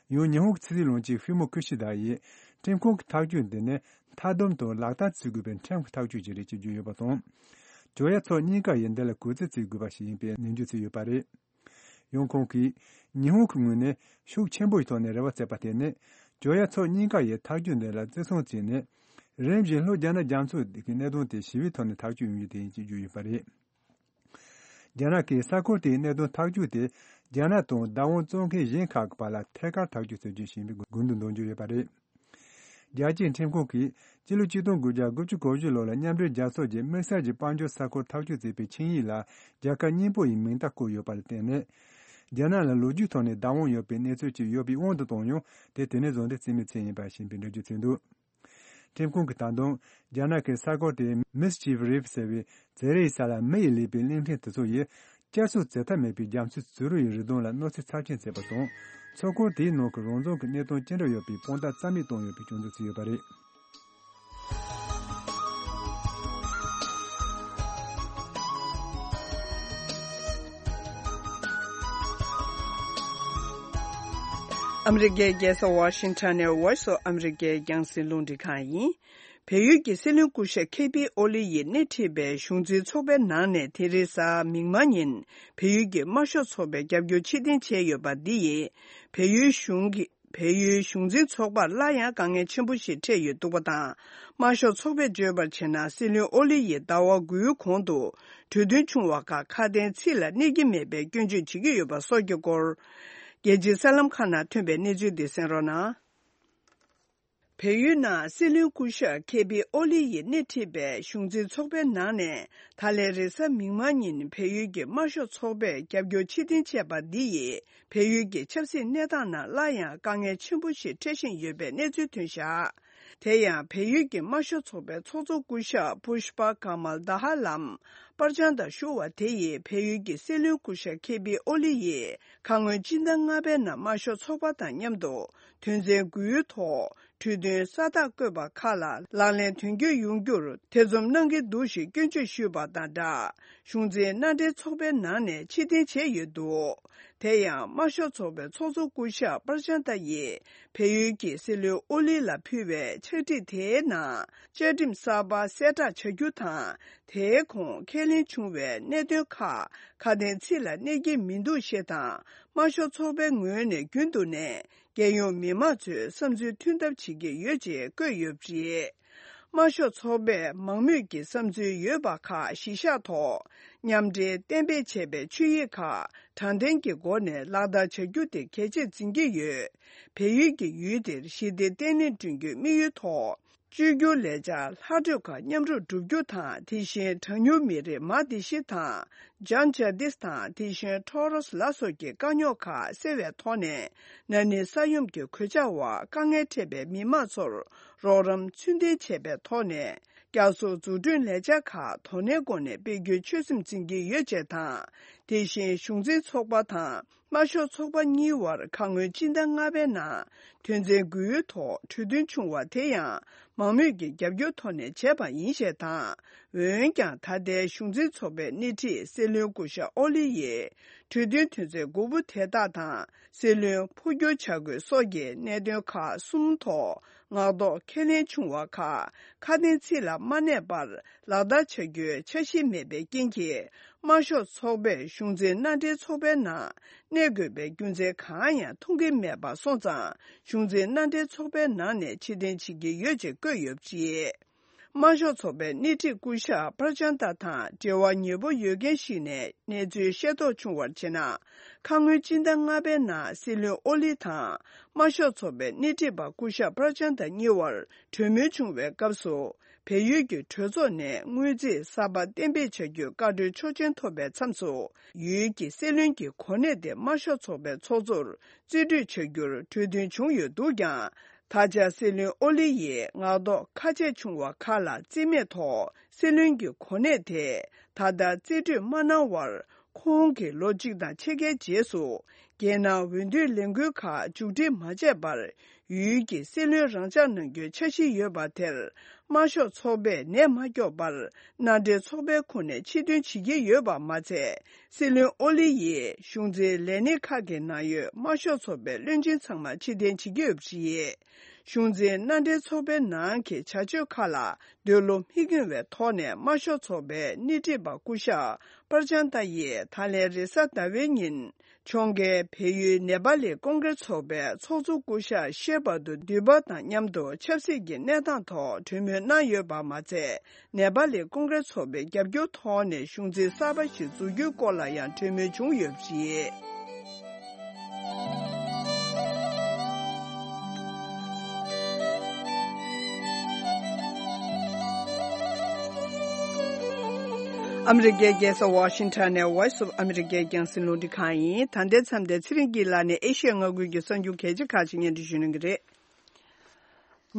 ཡང་ཉི་ཧོང་གི་ཕྱི་སྲིད་བློན་ཆེན་ཧྥུ་མོ་ཁི་ཤི་དཱ་ཡིས། ཁྲིམས་ཁང་གི་ཐག་གཅོད་འདི་ནི་མཐའ་སྡོམ་དང་ལག་བསྟར་བྱེད་དགོས་པའི་ཁྲིམས་ཀྱི་ཐག་གཅོད་ཅིག་རེད་ཅེས་བརྗོད་ཡོད་པ་དང་། བྱོལ་ཡ་ཕྱོགས་གཉིས་ཀ་ཡིས་འདི་ལ་གུས་བརྩི་བྱེད་དགོས་པ་ཞིག་ཡིན་པའི་ནན་བརྗོད་བྱས་ཡོད་པ་རེད། ཡང་ཁོང་གིས། ཉི་ཧོང་གི་ངོས་ནས་ཤུགས་ཆེན་པོ་ཞིག་ཐོག་ནས་རེ་བ་བྱེད་པ་དེ་ནི། བྱོལ་ཡ་ཕྱོགས་གཉིས་ཀ་ཡིས་ཐག་གཅོད་འདི་ལ་བརྩི་སྲུང་བྱས་ནས། རིམ་བཞིན་ལྷོ་རྒྱ་ནག་རྒྱ་མཚོ་གི་གནད་དོན་དེ་ཞི་བའི་ཐོག་ནས་ཐག་གཅོད་ཡོང་རྒྱུ་དེ་ཡིན་ཅེས་བརྗོད་ཡོད་པ་རེད། རྒྱ་ནག་གིས་ས་ཁུལ་དེའི་གནད་དོན་ཐག་གཅོད་དེ། རྒྱ་ནག་དང་བདག་དབང་བཙོང་མཁན་གཞན་ཁག་གི་བར་ལ་ཐད་ཀར་ཐག་གཅོད་བྱེད་རྒྱུ་ཞིག་ཡིན་པའི་དགོངས་དོན་འདོན་རྒྱུ་ཡོད་པ་རེད། རྒྱལ་སྤྱིའི་ཁྲིམས་ཁང་གིས་སྤྱི་ལོ་ཆིག་སྟོང་དགུ་བརྒྱ་དགུ་བཅུ་གོ་བཞི་ལོ་ལ་མཉམ་འབྲེལ་རྒྱལ་ཚོགས་ཀྱིས་དམིགས་བསལ་གྱི་དཔལ་འབྱོར་ས་ཁུལ་ཐག་གཅོད་བྱས་པའི་ཆིངས་ཡིག་ལ་རྒྱལ་ཁབ་གཉིས་པོ་ཡི་མིང་རྟགས་བཀོད་ཡོད་པ་ལ་བརྟེན་ནས། རྒྱ་ནག་ལ་ལོ་རྒྱུས་ཐོག་ནས་བདག་དབང་ཡོད་པའི་གནས་ཚུལ་ཅིག་ཡོད་པའི་དབང་དུ་བཏང་ཡང་། དེ་དེ་ནས་བཟུང་སྟེ་རྩིས་མེད་ཚུལ་ཡིན་པ་ཞིག་ཡིན་པའི་འགྲེལ་བརྗོད་བྱས་འདུག་ཁྲིམས་ཁང་གིས་ད་དུང་། རྒྱ་ནག་གིས་ས་ཁུལ་དེའི་Mischief Reef ཟེར་བའི་བྱེ་རའི་ས་ལ་མི་ཡིས་ལས་པའི་གླིང་ཕྲན་དེ་ཚོ་ཡིས། བསྐྱར་གསོ་བྱེད་ཐབས་མེད་པའི་རྒྱ་མཚོའི་བྱུ་རུ་ཡི་རི་སྡོང་ལ་གནོད་འཚེ་ཚབས་ཆེན་བྱས་པ་དང་། མཚོ་ཁུལ་དེའི་ནང་གི་རང་བཙན་གྱི་གནད་དོན་ཅི་འདྲ་ཡོད་པའི་དཔང་རྟགས་རྩ་མེད་བཏང་ཡོད་པའི་སྐྱོན་འཛུགས་བྱས་ཡོད་པ་རེད། ཨ་མི་རི་ཀའི་རྒྱལ་ས་ཝ་ཤིང་ཊོན་ནས་Voice of America རྒྱང་སྲིང་རླུང་འཕྲིན་ཁང་ཡིན། བལ་ཡུལ་གྱི་སྲིད་བློན་སྐུ་ཞབས་ཁེ་པི་ཨོ་ལི་ཡིས་སྣེ་ཁྲིད་པའི་གཞུང་འཛིན་ཚོགས་པའི་ནང་ནས་དེ་རིང་གཟའ་མིག་དམར་ཉིན་བལ་ཡུལ་གྱི་དམར་ཤོག་ཚོགས་པའི་རྒྱབ་སྐྱོར་ཕྱིར་འཐེན་བྱས་ཡོད་པ་འདི་ཡིས་བལ་ཡུལ་གཞུང་གི་བལ་ཡུལ་གཞུང་འཛིན་ཚོགས་པར་སླར་ཡང་དཀའ་ངལ་ཆེན་པོ་ཞིག་འཕྲད་ཡོད་འདུག་པ་དང་། དམར་ཤོག་ཚོགས་པས་བརྗོད་པར་བྱས་ན། སྲིད་བློན་ཨོ་ལི་ཡིས་ཟླ་བ་དགུའི་གོང་དུ་གྲོས་མཐུན་བྱུང་བ་ཁག་ཁ་དན་ཚིག་ལ་གནས་ཀྱི་མེད་པའི་སྐྱོན་བརྗོད་བྱེད་ཀྱི་ཡོད་པ་སོགས་ཀྱི་སྐོར། རྒྱལ་སྤྱིའི་གསར་ལམ་ཁག་ནང་ཐོན་པའི་གནས་ཚུལ་འདི་གསན་རོགས་གནང་། བལ་ཡུལ་ནང་སྲིད་བློན་སྐུ་ཞབས་ཁེ་པི་ཨོ་ལི་ཡིས་སྣེ་ཁྲིད་པའི་གཞུང་འཛིན་ཚོགས་པའི་ནང་ནས། ད་ལན་རེས་གཟའ་མིག་དམར་ཉིན་བལ་ཡུལ་གྱི་དམར་ཤོག་ཚོགས་པས་རྒྱབ་སྐྱོར་ཕྱིར་འཐེན་བྱས་པ་འདི་ཡིས་བལ་ཡུལ་གྱི་ཆབ་སྲིད་གནས་སྟངས་ནང་སླར་ཡང་དཀའ་ངལ་ཆེན་པོ་ཞིག་འཕྲད་བཞིན་ཡོད་པའི་གནས་ཚུལ་ཐོན་བཞག་དེ་ཡང་བལ་ཡུལ་གྱི་དམར་ཤོག་ཚོགས་པའི་ཚོགས་གཙོ་སྐུ་ཞབས་པུཤ་པ་ཀ་མལ་དྷ་ཧ་ལམ་པར་བྱང་དང་ཞུ་བ་དེ་ཡིས་བལ་ཡུལ་གྱི་སྲིད་བློན་སྐུ་ཞབས་ཁེ་པི་ཨོ་ལི་ཡིས་ཁ་སྔོན་སྤྱི་ཟླ་ལྔ་པའི་ནང་དམར་ཤོག་ཚོགས་པ་དང་མཉམ་དུ་དོན་ཚན་དགུའི་ཐོག་གྲོས་མཐུན་ས་རྟགས་བཀོད་པ་ཁག་ལ་ལག་ལེན་དོན་འཁྱོལ་ཡོང་རྒྱུར་ཐེ་ཚོམ་གནང་གི་འདུག་ཞེས་སྐྱོན་བརྗོད་ཞུས་པ་དང་སྦྲགས། གཞུང་འཛིན་མནའ་འབྲེལ་ཚོགས་པའི་ནང་ནས་ཕྱིར་འཐེན་བྱས་ཡོད་འདུག་དེ་ཡང་དམར་ཤོག་ཚོགས་པའི་ཚོགས་གཙོ་སྐུ་ཞབས་པར་ཅན་ཏ་ཡིས་བལ་ཡུལ་གྱི་སྲིད་བློན་ཨོ་ལི་ལ་ཕུལ་བའི་ཕྱག་བྲིས་དེའི་ནང་བཅའ་ཁྲིམས་གསར་པ་གསལ་བསྒྲགས་བྱ་རྒྱུ་དང་། དེའི་གོང་ཁས་ལེན་བྱུང་བའི་གནད་དོན་ཁག་ཁ་དན་ཚིག་ལ་གནས་ཀྱི་མི་འདུག་ཞེས་དང་། དམར་ཤོག་ཚོགས་པའི་ངོས་ནས་རྒྱུན་དུ་ནས་རྒྱལ་ཡོངས་མི་མང་ཚོའི་བསམ་ཚུལ་མཐུན་ཐབས་བྱེད་ཀྱི་ཡོད་ཅེས་བཀོད་ཡོད་པ་རེད། དམར་ཤོག་ཚོགས་པས་མང་མོས་ཀྱི་བསམ་ཚུལ་ཡོད་པ་ཁག་གཞི་བཞག་ཐོག་མཉམ་འབྲེལ་གཏན་འབེབས་བྱས་པའི་ཆོད་ཡིག་ཁག་དྲང་བདེན་གྱི་སྒོ་ནས་ལག་བསྟར་བྱ་རྒྱུ་དེ་གལ་ཆེར་འཛིན་གྱི་ཡོད། བལ་ཡུལ་གྱི་ཡུལ་དེར་ཞི་བདེ་བརྟན་ལྷིང་བསྐྲུན་རྒྱུའི་དམིགས་ཡུལ་ཐོག་བཅོས་བསྒྱུར་ལས་འཆར་ལྷག་འཕྲོས་ཁག་མཉམ་རུབ་བསྒྲུབ་རྒྱུ་དང་། དེ་བཞིན་གྲངས་ཉུང་མི་རིགས་མ་དེ་ཤི་དང་། ཇཱན་ཇཱ་དིས་དང་དེ་བཞིན་ཁྲོ་རོས་ལ་སོགས་ཀྱི་དཀའ་རྙོག་ཁག་སེལ་བའི་ཐོག་ནས། ན་ནིང་ས་ཡོམ་གྱི་གོད་ཆག་འོག་དཀའ་ངལ་འཕྲད་པའི་མི་མང་ཚོར་རོགས་རམ་ཚུལ་ལྡན་བྱས་པའི་ཐོག་ནས། བསྐྱར་གསོ་འཛུགས་སྐྲུན་ལས་འཆར་ཁག་དོ་ནན་སྒོ་ནས་སྤེལ་རྒྱུའི་ཆོད་སེམས་འཛིན་གྱི་ཡོད་ཅེས་དང་། དེ་བཞིན་གཞུང་འཛིན་ཚོགས་པ་དང་ དམར་ཤོག་ཚོགས་པ་གཉིས་བར་ཁ་སྔོན་སྤྱི་ཟླ་ལྔ་པའི་ནང་དོན་ཚན་དགུའི་ཐོག་གྲོས་མཐུན་བྱུང་བ་དེ་ཡང་མང་མོས་ཀྱི་རྒྱབ་སྐྱོར་ཐོག་ནས་བྱས་པ་ཡིན་ཞེས་དང་། འོན་ཀྱང་ད་ལྟའི་གཞུང་འཛིན་ཚོགས་པའི་སྣེ་ཁྲིད་སྲིད་བློན་སྐུ་ཞབས་ཨོ་ལི་ཡིས་གྲོས་མཐུན་དོན་ཚན་དགུ་པོ་དེ་དག་དང་སྲིད་བློན་འཕོ་འགྱུར་བྱ་དགོས་སོགས་ཀྱི་གནད་དོན་ཁག་གསུམ་ཐོག་ངག་ཐོག་ཁས་ལེན་བྱུང་བ་ཁག་ཁ་དན་ཚིག་ལ་མ་གནས་པར་ལག་བསྟར་བྱ་རྒྱུའི་འཆར་གཞི་མེད་པའི་རྐྱེན་གྱིས། དམར་ཤོག་ཚོགས་པས་གཞུང་འཛིན་མནའ་འབྲེལ་ཚོགས་པའི་ནང་གནས་དགོས་པའི་རྒྱུ་མཚན་གང་ཡང་མཐོང་གི་མེད་པ་སོང་ཙང་། གཞུང་འཛིན་མནའ་འབྲེལ་ཚོགས་པའི་ནང་ནས་ཕྱིར་འཐེན་བྱེད་ཀྱི་ཡོད་ཅེས་བཀོད་ཡོད་པ་རེད། དམར་ཤོག་ཚོགས་པའི་སྣེ་ཁྲིད་སྐུ་ཞབས་པར་ཅན་ཏ་དང་འབྲེལ་བ་ཉེ་པོ་ཡོད་མཁན་ཞིག་ནས་གནས་ཚུལ་ཤེས་རྟོགས་བྱུང་བར་བྱས་ན། ཁ་སྔོན་སྤྱི་ཟླ་ལྔ་པའི་ནང་སྲིད་བློན་ཨོ་ལི་དང་དམར་ཤོག་ཚོགས་པའི་སྣེ་ཁྲིད་པ་སྐུ་ཞབས་པར་ཅན་ཏ་གཉིས་བར་གྲོས་མོལ་བྱུང་བའི་སྐབས་སུ། བལ་ཡུལ་གྱི་གྲོས་ཚོགས་ནས་དངུལ་རྩིས་གསར་པ་གཏན་འབེབས་བྱ་རྒྱུའི་བཀའ་འཁྲོལ་ཆོག་མཆན་ཐོབ་པའི་མཚམས་སུ། ཡུལ་གྱི་སྲིད་བློན་གྱི་གོ་གནས་དེ་དམར་ཤོག་ཚོགས་པའི་ཚོགས་གཙོར་རྩིས་སྤྲོད་བྱ་རྒྱུར་གྲོས་མཐུན་བྱུང་ཡོད་འདུག་ཀྱང་། ད་ཆ་སྲིད་བློན་ཨོ་ལི་ཡིས་ངག་ཐོག་ཁ་ཆད་བྱུང་བ་ཁག་ལ་རྩིས་མེད་ཐོག་སྲིད་བློན་གྱི་གོ་གནས་དེ་ད་ལྟ་རྩིས་སྤྲོད་མ་གནང་བར། ཁོང་གིས་ལོ་གཅིག་དང་ཕྱེད་ཀའི་རྗེས་སུ། རྒྱལ་ནང་འོས་བསྡུའི་ལས་འགུལ་ཁག་མཇུག་སྒྲིལ་མ་བྱས་པར། ཡུལ་གྱི་སྲིད་བློན་རང་འཇགས་གནང་རྒྱུའི་འཆར་གཞི་ཡོད་པ་དེར། དམར་ཤོག་ཚོགས་པས་ནད་མ་སྐྱོབ་པར། མནའ་འབྲེལ་ཚོགས་པའི་ཁོངས་ནས་ཕྱིར་འདོན་བྱེད་ཀྱི་ཡོད་པ་མ་ཚད། སྲིད་བློན་ཨོ་ལི་ཡིས་གཞུང་འཛིན་ལས་སྣེ་ཁག་གི་ནང་ཡོད་དམར་ཤོག་ཚོགས་པའི་བློན་ཆེན་ཚང་མ་ཕྱིར་འཐེན་བྱེད་ཀྱི་ཡོད་པ་རེད། གཞུང་འཛིན་མནའ་འབྲེལ་ཚོགས་པའི་ནང་གི་བྱ་སྤྱོད་ཁག་ལ་འདོད་བློ་མི་འགེང་བའི་ཐོག་ནས་དམར་ཤོག་ཚོགས་པའི་སྣེ་ཁྲིད་པ་སྐུ་ཞབས་པར་ཅན་ཏ་ཡིས་ད་ལན་རེས་གཟའ་ཟླ་བའི་ཉིན། ཕྱོགས་འགལ་བལ་ཡུལ་ནེ་པ་ལི་ཀོང་གྲེ་ཚོགས་པའི་ཚོགས་གཙོ་སྐུ་ཞབས་ཤེ་བ་དུ་དུས་བབ་དང་མཉམ་དུ་ཆབ་སྲིད་ཀྱི་གནས་སྟངས་ཐོག་གྲོས་མོལ་གནང་ཡོད་པ་མ་ཚད། ནེ་པ་ལི་ཀོང་གྲེ་ཚོགས་པའི་རྒྱབ་སྐྱོར་ཐོག་ནས་གཞུང་འཛིན་གསར་པ་ཞིག་འཛུགས་རྒྱུའི་སྐོར་ལ་ཡང་གྲོས་མོལ་བྱུང་ཡོད་པ་རེད། ཨ་མི་རི་ཀའི་རྒྱལ་ས་ཝ་ཤིང་ཊོན་ནས་Voice of America་རྒྱང་སྲིང་རླུང་འཕྲིན་ཁང་ཡིན། ད་ལྟའི་མཚམས་དེར་ཚེ་རིང་སྐྱིད་ལགས་ནས་ཨེ་ཤི་ཡའི་མངའ་ཁུལ་གྱི་གསར་འགྱུར་གལ་ཆེ་ཁག་ཅིག་སྙན་སྒྲོན་ཞུ་གནང་གི་རེད།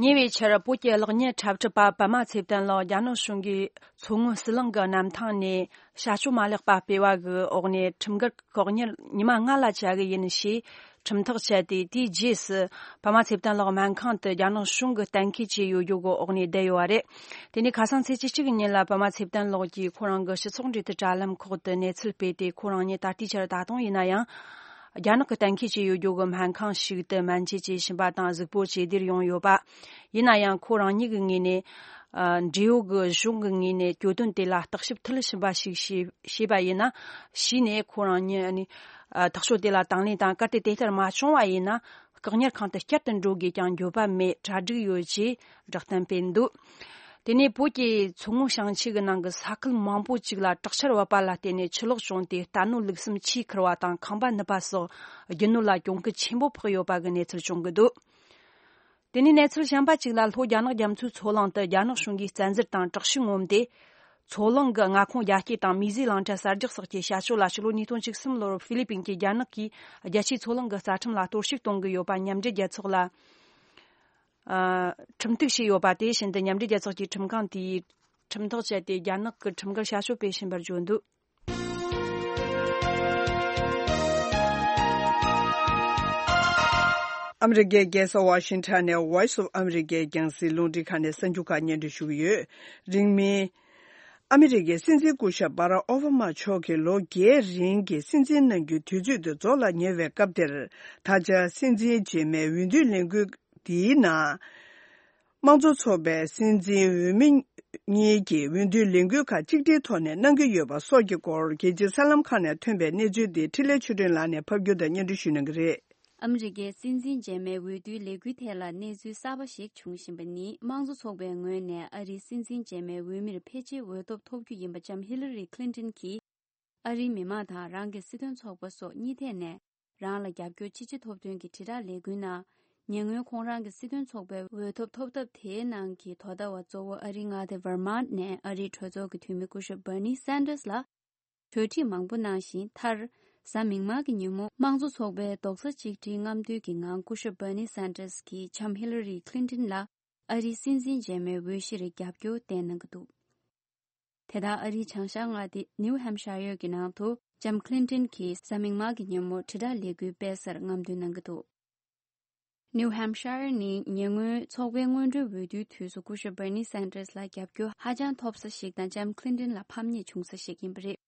ཉེ་བའི་ཆར་བོད་ཀྱི་གློག་བརྙན་འཁྲབ་ཁྲིད་པ་པདྨ་ཚེ་བརྟན་ལགས་རྒྱ་ནག་གཞུང་གིས་མཚོ་སྔོན་ཟི་ལིང་གི་གནམ་ཐང་ནས་བྱ་སྤྱོད་མ་ལེགས་པ་སྤེལ་བ་གི་འོག་ནས་ཁྲིམས་འགལ་བཀག་ཉར་ཉི་མ་ལྔ་ལ་བཅའ་གི་ཡིན་ཞེས་ཁྲིམས་ཐག་བཅད་དེ། དེའི་རྗེས་སུ་པདྨ་ཚེ་བརྟན་ལགས་སྨན་ཁང་དུ་རྒྱ་ནག་གཞུང་གིས་གཏན་འཁེལ་བྱས་ཡོད་རྒྱུ་གི་འོག་ནས་བསྡད་ཡོད་པ་རེད། དེ་ནས་ཁ་སང་ཚེས་བཅུ་གཅིག་ཉིན་ལ་པདྨ་ཚེ་བརྟན་ལགས་ཀྱིས་ཁོ་རང་གི་སྤྱི་ཚོགས་འབྲེལ་མཐུད་དྲ་ལམ་ཁག་ཏུ་གནས་ཚུལ་སྤེལ་ཏེ། ཁོ་རང་ཉིད་ད་ལྟའི་ཆར་ད་དུང་ཡིན་ན་ཡང་རྒྱ་ནག་གིས་གཏན་འཁེལ་བྱས་ཡོད་རྒྱུ་གི་སྨན་ཁང་ཞིག་ཏུ་སྨན་བཅོས་བྱེད་བཞིན་པ་དང་གཟུགས་པོ་བཅོས་སྒྲིག་ཡོང་ཡོད་པ། ཡིན་ན་ཡང་ཁོ་རང་ཉིད་ཀྱི་ངོས་ནས། ཨ། འབྲེལ་ཡོད་ཀྱི་གཞུང་གི་ངོས་ནས་གྱོད་དོན་དེ་ལ་བརྟག་ཞིབ་མཐིལ་ཕྱིན་པ་ཞིག་བྱས་བྱས་པ་ཡིན་ན། གཞི་ནས་ཁོ་རང་ཉིད་ནི། ཨ། ཐག་གཅོད་དེ་ལ་དང་ལེན་དང་། གལ་ཏེ་དེ་ལྟར་མ་བྱུང་བ་ཡིན་ན། བཀག་ཉར་ཁང་དུ་བསྐྱར་དུ་འགྲོ་དགོས་ཀྱང་འགྱོད་པ་མེད། གྲ་སྒྲིག་ཡོད་ཅེས་བསྒྲགས་གཏམ་སྤེལ་འདུག་དེ་ནས་བོད་ཀྱི་མཚོ་སྔོན་ཞིང་ཆེན་གྱི་ནང་གི་ས་ཁུལ་མང་པོ་ཅིག་ལ་དྲག་ཆར་བབས་པ་ལ་བརྟེན་ནས་ཆུ་ལོག་བྱུང་སྟེ། རྟ་ནོར་ལུག་གསུམ་ཆུས་ཁུར་བ་དང་། ཁང་པ་ནུབ་པ་སོགས་རྒྱུ་ནོར་ལ་གྱོང་གུན་ཆེན་པོ་ཕོག་ཡོད་པ་གི་གནས་ཚུལ་བྱུང་གི་འདུག་དེ་ནས་གནས་ཚུལ་གཞན་པ་གཅིག་ལ། ལྷོ་རྒྱ་ནག་རྒྱ་མཚོའི་མཚོ་གླིང་དུ་རྒྱ་ནག་གཞུང་གིས་བཙན་འཛུལ་དང་དྲག་ཤུགས་ངོམ་སྟེ། མཚོ་གླིང་གི་མངའ་ཁོངས་རྒྱ་སྐྱེད་དང་མིའི་ཟས་བླང་བྱ་གསར་རྒྱག་སོགས་ཀྱི་བྱ་སྤྱོད་ལ། ཕྱི་ལོ་ཉིས་སྟོང་བཅུ་གསུམ་ལོར་ཧྥི་ལི་པིན་གྱིས་རྒྱ་ནག་གིས་རྒྱལ་སྤྱིའི་མཚོ་གླིང་གི་རྩ་ཁྲིམས་ལ་གཏོར་བཤིག་གཏོང་གི་ཡོད་པ་མཉམ་འབྲེལ་རྒྱལ་ཚོགས་ལ། ཨ། ཁྲིམས་གཏུག་བྱས་ཡོད་པ་དེ་བཞིན་དུ། མཉམ་འབྲེལ་རྒྱལ་ཚོགས་ཀྱི་ཁྲིམས་ཁང་དེས་ཁྲིམས་ཐག་བཅད་དེ། རྒྱ་ནག་གི་ཁྲིམས་འགལ་བྱ་སྤྱོད་སྤེལ་བཞིན་པར་བརྗོད་འདུག་ཨ་མི་རི་ཀའི་རྒྱལ་ས་ཝ་ཤིང་ཊོན་ནས་Voice of America་རྒྱང་སྲིང་རླུང་འཕྲིན་ཁང་ནས་གསར་འགྱུར་ཁག་སྙན་སྒྲོན་ཞུ་གི་ཡོད། རིང་མིན། ཨ་མི་རི་ཀའི་སྲིད་འཛིན་སྐུ་ཞབས་Barack Obama་མཆོག་གིས་ལོ་བརྒྱད་རིང་གི་སྲིད་འཛིན་གནང་རྒྱུའི་དུས་ཚོད་དེ་རྫོགས་ལ་ཉེ་བའི་སྐབས་དེར། ད་ཆ་སྲིད་འཛིན་རྗེས་མའི་འོས་བསྡུའི་ལས་འགུལ་འདིའི་ནང་། དམངས་གཙོ་ཚོགས་པའི་སྲིད་འཛིན་འོས་མི་གཉིས་ཀྱི་འོས་བསྡུའི་ལས་འགུལ་ཁག་གཅིག་སྒྲིལ་ཐོག་ནས་གནང་གི་ཡོད་པ་སོགས་ཀྱི་སྐོར། རྒྱལ་སྤྱིའི་གསར་ལམ་ཁག་ནས་ཐོན་པའི་གནས་ཚུལ་འདི་འཕྲིན་ལས་ཆོས་སྒྲོན་ལགས་ནས་ཕབ་སྒྱུར་དང་སྙན་སྒྲོན་ཞུ་གནང་གི་རེད། ཨ་མི་རི་ཀའི་སྲིད་འཛིན་རྗེས་མའི་འོས་བསྡུའི་ལས་འགུལ་ཐད་ལ་གནས་ཚུལ་གསར་པ་ཞིག་འབྱུང་བཞིན་པ་ནི། དམངས་གཙོ་ཚོགས་པའི་ངོས་ནས་ཨ་རིའི་སྲིད་འཛིན་རྗེས་མའི་འོས་མིར་ཕལ་ཆེར་འོས་ཐོབ་ཐོབ་རྒྱུ་ཡིན་པ་ལྕམ་ཧི་ལ་རི་ཁི་ལིན་ཏོན་གྱིས། ཨ་རིའི་མི་མང་དང་རང་གི་སྲིད་དོན་ཚོགས་པ་སོགས་གཉིས་ཐད་ནས་རང་ལ་རྒྱབ་སྐྱོར་ཅི་ཆེ་ཐོབ་དོན་གྱི་དྲིལ་བསྒྲགས་ལས་འགུལ་ནང་། ཉེ་སྔོན་ཁོང་རང་གི་སྲིད་དོན་ཚོགས་པའི་འོས་ཐོབ་ཐོབ་ཐབས་དེའི་ནང་གི་དོ་ཟླ་བ་གཙོ་བོ་ཨ་རིའི་མངའ་སྡེ་ཝར་མཱན་ནས་ཨ་རིའི་གྲོས་ཚོགས་ཀྱི་འཐུས་མི་སྐུ་ཞབས་Bernie Sanders་ལ་གྲོས་འདྲི་མང་པོ་གནང་ཞིང་། མཐར། གཟའ་མིག་དམར་གྱི་ཉིན་མོ། དམངས་གཙོ་ཚོགས་པའི་རྡོག་རྩ་གཅིག་སྒྲིལ་རྔམ་སྟོན་གྱི་ངང་སྐུ་ཞབས་Bernie Sanders་གྱིས་ལྕམ་ཧི་ལ་རི་ཁི་ལིན་ཏོན་ལ་ཨ་རིའི་སྲིད་འཛིན་རྗེས་མའི་འོས་གཞིར་རྒྱབ་སྐྱོར་བསྟན་གནང་གི་འདུག་དེ་ལྟར་ཨ་རིའི་བྱང་ཤར་མངའ་སྡེ་ནིའུ་ཧེམ་ཤ་ཡར་གྱི་ནང་དུ་ ལྕམ་ཁི་ལིན་ཏོན་གྱིས་གཟའ་མིག་དམར་གྱི་ཉིན་མོ་དྲིལ་བསྒྲགས་ལས་འགུལ་སྤེལ་སར་རྔམ་སྟོན་གནང་གི་འདུག། ནིའུ་ཧེམ་ཤར་ནི་ཉེ་སྔོན་ཚོགས་པའི་སྔོན་འགྲོའི་འོས་བསྡུའི་དུས་སུ་སྐུ་ཞབས་བྷར་ནི་སན་ཏྲེས་ལ་རྒྱབ་སྐྱོར་ཧ་ཅང་ཐོབ་ས་ཞིག་དང་ལྕམ་ཁི་ལིན་ཏོན་ལ་ཕམ་ཉེས་བྱུང་ས་ཞིག་ཡིན་པ་རེད།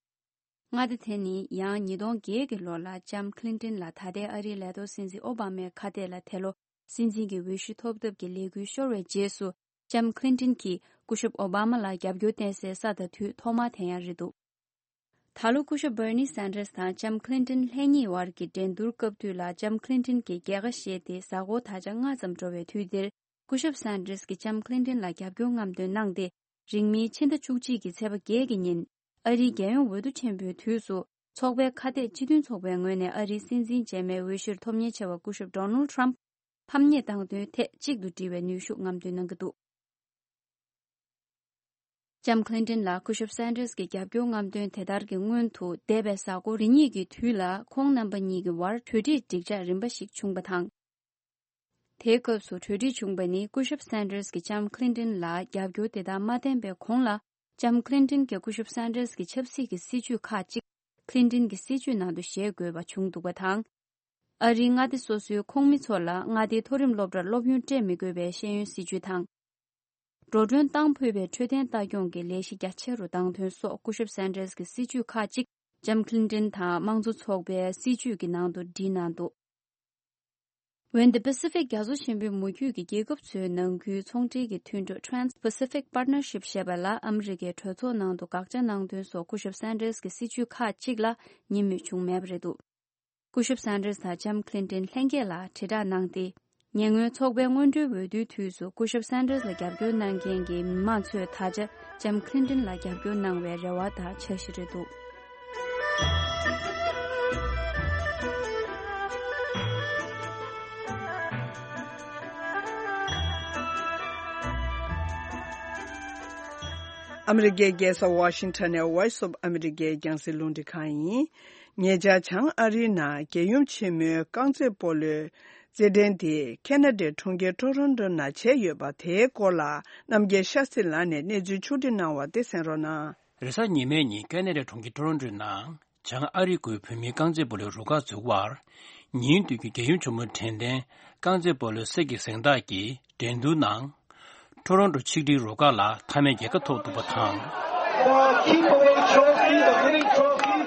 མངའ་སྡེ་དེ་ནི་ཡང་ཉིས་སྟོང་བརྒྱད་ཀྱི་ལོ་ལ་ལྕམ་ཁི་ལིན་ཏོན་ལ་ད་ལྟའི་ཨ་རིའི་ལས་ཐོག་སྲིད་འཛིན་ཨོ་བྷ་མའི་ཁ་གཏད་ལ་དེ་ལོ་སྲིད་འཛིན་གྱི་འོས་གཞི་ཐོབ་ཐབས་ཀྱི་ལས་འགུལ་ཤོར་བའི་རྗེས་སུ། ལྕམ་ཁི་ལིན་ཏོན་གྱིས་སྐུ་ཞབས་ཨོ་བྷ་མ་ལ་རྒྱབ་སྐྱོར་བསྟན་སའི་ས་དང་དུས་ཐོག་མ་དེ་ཡང་རེད་འདུག། ད་ལོ་སྐུ་ཞབས་བྷར་ནི་སན་ཏྲེས་དང་ལྕམ་ཁི་ལིན་ཏོན་ལྷན་གཉིས་བར་གྱི་འགྲན་བསྡུར་སྐབས་དུས་ལ་ལྕམ་ཁི་ལིན་ཏོན་གྱིས་རྒྱལ་ཁ་བཞེས་ཏེ་གཟའ་འཁོར་ད་ཆ་ལྔ་ཙམ་འགྲོ་བའི་དུས་འདིར། སྐུ་ཞབས་སན་ཏྲེས་ཀྱིས་ལྕམ་ཁི་ལིན་ཏོན་ལ་རྒྱབ་སྐྱོར་རྔམ་སྟོན་གནང་སྟེ། རིང་མིན་ཕྱི་ཟླ་བཅུ་གཅིག་གི་ཚེས་པ་བརྒྱད་ཀྱི་ཉིན། ཨ་རིའི་རྒྱལ་ཡོངས་འོས་བསྡུ་ཆེན་པོའི་དུས་སུ། ཚོགས་པའི་ཁ་གཏད་སྤྱི་མཐུན་ཚོགས་པའི་ངོས་ནས་ཨ་རིའི་སྲིད་འཛིན་རྗེས་མའི་འོས་གཞིར་ཐོབ་ཉེན་ཆེ་བ་སྐུ་ཞབས་ཌོ་ནལ་ཌི་ཊརམ་ཕམ་ཉེས་བཏང་དོན་ཐད་གཅིག་ཏུ་འགྲིལ་བའི་ནུས་ཤུགས་རྔམ་སྟོན་གནང་གི་འདུག། ལྕམ་ཁི་ལིན་ཏོན་ལ་སྐུ་ཞབས་སན་ཏྲེས་ཀྱི་རྒྱབ་སྐྱོར་རྔམ་སྟོན་དེ་ལྟར་གྱི་སྔོན་དུ། འདས་པའི་གཟའ་འཁོར་རེ་གཉིས་ཀྱི་དུས་ལ་ཁོང་རྣམ་པ་གཉིས་ཀྱི་བར་གྲོས་འགྲིག་འགྲིག་འཇགས་རིམ་པ་ཞིག་བྱུང་བ་དང་། དེའི་སྐབས་སུ་གྲོས་འགྲིག་བྱུང་བ་ནི། སྐུ་ཞབས་སན་ཏྲེས་ཀྱིས་ལྕམ་ཁི་ལིན་ཏོན་ལ་རྒྱབ་སྐྱོར་དེ་དག་མ་བསྟན་པའི་གོང་ལ། ལྕམ་ཁི་ལིན་ཏོན་གྱིས་སྐུ་ཞབས་སན་ཏྲེས་ཀྱི་ཆབ་སྲིད་ཀྱི་སྲིད་བྱུས་ཁག་ཅིག་ཁི་ལིན་ཏོན་གྱི་སྲིད་བྱུས་ནང་དུ་བཞེས་དགོས་པ་བྱུང་འདུག་པ་དང་། ཨ་རིའི་མངའ་སྡེ་སོ་སོའི་ཁོངས་མི་ཚོ་ལ་མངའ་སྡེའི་མཐོ་རིམ་སློབ་གྲྭར་སློབ་ཡོན་སྤྲད་མི་དགོས་པའི་ཤེས་ཡོན་སྲིད་བྱུས་དང་། འགྲོ་གྲོན་གཏོང་ཕོད་པའི་འཕྲོད་བསྟེན་ལྟ་སྐྱོང་གི་ལས་གཞི་རྒྱ་ཆེ་རུ་བཏང་དོན་སོགས་སྐུ་ཞབས་སན་ཏྲེས་ཀྱི་སྲིད་བྱུས་ཁག་ཅིག་ལྕམ་ཁི་ལིན་ཏོན་དང་དམངས་གཙོ་ཚོགས་པའི་སྲིད་བྱུས་ཀྱི་ནང་དུ་བྲིས་གནང་འདུག། འོན་ཏེ་པ་སི་ཕིག་རྒྱ་མཚོ་ཆེན་པོའི་མུ་ཁྱུད་ཀྱི་རྒྱལ་ཁབ་ཚོའི་ནང་ཁུལ་ཚོང་འབྲེལ་གྱི་མཐུན་གྲོས་Trans-Pacific Partnership ཞེས་པ་ལ་ཨ་མི་རི་ཀའི་གྲོས་ཚོགས་ནང་དུ་དགག་བྱ་གནང་དོན་སོགས་སྐུ་ཞབས་སན་ཏྲེས་ཀྱི་སྲིད་བྱུས་ཁག་ཅིག་ལ་ཉན་མོས་བྱུང་མེད་པ་རེད་འདུག། སྐུ་ཞབས་སན་ཏྲེས་དང་ལྕམ་ཁི་ལིན་ཏོན་ལྷན་རྒྱས་ལ་དྲིལ་བསྒྲགས་གནང་སྟེ། ཉེ་སྔོན་ཚོགས་པའི་སྔོན་འགྲོའི་འོས་བསྡུའི་དུས་སུ་སྐུ་ཞབས་སན་ཏྲེས་ལ་རྒྱབ་སྐྱོར་གནང་མཁན་གྱི་མི་མང་ཚོས་ད་ཆ་ལྕམ་ཁི་ལིན་ཏོན་ལ་རྒྱབ་སྐྱོར་གནང་བའི་རེ་བ་དང་འཆར་གཞི་རེད་འདུག། ཨ་མི་རི་ཀའི་རྒྱལ་ས་ཝ་ཤིང་ཊོན་ནས་Voice of America རྒྱང་སྲིང་རླུང་འཕྲིན་ཁང་ཡིན། ཉེ་ཆར་བྱང་ཨ་རིའི་ནང་རྒྱལ་ཡུམ་ཆེན་མོའི་རྐང་རྩེད་སྤོ་ལོའི་རྩེད་འགྲན་དེ་ཁེ་ན་ཌའི་གྲོང་ཁྱེར་ཊོ་རོན་ཊོ་ནང་བྱས་ཡོད་པ་དེའི་སྐོར་ལ་རྣམ་རྒྱལ་ཤཱ་སྟྲི་ལགས་ནས་གནས་ཚུལ་ཕྱོགས་སྒྲིག་གནང་བ་དེ་གསན་རོགས་གནང་། རེས་གཟའ་ཉི་མའི་ཉིན་ཁེ་ན་ཌའི་གྲོང་ཁྱེར་ཊོ་རོན་ཊོའི་ནང་བྱང་ཨ་རི་ཁུལ་བོད་མིའི་རྐང་རྩེད་སྤོ་ལོའི་རུ་ཁག་འཛུགས་པར་ཉིན་དུས་ཀྱི་རྒྱལ་ཡུམ་ཆེན་མོའི་དྲན་རྟེན་རྐང་རྩེད་སྤོ་ལོའི་གསེར་གྱི་གཟེངས་རྟགས་ཀྱི་འགྲན་བསྡུར་ནང་། ཊོ་རོན་ཊོ་ཆིག་སྒྲིལ་རུ་ཁག་ལ་མཐའ་མའི་རྒྱལ་ཁ་ཐོབ་འདུག་པ་དང་། The giveaway trophy, the winning trophy,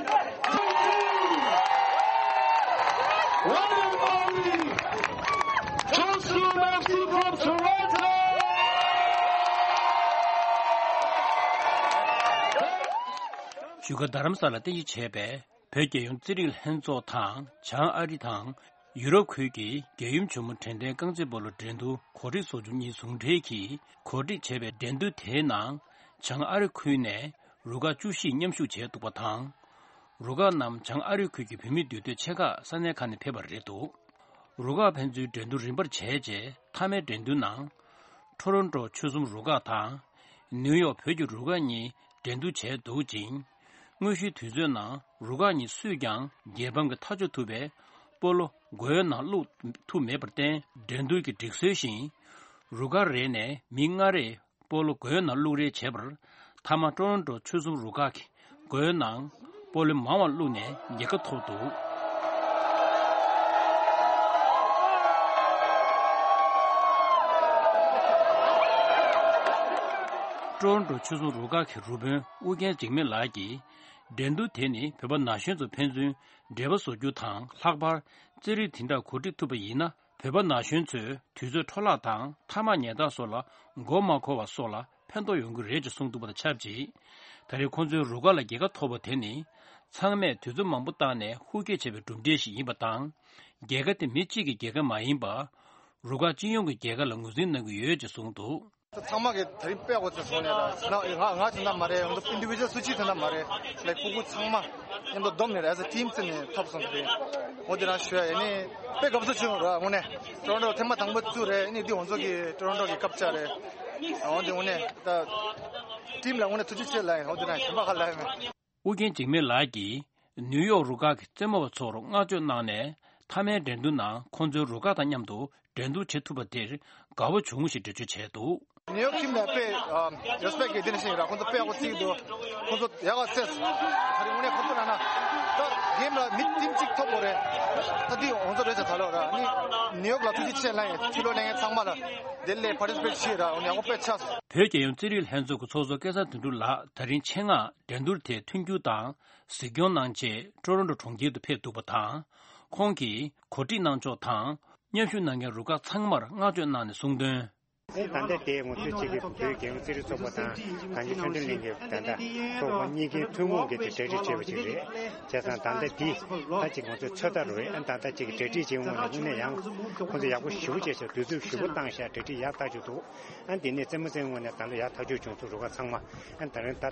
one and only, Chosun FC from Toronto. བཞུགས་སྒར་རྡ་རམ་ས་ལར་རྟེན་གཞི་བྱས་པའི་བོད་རྒྱལ་ཡོངས་རྩེད་རིགས་ལྷན་ཚོགས་དང་བྱང་ཨ་རི་དང་། ཡུ་རོབ་ཁུལ་གྱི་རྒྱལ་ཡུམ་ཆེན་མོ་དྲན་རྟེན་རྐང་རྩེད་སྤོ་ལོ་འགྲན་བསྡུར་གོ་སྒྲིག་ཚོགས་ཆུང་གཉིས་ཟུང་འབྲེལ་གྱིས་གོ་སྒྲིག་བྱས་པའི་འགྲན་བསྡུར་དེའི་ནང་བྱང་ཨ་རི་ཁུལ་ནས་རུ་ཁག་བཅུ་བཞིས་མཉམ་ཞུགས་བྱས་འདུག་པ་དང་། རུ་ཁག་རྣམས་བྱང་ཨ་རི་ཁུལ་གྱི་བོད་མི་འདུས་སྡོད་ཆེ་ཁག་ས་གནས་ཁག་ནས་ཕེབས་པ་རེད་འདུག། རུ་ཁག་ཕན་ཚུན་འགྲན་བསྡུར་རིམ་པར་བྱས་རྗེས་མཐའ་མའི་འགྲན་བསྡུར་ནང་། ཊོ་རོན་ཊོ་ཆོལ་གསུམ་རུ་ཁག་དང་། ནིའུ་ཡོག་བོད་ཀྱི་རུ་ཁག་གཉིས་འགྲན་བསྡུར་བྱས་འདུག་ཅིང་། དངོས་གཞིའི་དུས་ཚོད་ནང་རུ་ཁག་གཉིས་སུས་ཀྱང་རྒྱལ་ཕམ་གྱི་ཐག་གཅོད་ཐུབ་པའི་སྤོ་ལོ་སྒོའི་ནང་བླུག་ཐུབ་མེད་པར་བརྟེན། འགྲན་བསྡུར་གྱི་སྒྲིག་སྲོལ་བཞིན། རུ་ཁག་རེ་ནས་མི་ལྔ་རེས་སྤོ་ལོ་སྒོའི་ནང་བླུག་རེས་བྱས་པར། མཐའ་མ་ཊོ་རོན་ཊོ་ཆོལ་གསུམ་རུ་ཁག་གིས་སྒོའི་ནང་སྤོ་ལོ་མང་བ་བླུགས་ནས་རྒྱལ་ཁ་ཐོབ་འདུག། ཊོ་རོན་ཊོ་ཆོལ་གསུམ་རུ་ཁག་གི་རུ་དཔོན་ཨུ་རྒྱན་འཇིགས་མེད་ལགས་ཀྱིས། འགྲན་བསྡུར་དེ་ནི་བོད་པ་ན་གཞོན་ཚོ་ཕན་ཚུན་འབྲེལ་བ་བཟོ་རྒྱུ་དང་། ལྷག་པར་རྩེད་རིགས་དེ་འདྲ་གོ་སྒྲིག་ཐུབ་པ་ཡིན་ན། བོད་པ་ན་གཞོན་ཚོས་དུས་ཚོད་འཕྲོ་བརླག་དང་མཐའ་མ་ཉལ་ཐ་སོགས་ལ་མགོ་མ་འཁོར་བ་སོགས་ལ་ཕན་ཐོགས་ཡོང་གི་རེད་ཅེས་གསུངས་འདུག་པ་དང་ཆབས་ཅིག། ད་རེས་ཁོང་ཚོའི་རུ་ཁག་ལ་རྒྱལ་ཁ་ཐོབ་པ་དེ་ནི། ཚང་མས་དུས་ཚོད་མང་པོ་བཏང་ནས་ཧུར་བསྐྱེད་བྱས་པའི་གྲུབ་འབྲས་ཤིག་ཡིན་པ་དང་། རྒྱལ་ཁ་དེ་མི་གཅིག་གི་རྒྱལ་ཁ་མ་ཡིན་པ། རུ་ཁག་སྤྱི་ཡོངས་ཀྱི་རྒྱལ་ཁ་ལ་ངོས་འཛིན་གནང་གི་ཡོད་ཅེས་གསུངས་འདུག། ཚང་མ་གི་ད་རིང་དཔེ་ཡག་པོ་ཅིག་བྱུང་ནས་ལ་ང་ང་ང་དེ་འདྲ་མ་རེད། ང་ཚོ་ཨིན་ཌི་བི་ཇུ་ཨལ་སུ་ཅི་དེ་འདྲ་མ་རེད། ལའིཀ་སྤུ་གུ་ཚང་མ་མཉམ་དུ་བསྡོམས་ནས་ཨེ་ཛ་ཊིམ་བརྩིས་ནས་ཐོབ་སོང་། དེ་རིང་འོ་དེ་རང་ཞུ་ཡ་ཡིན་ནི་དཔེ་དགའ་པོ་ཅིག་བྱུང་ར། དངོས་གནས་ཊོ་རོན་ཊོ་ཐེངས་མ་དང་པོ་བཙུགས་རེད། ཨ་ནི་འདི་ང་ཚོ་གི་ཊོ་རོན་ཊོ་གི་ཀབ་ཆགས་རེད། འོ་དེ་དངོས་གནས་ད་ཊིམ་ལ་དངོས་གནས་ཐུགས་རྗེ་ཆེ་ལབ་ཡིན། འོ་དེ་རང་གཞན་པ་ག་ལབ་ཡ་མེད། ཨུ་རྒྱན་འཇིགས་མེད་ལགས་ཀྱིས་ནིའུ་ཡོག་རུ་ཁག་གི་རྩེད་མོ་བ་ཚོར་བསྔགས་བརྗོད་གནང་ནས། མཐའ་མའི་འགྲན་བསྡུར་ནང་ཁོང་ཚོའི་རུ་ཁག་དང་མཉམ་དུ་འགྲན་བསྡུར་བྱེད་ཐུབ་པ་དེར་དགའ་བོ་བྱུང་ཞེས་འགྲེལ་བརྗོད་བྱས་འདུག། ནིའུ་ཡོག་ཊིམ་ལ་དཔེ་རེ་སི་པེག་གི་དེ་ནི་ཞིག་ར། ཁོང་ཚོ་དཔེ་ཡག་པོ་རྩེད་ཀྱི་འདུག། ཁོང་ཚོ་ཡག་ག་རྩེད། ད་རིང་དངོས་གནས་ཁོང་ཚོ་ལ་ན་ ད་གེམ་ལ་མི་ཊིམ་གཅིག་ཐོབ་དགོས་རེད། ད་འདི་ང་ཚོ་རེད་ཟེར་ད་ལོ་ར་ནི་ནིའུ་ཡོག་ལ་ཐུགས་རྗེ་ཆེ་ལ་ཡིན། ཕྱི་ལོགས་ལས་ངན་ཚང་མ་ལ་དེ་ལས་པར་ཊི་སི་པེཊ་བྱེད་ར་ནི་ཡག་པོ་དཔེ་ཆགས་སོང་། བོད་རྒྱལ་ཡོངས་རྩེད་རིགས་ལྷན་ཚོགས་ཀྱི་ཚོགས་གཙོ་སྐལ་བཟང་དོན་གྲུབ་ལགས་ད་རིང་ཆེད་མངགས་འགྲན་བསྡུར་དེ་མཐུན་འགྱུར་དང་གཟིགས་སྐྱོང་གནང་ཆེད་ཀྲོ་རོན་ཀྲོ་གྲོང་ཁྱེར་དུ་ཕེབས་འདུག་པ་དང་། ཁོང་གིས་གོ་སྒྲིག་གནང་ཕྱོགས་དང་མཉམ་ཞུགས་གནང་མཁན་རུ་ཁག་ཚང་མར་བསྔགས་བརྗོད་གནང་ནས་གསུངས་དོན། ཨེ་ད་ལྟ་དེ་ང་ཚོའི་གཅིག་གི་བོད་རྒྱལ་ཡོངས་རྩེད་རིགས་ཚོགས་པ་དང་གངས་ཅན་ཆོས་ལྡན་གླིང་གི་ད་ལྟ་ཚོགས་པ་གཉིས་ཀའི་ཐུན་མོང་གི་དེ་གྲ་སྒྲིག་བྱས་པ་ཅིག་རེད། བྱས་ཙང་ད་ལྟ་དེ་ད་ཅིག་ང་ཚོའི་ཚོད་ལྟ་རུ་ཨེ་ད་ལྟ་གཅིག་གི་གྲ་སྒྲིག་བྱེད་ངོས་ནས་དངོས་གནས་ཡང་ཁོང་ཚོ་ཡག་པོ་ཞེ་པོ་བྱས་ཤག་དུས་ཚོད་ཞེ་པོ་བཏང་ཤག་གྲ་སྒྲིག་ཡག་ཐག་ཆོད་འདུག་ཨ་འདི་ནས་རྩེད་མོ་རྩེད་ངོས་ནས་ད་ལོ་ཡག་ཐག་ཆོད་བྱུང་སོང་། རུ་ཁག་ཚང་མ་ཨ་ད་རིང་ད་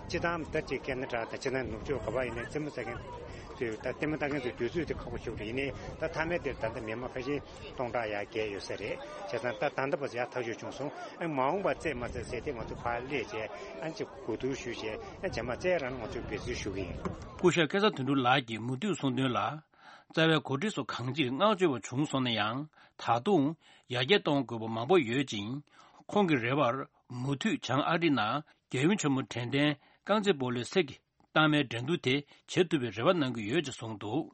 སྤྱི་བཏང་ད་ཅིག་ཁེ་ན་ད་ད་སྤྱི་བཏང་ནུབ་ཕྱོགས་ག་པར་ཡིན་ནའི་རྩེད་མོ་རྩེ་མཁན་ཚོས་ད་ལྟད་མོ་ལྟ་མཁན་ཚོའི་དུས་ཚོད་དེ་ཁག་པོ་ཞེ་པོ་རེད། ཡིན་ནའི་ད་མཐའ་མའི་དེར་ད་ལྟ་མི་མང་ཕལ་ཆེར་སྟོང་ཕྲག་ཡར་བརྒལ་ཡོད་ས་རེད། བྱས་ཙང་ད་ད་ལྟ་བར་ཡག་ཐག་ཆོད་བྱུང་སོང་། ཨ་མ་འོངས་པར་རྩེད་མ་རྩེད་ཟེར་དེ་ང་ཚོ་ཕར་སླེབས་བྱས་ཨ་ཅིག་གོ་བསྡུར་ཞུས་བྱས་ཨ་རྗེས་མ་རྩེད་རང་ང་ཚོས་འབད་བརྩོན་ཞུ་གི་ཡིན། སྐུ་ཞབས་སྐལ་བཟང་དོན་གྲུབ་ལགས་ཀྱིས་མུ་མཐུད་གསུངས་དོན་ལ། རྩ་བའི་གོ་སྒྲིག་སོགས་གང་ཅིར་བསྔགས་བརྗོད་པ་བྱུང་སོང་ན་ཡང་། ད་དུང་ཡར་རྒྱས་གཏོང་དགོས་པ་མང་པོ་ཡོད་ཅིང་། ཁོང་གི་རེ་བར་མུ་མཐུད་བྱང་ཨ་རི་ནང་རྒྱལ་ཡུམ་ཆེན་མོ་དྲན་རྟེན་རྐང་རྩེད་སྤོ་ལོའི་གསེར་གྱི་རྟགས་མའི་འགྲན་བསྡུར་དེ་བྱེད་ཐུབ་པའི་རེ་བ་གནང་གི་ཡོད་ཅེས་གསུངས་འདུག་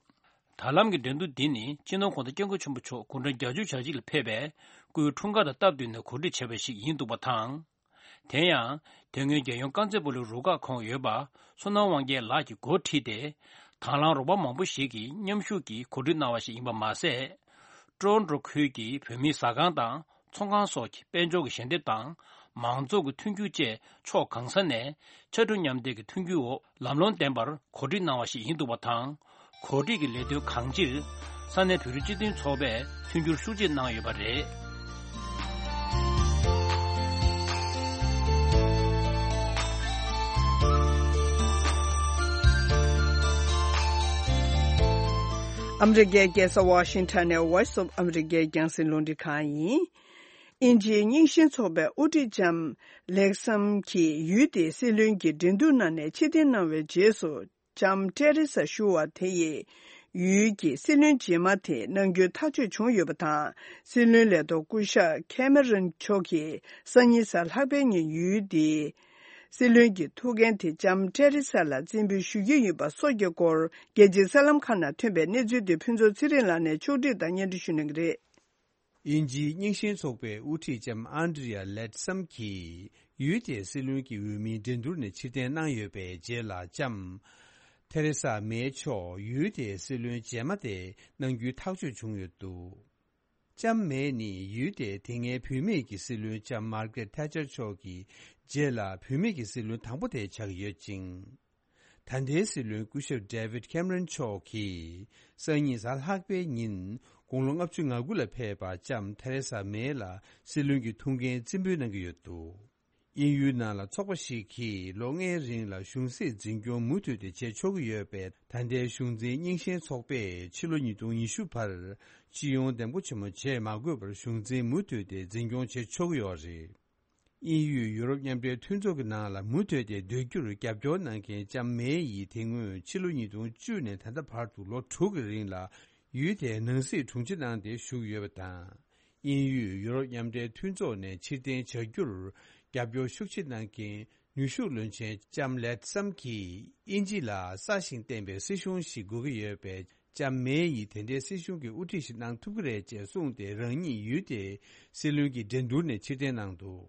ད་ལམ་གྱི་འགྲན་བསྡུར་འདི་ནི་སྤྱི་ནོར་༧གོང་ས་༧སྐྱབས་མགོན་ཆེན་པོ་མཆོག་དགུང་གྲངས་བརྒྱད་ཅུ་གྱ་གཅིག་ལ་ཕེབས་པའི་སྐུའི་འཁྲུངས་སྐར་དང་སྟབས་བསྟུན་ནས་གོ་སྒྲིག་བྱས་པ་ཞིག་ཡིན་འདུག་པ་དང་། དེ་ཡང་དེ་སྔོན་རྒྱལ་ཡོངས་རྐང་རྩེད་སྤོ་ལོའི་རུ་ཁག་ཁོངས་ཡོད་པ་བསོད་ནམས་དབང་རྒྱལ་ལགས་ཀྱིས་འགོ་ཁྲིད་དེ། དང་བླངས་རོགས་པ་མང་པོ་ཞིག་གིས་མཉམ་ཞུགས་ཀྱིས་གོ་སྒྲིག་གནང་བ་ཞིག་ཡིན་པ་མ་ཟད། ཀྲོ་རོན་ཀྲོ་ཁུལ་གྱི་བོད་མིའི་ཟ་ཁང་དང་ཚོང་ཁང་སོགས་ཀྱི་དཔལ་འབྱོར་གྱི་ཞལ་འདེབས་དང་མང་ཚོགས་ཀྱི་མཐུན་འགྱུར་བཅས་ཕྱོགས་གང་ས་ནས་ཕྱར་གྲུ་མཉམ་འདེགས་ཀྱི་མཐུན་འགྱུར་འོག་ལམ་ལྷོང་ལྡན་པར་གོ་སྒྲིག་གནང་བ་ཞིག་ཡིན་འདུག་པ་དང་། གོ་སྒྲིག་གི་ལས་དོན་གང་ཅིར་ས་གནས་བོད་རིགས་སྤྱི་མཐུན་ཚོགས་པས་མཐུན་འགྱུར་ཤུགས་ཆེ་གནང་ཡོད་པ་རེད། ཨ་མི་རི་ཀའི་རྒྱལ་ས་ཝ་ཤིང་ཊོན་ནས་Voice of America རྒྱང་སྲིང་རླུང་འཕྲིན་ཁང་ཡིན། དབྱིན་ཇིའི་རྙིང་ཞེན་ཚོགས་པའི་དབུ་ཁྲིད་ལྕམ་ལེག་སམ་གྱིས་ཡུལ་དེའི་སྲིད་བློན་གྱི་འགྲན་བསྡུར་གནང་བའི་ཕྱིར་འཐེན་གནང་བའི་རྗེས་སུ། ལྕམ་ཏེ་རེ་ས་ཞུ་བ་དེ་ཡིས་ཡུལ་གྱི་སྲིད་བློན་རྗེས་མ་དེ་གནང་རྒྱུའི་ཐག་གཅོད་བྱུང་ཡོད་པ་དང་། སྲིད་བློན་ལས་ཐོག་སྐུ་ཞབས་ཁེ་མེ་རོན་མཆོག་གིས་སང་ཉིན་གཟའ་ལྷག་པའི་ཉིན་ཡུལ་དེའི་སྲིད་བློན་གྱི་ཐུགས་འགན་དེ་ལྕམ་ཏེ་རེ་ས་ལ་བརྩི་འབུལ་ཞུ་རྒྱུ་ཡིན་པ་སོགས་ཀྱི་སྐོར་རྒྱལ་སྤྱིའི་གསར་ལམ་ཁག་ནང་ཐོན་པའི་གནས་ཚུལ་དེ་ཕུན་ཚོགས་ཚེ་རིང་ལགས་ནས་ཕྱོགས་བསྒྲིགས་དང་སྙན་སྒྲོན་ཞུ་གནང་གི་རེད། དབྱིན་ཇིའི་རྙིང་ཞེན་ཚོགས་པའི་དབུ་ཁྲིད་ལྕམ་ཨན་ཌི་ཡ་ལེད་སམ་གྱིས་ཡུལ་དེའི་སྲིད་བློན་གྱི་འོས་མིའི་འགྲན་བསྡུར་ནས་ཕྱིར་འཐེན་གནང་ཡོད་པའི་རྗེས་ལ་ལྕམ་ཐེ་རེ་ས་མེ་མཆོག་ཡུལ་དེའི་སྲིད་བློན་རྗེས་མ་དེ་གནང་རྒྱུའི་ཐག་གཅོད་བྱུང་ཡོད་འདུག་ལྕམ་མེ་ནི་ཡུལ་དེའི་དེ་སྔའི་བུད་མེད་ཀྱི་སྲིད་བློན་ལྕམ་མར་གེ་རེད་ཐེ་ཆར་མཆོག་གི་རྗེས་ལ་བུད་མེད་ཀྱི་སྲིད་བློན་དང་པོ་དེ་ཆགས་ཡོད་ཅིང་། ད་ལྟའི་སྲིད་བློན་སྐུ་ཞབས་ཌེ་བིད་ཁེམ་རོན་མཆོག་གིས་སང་ཉིན་གཟའ་ལྷག་པའི་ཉིན་དགུང་ལོ་ལྔ་བཅུ་ང་དགུ་ལ་ཕེབས་པ་ལྕམ་ཐེ་རེ་ས་མེ་ལ་སྲིད་བློན་གྱི་ཐུགས་འགན་རྩིས་འབུལ་གནང་གི་ཡོད་འདུག་དབྱིན་ཡུལ་ནང་ལ་ཚོགས་པ་ཞིག་གིས་ལོ་ལྔའི་རིང་ལ་གཞུང་སྲིད་འཛིན་སྐྱོང་མུ་མཐུད་དེ་བྱེད་ཆོག་གི་ཡོད་པས། ད་ལྟའི་གཞུང་འཛིན་རྙིང་ཞེན་ཚོགས་པས་ཕྱི་ལོ་ཉིས་སྟོང་ཉི་ཤུ་བར་སྤྱི་ཡོངས་འདེམས་བསྐོ་ཆེན་མོ་བྱེད་མ་དགོས་པར་གཞུང་འཛིན་མུ་མཐུད་དེ་འཛིན་སྐྱོང་བྱེད་ཆོག་གི་ཡོད་རེད། དབྱིན་ཡུལ་ཡུ་རོབ་མཉམ་འབྲེལ་མཐུན་ཚོགས་ཀྱི་ནང་ལ་མུ་མཐུད་དེ་སྡོད་རྒྱུར་རྒྱབ་སྐྱོར་གནང་མཁན་ལྕམ་མེ་ཡིས་དེ་སྔོན་ཕྱི་ལོ་ཉིས་སྟོང་བཅུ་ནས་ད་ལྟ་བར་དུ་ལོ་དྲུག་གི་རིང་ལ་ཡུལ་དེའི་ནང་སྲིད་དྲུང་ཆེ་གནང་སྟེ་བཞུགས་ཡོད་པ་དང་། དབྱིན་ཡུལ་ཡུ་རོབ་མཉམ་འབྲེལ་མཐུན་ཚོགས་ནས་ཕྱིར་འཐེན་བྱ་རྒྱུར་རྒྱབ་སྐྱོར་ཤུགས་ཆེ་གནང་མཁན་ནུས་ཤུགས་བློན་ཆེན་ལྕམ་ལེད་སམ་གྱིས་དབྱིན་ཇི་ལ་གསར་ཞིང་བརྟན་པའི་སྲིད་གཞུང་ཞིག་དགོས་ཀྱི་ཡོད་པས། ལྕམ་མེ་ཡིས་དེ་འདྲའི་སྲིད་གཞུང་གི་དབུ་ཁྲིད་ཞིག་གནང་ཐུབ་ཀྱི་རེད་ཅེས་གསུངས་ཏེ་རང་ཉིད་ཡུལ་དེའི་སྲིད་བློན་གྱི་འགྲན་བསྡུར་ནས་ཕྱིར་འཐེན་གནང་འདུག་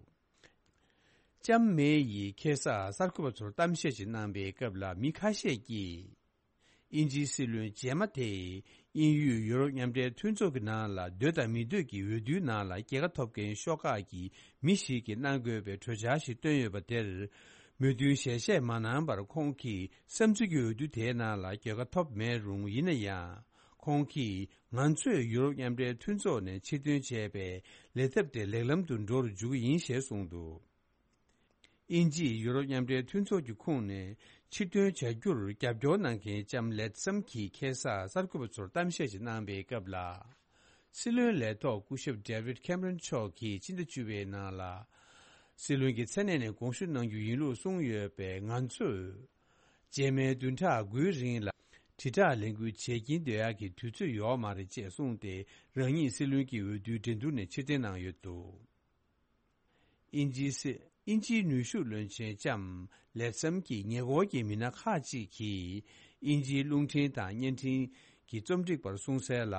ལྕམ་མེ་ཡིས་ཁ་སང་གསར་འགོད་པ་ཚོར་གཏམ་བཤད་ཅིག་གནང་པའི་སྐབས་ལ་མི་ཁ་ཤས་ཀྱིས། དབྱིན་ཇིའི་སྲིད་བློན་རྗེས་མ་དེས་དབྱིན་ཡུལ་ཡུ་རོབ་མཉམ་འབྲེལ་མཐུན་ཚོགས་ཀྱི་ནང་ལ་འདོད་དང་མི་འདོད་ཀྱི་འོས་བསྡུའི་ནང་ལ་རྒྱལ་ཁ་ཐོབ་མཁན་ཤོག་ཁག་གི་མི་ཞིག་གིས་གནང་དགོས་པའི་གྲོས་འཆར་ཞིག་བཏོན་ཡོད་པ་དེར། མོས་མཐུན་ཞལ་བཞེས་མ་གནང་བར་ཁོང་གིས་བསམ་ཚུལ་གྱི་འོས་བསྡུ་དེའི་ནང་ལ་རྒྱལ་ཁ་ཐོབ་མེད་རུང་། ཡིན་ན་ཡང་། ཁོང་གིས་ང་ཚོས་ཡུ་རོབ་མཉམ་འབྲེལ་མཐུན་ཚོགས་ནས་ཕྱིར་འདོན་བྱས་པའི་ལས་ཐབས་དེ་ལེགས་ལམ་དུ་འགྲོ་རུ་འཇུག་གི་ཡིན་ཞེས་གསུངས་འདུག་དབྱིན་ཇིས་ཡུ་རོབ་མཉམ་འབྲེལ་མཐུན་ཚོགས་ཀྱི་ཁོངས་ནས་ཕྱིར་འདོན་བྱ་རྒྱུར་རྒྱབ་སྐྱོར་གནང་མཁན་ལྕམ་ལེད་སམ་གྱིས་ཁ་སང་གསར་འགོད་པ་ཚོར་གཏམ་བཤད་ཅིག་གནང་པའི་སྐབས་ལ། སྲིད་བློན་ལས་ཐོག་སྐུ་ཞབས་ཌེ་བིད་ཁེམ་རོན་མཆོག་གིས་ཕྱི་ཟླ་བཅུ་པའི་ནང་ལ། སྲིད་བློན་གྱི་མཚན་གནས་ནས་དགོངས་ཞུ་གནང་རྒྱུ་ཡིན་ལུགས་གསུངས་ཡོད་པས། ང་ཚོས་རྗེས་མའི་བདུན་ཕྲག་དགུའི་རིང་ལ་དྲིལ་བསྒྲགས་ལས་འགུལ་བྱེད་ཀྱིན་སྡོད་ཡག་གི་དུས་ཚོད་ཡོད་མ་རེད་ཅེས་གསུངས་ཏེ། རང་ཉིད་སྲིད་བློན་གྱི་འོས་བསྡུའི་འགྲན་བསྡུར་ནས་ཕྱིར་འཐེན་གནང་ཡོད་འདུག་དབྱིན་ཇིའི་སྲིད། དབྱིན་ཇིའི་ནུས་ཤུགས་བློན་ཆེན་ལྕམ་ལེད་སམ་གྱི་ཉེ་འཁོར་གྱི་མི་སྣ་ཁག་ཅིག་གིས། དབྱིན་ཇིའི་རླུང་འཕྲིན་དང་བརྙན་འཕྲིན་གྱི་རྩོམ་སྒྲིག་པར་གསུངས་གསལ་ལ།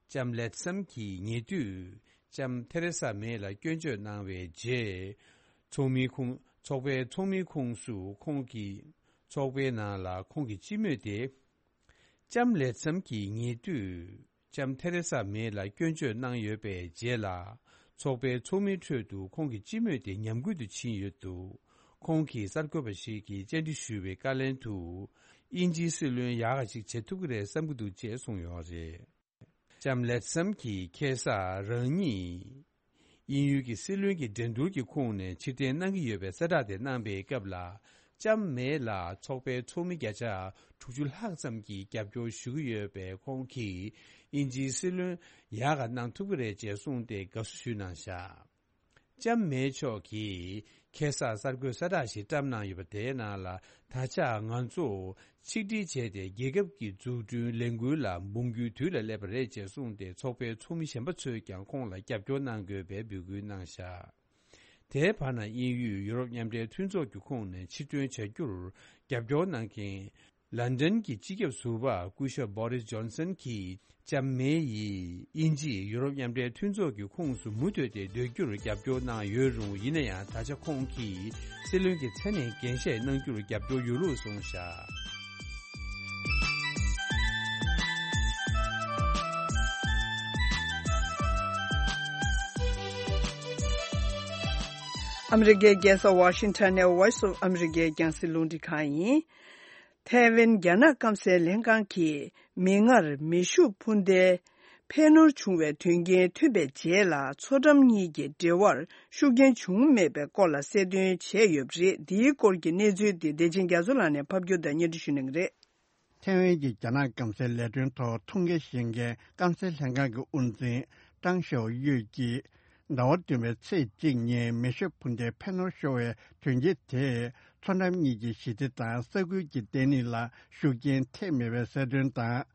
ལྕམ་ལེཐ་སམ་གྱི་ཉེ་དུས་ལྕམ་ཐེ་རེ་ས་མེ་ལ་སྐྱོན་བརྗོད་གནང་བའི་རྗེས། ཚོགས་མིའི་ཁོངས། ཚོགས་པའི་ཚོགས་མིའི་ཁོངས་སུ་ཁོང་གིས། ཚོགས་པའི་ནང་ལ་ཁོང་གི་སྤྱི་མོས་དེ། ལྕམ་ལེ་ཚམ་གྱི་ཉེ་དུས་ལྕམ་ཐེ་རེ་ས་མེ་ལ་སྐྱོན་བརྗོད་གནང་ཡོད་པའི་རྗེས་ལ། ཚོགས་པའི་ཚོགས་མིའི་ཁྲོད་དུ་ཁོང་གི་སྤྱི་མོས་དེ་ཉམས་རྒུད་དུ་ཕྱིན་ཡོད་འདུག་ཁོང་གིས་གསར་འགོད་པ་ཞིག་གིས་བཅར་འདྲི་ཞུས་པའི་བཀའ་ལན་དུ། དབྱིན་ཇིའི་སྲིད་བློན་ཡག་ག་ཅིག་བྱེད་ཐུབ་ཀྱི་རེད་བསམ་གྱི་འདུག་ཅེས་གསུངས་ཡོད་རེད། ལྕམ་ལེ་ཚམ་གྱིས་ཁ་སང་རང་ཉིད། དབྱིན་ཡུལ་གྱི་སྲིད་བློན་གྱི་འགྲན་བསྡུར་གྱི་ཁོངས་ནས་ཕྱིར་འཐེན་གནང་གི་ཡོད་པའི་གསལ་བསྒྲགས་དེ་གནང་པའི་སྐབས་ལ། ལྕམ་མེ་ལ་ཚོགས་པའི་ཚོགས་མི་བརྒྱ་ཆ་དྲུག་ཅུ་ལྷག་ཙམ་གྱིས་རྒྱབ་སྐྱོར་ཞུ་གི་ཡོད་པས། ཁོང་གིས་དབྱིན་ཇིའི་སྲིད་བློན་ཡག་ག་གནང་ཐུབ་ཀྱི་རེད་ཅེས་གསུངས་ཏེ་དགའ་བསུ་ཞུས་གནང་བཞག་ལྕམ་མེ་མཆོག་གིས་ཁ་སང་གསར་འགོད་གསལ་བསྒྲགས་ཤིག་བཀྲམ་གནང་ཡོད་པ་དེའི་ནང་ལ། ད་ཆ་ང་ཚོ་ཆིག་སྒྲིལ་བྱས་ཏེ་རྒྱལ་ཁབ་ཀྱི་འཛུགས་སྐྲུན་ལས་འགུལ་ལ་འབུང་རྒྱུའི་དུས་ལ་སླེབས་པ་རེད་ཅེས་གསུངས་ཏེ། ཚོགས་པའི་ཚོགས་མི་གཞན་པ་ཚོས་ཀྱང་ཁོང་ལ་རྒྱབ་སྐྱོར་གནང་དགོས་པའི་འབོད་སྐུལ་གནང་བཞག་དེའི་བར་ན། དབྱིན་ཡུལ་ཡུ་རོབ་མཉམ་འབྲེལ་མཐུན་ཚོགས་ཀྱི་ཁོངས་ནས་ཕྱིར་ཐོན་བྱ་རྒྱུར་རྒྱབ་སྐྱོར་གནང་མཁན། ལན་ཌན་གྱི་སྤྱི་ཁྱབ་ཟུར་པ་སྐུ་ཞབས་བྷོ་རིས་ཇོན་སན་གྱིས། ལྕམ་མེ་ཡིས་དབྱིན་ཇིས་ཡུ་རོབ་མཉམ་འབྲེལ་མཐུན་ཚོགས་ཀྱི་ཁོངས་སུ་མུ་མཐུད་དེ་སྡོད་རྒྱུར་རྒྱབ་སྐྱོར་གནང་ཡོད་རུང་། ཡིན་ན་ཡང་། ད་ཆ་ཁོང་གིས་སྲིད་བློན་གྱི་མཚན་ནས་འགན་བཞེས་གནང་རྒྱུར་རྒྱབ་སྐྱོར་ཡོད་ལུགས་གསུངས་བཞག་ཨ་མི་རི་ཀའི་རྒྱལ་ས་ཝ་ཤིང་ཊོན་ནས་Voice of America རྒྱང་སྲིང་རླུང་འཕྲིན་ཁང་ཡིན། ཐའེ་ཝན་རྒྱ་ནག་སྐམ་སའི་ལྷན་ཁང་གིས་མིག་སྔར་མེ་ཤུགས་འཕུར་མདེལ་འཕེན་ནུར་བྱུང་བའི་དོན་རྐྱེན་ཐོན་པའི་རྗེས་ལ། མཚོ་འགྲམ་གཉིས་ཀྱི་འབྲེལ་བར་ཤུགས་རྐྱེན་བྱུང་མེད་པའི་སྐོར་ལ་གསལ་སྟོན་བྱས་ཡོད་པ་རེད། འདིའི་སྐོར་གྱི་གནས་ཚུལ་དེ་བདེ་ཆེན་རྒྱ་མཚོ་ལགས་ནས་ཕབ་སྒྱུར་དང་སྙན་སྒྲོན་ཞུ་གནང་གི་རེད། ཐའེ་ཝན་གྱི་རྒྱ་ནག་སྐམ་སའི་ལས་དོན་ཐོག་ཐུགས་འགན་བཞེས་མཁན་སྐམ་སའི་ལྷན་ཁང་གི་དབུ་འཛིན་ཀྲང་ཞའོ་ཡུས་ཀྱིས། ཟླ་བ་བདུན་པའི་ཚེས་གཅིག་ཉིན་མེ་ཤུགས་འཕུར་མདེལ་འཕེན་ནུར་ཤོར་བའི་དོན་རྐྱེན་དེས། མཚོ་འགྲམ་གཉིས་ཀྱི་ཞི་བདེ་དང་ས་ཁུལ་གྱི་བརྟན་ལྷིང་ལ་ཤུགས་རྐྱེན་ཐེབས་མེད་པའི་གསལ་སྟོན་དང་།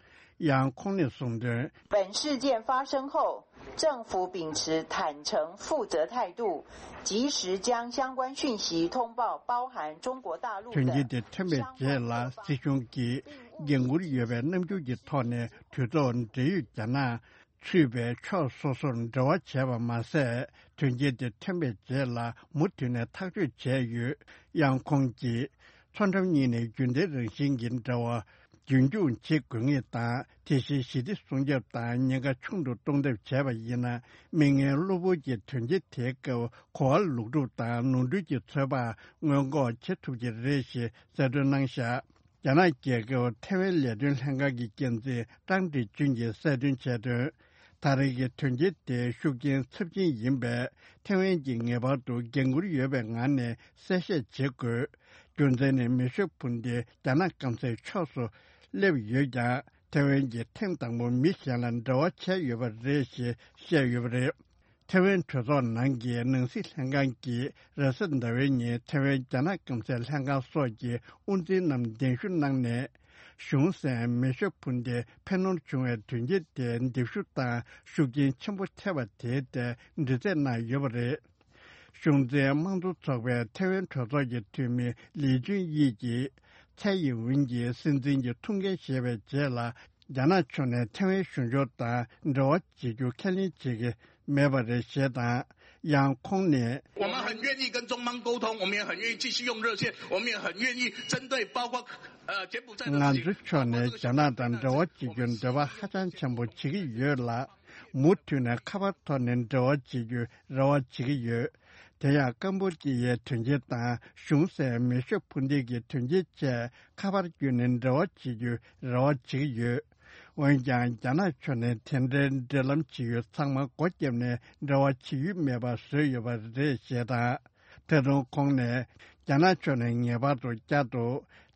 ཡང་ཁོང་ནས་གསུངས་དོན། 本事件发生后，政府秉持坦诚负责态度，及时将相关讯息通报包含中国大陆的 དོན་རྐྱེན་དེ་ཐོན་པའི་རྗེས་ལ། སྲིད་གཞུང་གིས་འགན་འཁུར་ཡོད་པའི་རྣམ་འགྱུར་གྱི་ཐོག་ནས། གྲོས་ཚོགས་འབྲེལ་ཡོད་རྒྱ་ནག་ཚུད་པའི་ཕྱོགས་སོ་སོར་འབྲེལ་བ་བྱས་པ་མ་ཟད། དོན་རྐྱེན་དེ་ཐོན་པའི་རྗེས་ལ་མུ་མཐུད་ནས་ཐག་གཅོད་བྱས་ཡོད། ཡང་ཁོང་གིས། མཚོ་འགྲམ་གཉིས་ནས་རྒྱུན་ལྡན་རང་བཞིན་གྱི་འབྲེལ་བ་རྒྱུན་འཁྱོངས་བྱེད་དགོས་ངེས་དང་། དེ་བཞིན་ཞི་བདེ་སྲུང་སྐྱོབ་དང་ཉེན་ཁ་ཆུང་དུ་གཏོང་ཐབས་བྱས་པ་ཡིན་ན། མིག་སྔའི་གློ་བུར་གྱི་དོན་རྐྱེན་དེའི་སྐབས་གོ་བ་ལོག་སྒྲུབ་དང་ནོར་འཁྲུལ་གྱི་ཚོད་དཔག་སྔོན་འགོག་བྱེད་ཐུབ་ཀྱི་རེད་ཞེས་གསལ་སྟོན་གནང་བཞག་རྒྱ་ནག་རྒྱལ་ཁབ་ཐའེ་ཝན་ལས་དོན་ལྷན་ཁང་གི་འགན་འཛིན་ཀྲང་ཀྲིག་ཅུན་གྱིས་གསལ་སྟོན་བྱས་དོན། ད་རེས་ཀྱི་དོན་རྐྱེན་དེ་ཤུགས་རྐྱེན་ཚབས་ཆེན་ཡིན་པས། ཐའེ་ཝན་གྱིས་ངེས་པར་དུ་འགན་འཁུར་ཡོད་པའི་ངང་ནས་གསལ་བཤད་བྱེད་དགོས། རྒྱུ་མཚན་ནི་མེ་ཤུགས་འཕུར་མདེལ་རྒྱ་ནག་སྐམ་སའི་ཕྱོགས་སུ་སླེབས་ཡོད་ཀྱང་། ཐའེ་ཝན་གྱིས་ཐེངས་དང་པོ་མི་གཞན་ལ་འབྲེལ་བ་བྱས་ཡོད་པ་རེད་ཞེས་བཤད་ཡོད་པ་རེད། ཐའེ་ཝན་གྲོས་ཚོགས་ནང་གི་ནང་སྲིད་ལྷན་ཁང་གིས་རེས་གཟའ་ཟླ་བའི་ཉིན་ཐའེ་ཝན་རྒྱ་ནག་སྐམ་སའི་ལྷན་ཁང་སོགས་ཀྱི་དབུ་འཛིན་རྣམས་གདན་ཞུ་གནང་ནས། གཞུང་སྲིད་མེ་ཤུགས་འཕུར་མདེལ་འཕེན་ནུར་བྱུང་བའི་དོན་རྐྱེན་དེ་འདེམས་ཤུགས་དང་ཤུགས་རྐྱེན་ཆེན་པོ་ཐེབས་པ་དེའི་ཐད་འདྲི་རྩད་གནང་ཡོད་པ་རེད། གཞུང་འཛིན་དམངས་གཙོ་ཚོགས་པའི་ཐའེ་ཝན་གྲོས་ཚོགས་ཀྱི་འཐུས་མི་ལི་ཅུན་དབྱི་གིས། ཚའེ་ཡིན་ཝུན་གྱིས་སྲིད་འཛིན་གྱི་ཐུགས་འགན་བཞེས་པའི་རྗེས་ལ། རྒྱ་ནག་ཕྱོགས་ནས་ཐའེ་ཝན་གཞུང་ཕྱོགས་དང་འབྲེལ་བ་བྱེད་རྒྱུ་ཁས་ལེན་བྱེད་ཀྱི་མེད་པ་རེད་ཞེས་དང་། ཡང་ཁོང་ནས། 我们很愿意跟中方沟通，我们也很愿意继续用热线，我们也很愿意针对包括呃柬埔寨的事情。 ང་ཚོའི་ཕྱོགས་ནས་རྒྱ་ནག་དང་འབྲེལ་བ་བྱེད་རྒྱུར་འདོད་པ་ཧ་ཅང་ཆེན་པོ་བྱེད་ཀྱི་ཡོད་ལ། མུ་མཐུད་ནས་ཁ་པར་ཐོག་ནས་འབྲེལ་བ་བྱེད་རྒྱུའི་རེ་བ་བྱེད་ཀྱི་ཡོད། དེ་ཡང་ཀམ་པོ་ཅི་ཡའི་དོན་རྐྱེན་དང་གཞུང་སྲིད་མེ་ཤུགས་འཕུར་མདེལ་གྱི་དོན་རྐྱེན་བཅས་ཁ་པར་བརྒྱུད་ནས་འབྲེལ་བ་བྱེད་རྒྱུའི་རེ་བ་བྱེད་ཀྱི་ཡོད། འོན་ཀྱང་རྒྱ་ནག་ཕྱོགས་ནས་དེ་འདྲའི་འབྲེལ་ལམ་བྱེད་ཡུལ་ཚང་མ་སྒོ་བརྒྱབ་ནས་འབྲེལ་བ་བྱེད་ཡུལ་མེད་པ་བཟོས་ཡོད་པ་རེད་ཞེས་དང་། ད་དུང་ཁོང་ནས། རྒྱ་ནག་ཕྱོགས་ནས་ངེས་པར་དུ་བསྐྱར་དུ་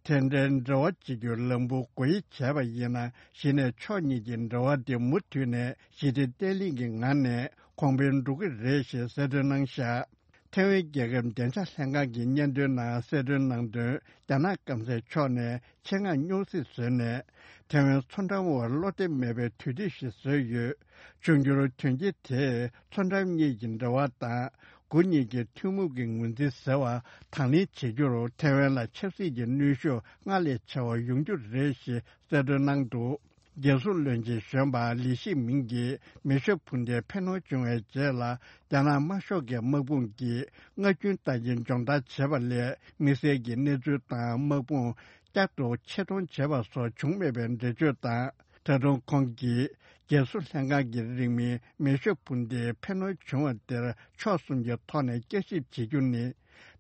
དེ་འདྲའི་འབྲེལ་བ་བྱེད་རྒྱུའི་ལམ་བུ་སྒོ་དབྱེ་བྱས་པ་ཡིན་ན། གཞི་ནས་ཕྱོགས་གཉིས་ཀྱི་འབྲེལ་བ་དེ་མུ་མཐུད་ནས་ཞི་བདེ་བརྟན་ལྷིང་གི་ངང་ནས་གོང་འཕེལ་འགྲོ་གི་རེད་ཞེས་གསལ་སྟོན་གནང་བཞག་ཐའེ་ཝན་རྒྱལ་ཁབ་བདེ་འཇགས་ལྷན་ཁང་གི་སྙན་ཐོའི་ནང་གསལ་སྟོན་གནང་དོན། རྒྱ་ནག་སྐམ་སའི་ཕྱོགས་ནས་ཆེད་མངགས་སྨྱོ་རྫས་བཟོས་ནས། ཐའེ་ཝན་མཚོ་འགྲམ་བར་བློ་བདེ་མེད་པའི་དུས་ཚོད་ཞིག་བཟོས་ཡོད། འབྱུང་འགྱུར་དོན་རྐྱེན་དེས་མཚོ་འགྲམ་གཉིས་ཀྱི་འབྲེལ་བ་དང་། དགུ་གཉིས་ཀྱི་ཐུན་མོང་གི་ངོས་འཛིན་ཟེར་བ་དང་ལེན་བྱེད་རྒྱུར་ཐེ་ཝན་ལ་ཆབ་སྲིད་ཀྱི་གནོན་ཤུགས་སྔར་ལས་ཆེ་བ་ཡོང་རྒྱུ་རེད་ཞེས་གསལ་སྟོན་གནང་འདུག་རྒྱལ་སྲུང་བློན་ཆེན་གཞོན་པ་ལི་ཤི་མིང་གིས་མེ་ཤོད་འཕུར་མདེལ་འཕེན་གནོན་བྱུང་བའི་རྗེས་ལ། རྒྱ་ནག་དམར་ཤོག་གི་དམག་དཔུང་གིས་མངའ་སྐྱོན་བརྟག་དཔྱད་སྦྱོང་བརྡར་བྱས་པ་ལས། དམིགས་བསལ་གྱི་གནས་ཚུལ་དང་དམག་དཔུང་བསྐྱར་དུ་ཆེད་གཏོང་བྱས་པ་སོགས་བྱུང་མེད་པའི་འགྲེལ་བརྗོད་དང་། ད་དུང་ཁོང་གིས་རྒྱལ་སྲུང་ལྷན་ཁང་གི་རིང་མིན་མེ་ཤོད་འཕུར་མདེལ་འཕེན་གནོན་བྱུང་བ་དེར་ཕྱོགས་གསུམ་གྱི་ཐོག་ནས་བསྐྱར་ཞིབ་བྱེད་རྒྱུ་ནི།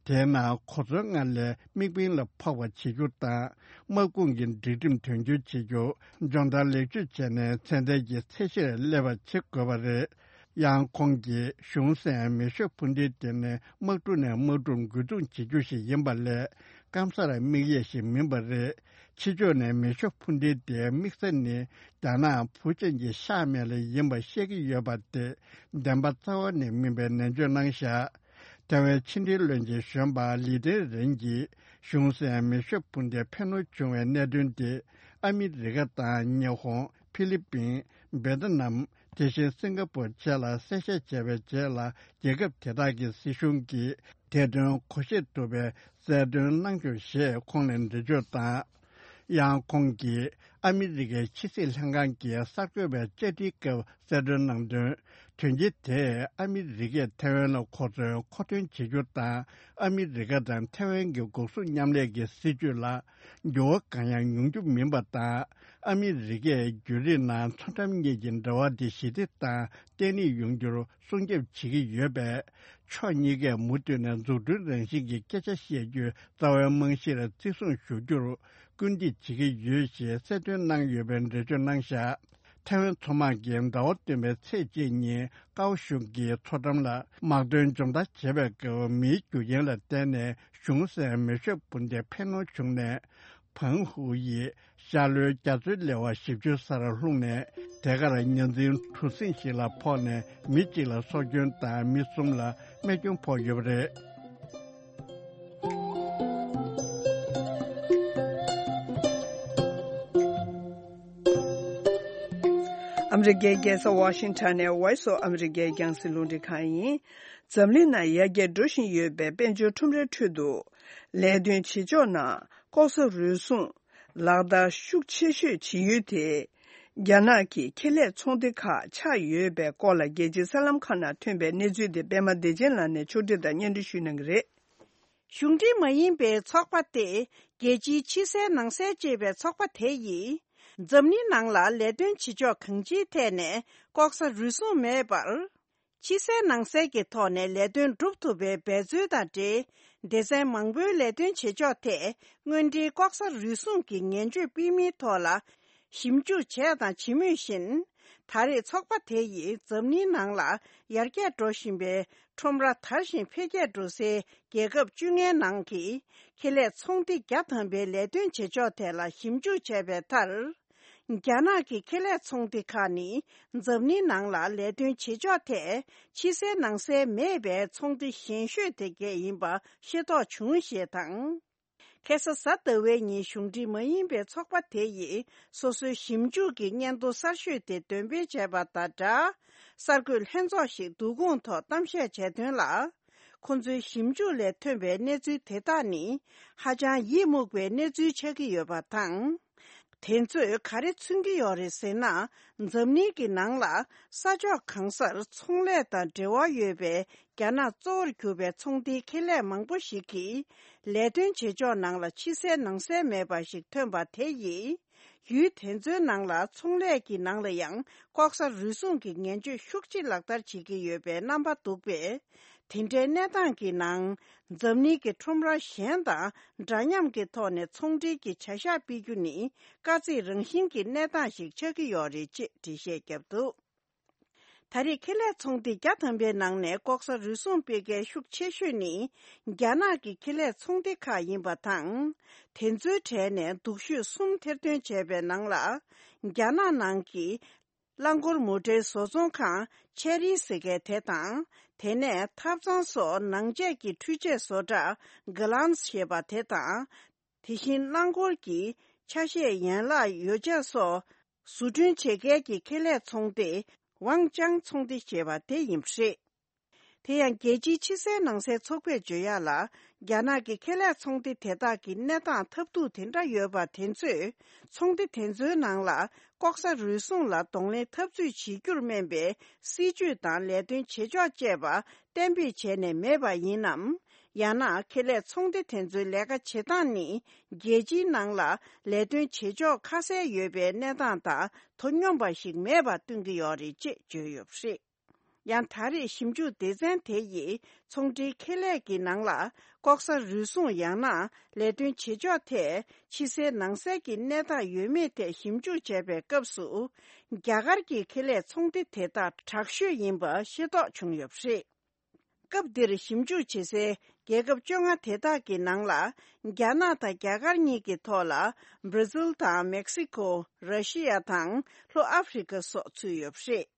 དེས་ན་གོ་མཚོན་སྔར་ལས་དམིགས་འབེན་ལ་ཕོག་པ་བྱེད་རྒྱུ་དང་། དམག་དཔུང་གི་སྒྲིག་ཁྲིམས་དོན་འཁྱོལ་བྱེད་རྒྱུ། སྦྱོང་བརྡར་ལེགས་བཅོས་བྱས་ནས་ཚད་ལྡན་གྱི་ཚད་གཞིར་སླེབས་པ་བྱེད་དགོས་པ་རེད། ཡང་ཁོང་གིས་གཞུང་སྲིད་མེ་ཤོད་འཕུར་མདེལ་དེ་ནི་དམག་གྲུ་ནས་དམག་གྲུར་འགོས་འཐུང་བྱེད་རྒྱུ་ཞིག་ཡིན་པ་ལས། སྐམ་སར་དམིགས་ཡས་ཤིག་མིན་པ་རེད། ཕྱི་ཕྱོགས་ནས་མེ་ཤོད་འཕུར་མདེལ་དེའི་དམིགས་ས་ནི་རྒྱ་ནག་ཕུའུ་ཅན་གྱི་ཤར་མལ་ལ་ཡིན་པ་བཤད་ཀྱི་ཡོད་པ་དེ་བདེན་པ་རྩ་བ་ནས་མིན་པའི་ནན་བརྗོད་གནང་བཞག་ཐེ་ཝན་ཕྱི་འབྲེལ་བློན་ཆེན་གཞོན་པ་ལི་ཏེན་རེན་གྱིས་གཞུང་སྲིད་མེ་ཤོད་འཕུར་མདེལ་འཕེན་གནོན་བྱུང་བའི་གནད་དོན་དེ། ཨ་མི་རི་ཀ་དང་ཉི་ཧོང་། ཕི་ལི་པིན། འབེ་ཏི་ནམ། དེ་བཞིན་སིང་ག་པོར་བཅས་ལ་གསལ་བཤད་བྱས་པའི་རྗེས་ལ། རྒྱལ་ཁབ་དེ་དག་གི་སྲིད་གཞུང་གིས་དེ་དོན་གོ་ཤེས་ཐུབ་པའི་གསལ་སྟོན་གནང་ཆོག་ཞེས་ཁོང་ནས་འགྲེལ་བརྗོད་དང་། ཡང་ཁོང་གིས་ཨ་མི་རི་ཀའི་ཕྱི་སྲིད་ལྷན་ཁང་གི་གསར་འགོད་པའི་བཅར་འདྲིའི་སྐབས་གསལ་སྟོན་གནང་དོན། དོན་རྐྱེན་དེས་ཨ་མི་རི་ཀས་ཐེ་ཝན་ལ་གོ་མཚོན་མཁོ་འདོན་བྱེད་རྒྱུ་དང་། ཨ་མི་རི་ཀ་དང་ཐེ་ཝན་གྱི་འགོག་སྲུང་མཉམ་ལས་ཀྱི་སྲིད་ཇུས་ལ་འགྱུར་བ་གང་ཡང་ཡོང་རྒྱུ་མིན་པ་དང་། ཨ་མི་རི་ཀས་བརྒྱུད་རིམ་ནང་མཚོ་འགྲམ་གཉིས་ཀྱི་འབྲེལ་བ་དེ་ཞི་བདེ་དང་བརྟན་ལྷིང་ཡོང་རྒྱུར་སྲུང་སྐྱོབ་བྱེད་ཀྱི་ཡོད་པས། ཕྱོགས་གཉིས་ཀས་མུ་མཐུད་ནས་འཛུགས་སྐྲུན་རང་བཞིན་གྱི་སྐད་ཆ་བཤད་རྒྱུའི་རྩ་བའི་རྨང་གཞིར་བརྩི་སྲུང་ཞུ་རྒྱུར་སྐུལ་འདེད་བྱེད་ཀྱི་ཡོད་ཞེས་གསལ་སྟོན་གནང་ཡོད་པའི་འགྲེལ་བརྗོད་གནང་བཞག་ཐེ་ཝན་མཚོ་དམག་གིས་ཟླ་བ་སྟོན་པའི་ཚེས་གཅིག་ཉིན་ཀའོ་ཤུང་གི་མཚོ་འགྲམ་ལ་དམག་དོན་སྦྱོང་བརྡར་བྱེད་པའི་སྐབས། མིའི་རྒྱུ་རྐྱེན་ལ་བརྟེན་ནས་གཞུང་སྲིད་མེ་ཤོད་འཕུར་མདེལ་འཕེན་གནོན་བྱུང་ནས། ཕང་ཧུའུ་ཡི་ཤར་ལྷོའི་རྒྱ་མཚོའི་ལེ་དབར་བཞི་བཅུ་སར་ལྷུང་ནས། དེ་གར་ཉ་འཛིན་གྲུ་གཟིངས་ཤིག་ལ་ཕོག་ནས། མི་གཅིག་ལ་སྲོག་སྐྱོན་དང་། མི་གསུམ་ལ་རྨས་སྐྱོན་ཕོག་ཡོད་པ་རེད། ཨ་མི་རི་ཀའི་རྒྱལ་ས་ཝ་ཤིང་ཊོན་ནས་Voice of America རྒྱང་སྲིང་རླུང་འཕྲིན་ཁང་ཡིན། འཛམ་གླིང་ནང་ཡར་རྒྱས་འགྲོ་བཞིན་ཡོད་པའི་དཔལ་འབྱོར་ཁྲོམ་རའི་ཁྲོད་དུ། ལས་དོན་བྱེད་ཕྱོགས་ནང་ལྐོག་ཟ་རུལ་སུངས་ལག་བསྟར་ཤུགས་ཆེ་ཤོས་བྱེད་ཡུལ་དེ། རྒྱ་ནག་གི་ཁེ་ལས་ཚོང་སྡེ་ཁག་ཆགས་ཡོད་པའི་སྐོར་ལ། རྒྱལ་སྤྱིའི་གསར་ལམ་ཁག་ནང་ཐོན་པའི་གནས་ཚུལ་དེ་པད་མ་བདེ་ཆེན་ལགས་ནས་ཕྱོགས་སྒྲིག་དང་སྙན་སྒྲོན་ཞུ་གནང་གི་རེད། གཞུང་འབྲེལ་མ་ཡིན་པའི་ཚོགས་པ་སྟེ། རྒྱལ་སྤྱིའི་ཕྱི་གསལ་ནང་གསལ་ཅེས་པའི་ཚོགས་པ་དེ་ཡིས། འཛམ་གླིང་ནང་ལ་ལས་དོན་བྱེད་ཕྱོགས་གང་ཅིའི་ཐད་ནས་ལྐོག་ཟ་རུལ་སུངས་མེད་པར། ཕྱི་གསལ་ནང་གསལ་གྱི་ཐོག་ནས་ལས་དོན་སྒྲུབ་ཐུབ་པའི་འབད་རྩོལ་དང་འབྲེལ། སྡེ་ཚན་མང་པོའི་ལས་དོན་བྱེད་ཕྱོགས་ཐད། དངོས་འབྲེལ་ལྐོག་ཟ་རུལ་སུངས་ཀྱི་ངན་སྤྱོད་སྤེལ་མིན་ཐོག་ལ། ཞིབ་འཇུག་བྱས་དང་བྱེད་མུས་བཞིན། ད་རེས་ཚོགས་པ་དེ་ཡིས་འཛམ་གླིང་ནང་ལ་ཡར་རྒྱས་འགྲོ་བཞིན་པའི་ཁྲོམ་ར་དར་ཞིང་འཕེལ་རྒྱས་འགྲོ་སའི་རྒྱལ་ཁབ་བཅོ་ལྔའི་ནང་གི་ཁེ་ལས་ཚོང་སྡེ་བརྒྱ་ཐམ་པའི་ལས་དོན་བྱེད་ཕྱོགས་ཐད་ལ་ཞིབ་འཇུག་བྱས་པའི་མཐར། རྒྱ་ནག་གི་ཁེ་ལས་ཚོང་སྡེ་ཁག་ནི་འཛམ་གླིང་ནང་ལ་ལས་དོན་བྱེད་ཕྱོགས་ཐད་ཕྱི་གསལ་ནང་གསལ་མེད་པའི་ཚོང་སྡེ་ཞན་ཤོས་དེ་གས་ཡིན་པ་ཤེས་རྟོགས་བྱུང་ཞེས་དང་། ཁ་སང་གཟའ་ཟླ་བའི་ཉིན་གཞུང་འབྲེལ་མ་ཡིན་པའི་ཚོགས་པ་དེ་ཡིས་སོ་སོའི་ཞིབ་འཇུག་གི་སྙན་ཐོ་གསར་ཤོས་དེ་འདོན་སྤེལ་བྱས་པ་དང་སྦྲགས། གསར་འགོད་ལྷན་ཚོགས་ཤིག་བསྡུ་སྐོང་ཐོག་གཏམ་བཤད་བྱས་དོན་ལ། ཁོ་ཚོའི་ཞིབ་འཇུག་ལས་ཐོན་པའི་གནས་ཚུལ་དེ་དག་ནི་ཧ་ཅང་ཡིད་མུག་པའི་གནས་ཚུལ་ཆགས་ཀྱི་ཡོད་པ་དང་། དེ་ཚོས་ག་རེ་མཚོན་གྱི་ཡོད་རེད་ཟེར་ན། འཛམ་གླིང་གི་ནང་ལ་ས་ཕྱོགས་གང་སར་ཚོང་ལས་དང་འབྲེལ་བ་ཡོད་པའི་རྒྱ་ནག་གཙོ་བོར་གྱུར་པའི་ཚོང་སྡེའི་ཁེ་ལས་མང་པོ་ཞིག་གིས་ལས་དོན་བྱེད་ཕྱོགས་ནང་ལ་ཕྱི་གསལ་ནང་གསལ་མེད་པ་ཞིག་ཐོན་པ་དེ་ཡིས། ཡུལ་དེ་ཚོའི་ནང་ལ་ཚོང་ལས་ཀྱི་ནང་ལ་ཡང་ལྐོག་ཟ་རུལ་སུངས་ཀྱི་ངན་སྤྱོད་ཤུགས་ཆེ་ལག་བསྟར་བྱེད་ཀྱི་ཡོད་པའི་རྣམ་པ་འདུག་པས། དེ་འདྲའི་གནས་སྟངས་ཀྱི་ནང་། འཛམ་གླིང་གི་ཁྲོམ་ར་གཞན་དང་འདྲ་མཉམ་གྱི་ཐོག་ནས་ཚོང་འབྲེལ་གྱི་བྱ་གཞག་སྤེལ་རྒྱུ་ནི་དཀའ་ཚེགས་རང་བཞིན་གྱི་གནས་སྟངས་ཤིག་ཆགས་ཀྱི་ཡོད་རེད་ཅེས་འགྲེལ་བཤད་བརྒྱབ་འདུག་ད་རེས་ཁེ་ལས་ཚོང་སྡེ་བརྒྱ་ཐམ་པའི་ནང་ནས་ལྐོག་ཟ་རུལ་སུངས་སྤེལ་མཁན་ཤུགས་ཆེ་ཤོས་ནི་རྒྱ་ནག་གི་ཁེ་ལས་ཚོང་སྡེ་ཁག་ཡིན་པ་དང་། དེ་ཚོའི་གྲས་ནས་སྡུག་ཤོས་གསུམ་ཐེར་འདོན་བྱས་པའི་ནང་ལ། རྒྱ་ནག་ནང་གི་རླངས་འཁོར་མོ་ཊའི་བཟོ་ཚོང་ཁང་ཆེ་རི་ཟེར་མཁན་དེ་དང་། དེ་ནས་ཐབ་ཚང་སོགས་ནང་ཆས་ཀྱི་འཕྲུལ་ཆས་བཟོ་གྲྭ་གྷ་ལན་ཞེས་པ་དེ་དང་། དེ་བཞིན་རླངས་འཁོར་གྱི་ཆ་ཤས་ཡན་ལག་ཡོ་བྱད་སོགས་བཟོ་སྐྲུན་བྱེད་མཁན་གྱི་ཁེ་ལས་ཚོང་སྡེ་ཝང་ཅང་ཚོང་སྡེ་ཞེས་པ་དེ་ཡིན་པ་རེད། དེ་ཡང་རྒྱལ་སྤྱིའི་ཕྱི་གསལ་ནང་གསལ་ཚོགས་པས་བརྗོད་ཡག་ལ། རྒྱ་ནག་གི་ཁེ་ལས་ཚོང་སྡེ་དེ་དག་གི་གནས་སྟངས་ཐབས་སྡུག་དེ་འདྲ་ཡོད་པ་དེ་ཚོས། ཚོང་སྡེ་དེ་ཚོའི་ནང་ལ་ལྐོག་ཟ་རུལ་སུངས་ལ་གདོང་ལེན་འཐབ་རྩོད་བྱེད་རྒྱུར་སྨན་པའི་སྲིད་ཇུས་དང་ལས་དོན་བྱེད་ཕྱོགས་བཅས་པ་གཏན་འབེབས་བྱས་ནས་མེད་པ་ཡིན་ནམ། ཡང་ན་ཁེ་ལས་ཚོང་སྡེ་དེ་ཚོའི་ལས་ཀ་བྱེད་སྟངས་ནི། རྒྱལ་སྤྱིའི་ནང་ལ་ལས་དོན་བྱེད་ཕྱོགས་ཁ་གསལ་ཡོད་པའི་གནས་སྟངས་དང་དོ་སྙོམས་པ་ཞིག་མེད་པ་སྟོན་གྱི་ཡོད་རེད་ཅེས་བརྗོད་ཡོད་པ་རེད། ཡང་ད་རེས་ཞིབ་འཇུག་སྡེ་ཚན་དེ་ཡིས་ཚོང་འབྲེལ་ཁེ་ལས་ཀྱི་ནང་ལ་ལྐོག་ཟ་རུལ་སུངས་ཡང་ན་ལས་དོན་བྱེད་ཕྱོགས་ཐད་ཕྱི་གསལ་ནང་གསལ་གྱི་གནས་སྟངས་ཡོད་མེད་ཐད་ཞིབ་འཇུག་བྱས་པའི་སྐབས་སུ། རྒྱ་གར་གྱི་ཁེ་ལས་ཚོང་སྡེ་དེ་དག་དྲག་ཤོས་ཡིན་པ་ཤེས་རྟོགས་བྱུང་ཡོད་པ་རེད། སྐབས་འདིར་ཞིབ་འཇུག་བྱེད་སའི་རྒྱལ་ཁབ་བཅོ་ལྔ་དེ་དག་གི་ནང་ལ། རྒྱ་ནག་དང་རྒྱ་གར་གཉིས་ཀྱི་ཐོག་ལ་བྷར་ཛིལ་དང་མེག་སི་ཁོ། ར་ཤི་ཡ་དང་ལྷོ་ཨ་ཧྥེ་རི་ཁ་སོགས་ཚུད་ཡོད་པ་རེད།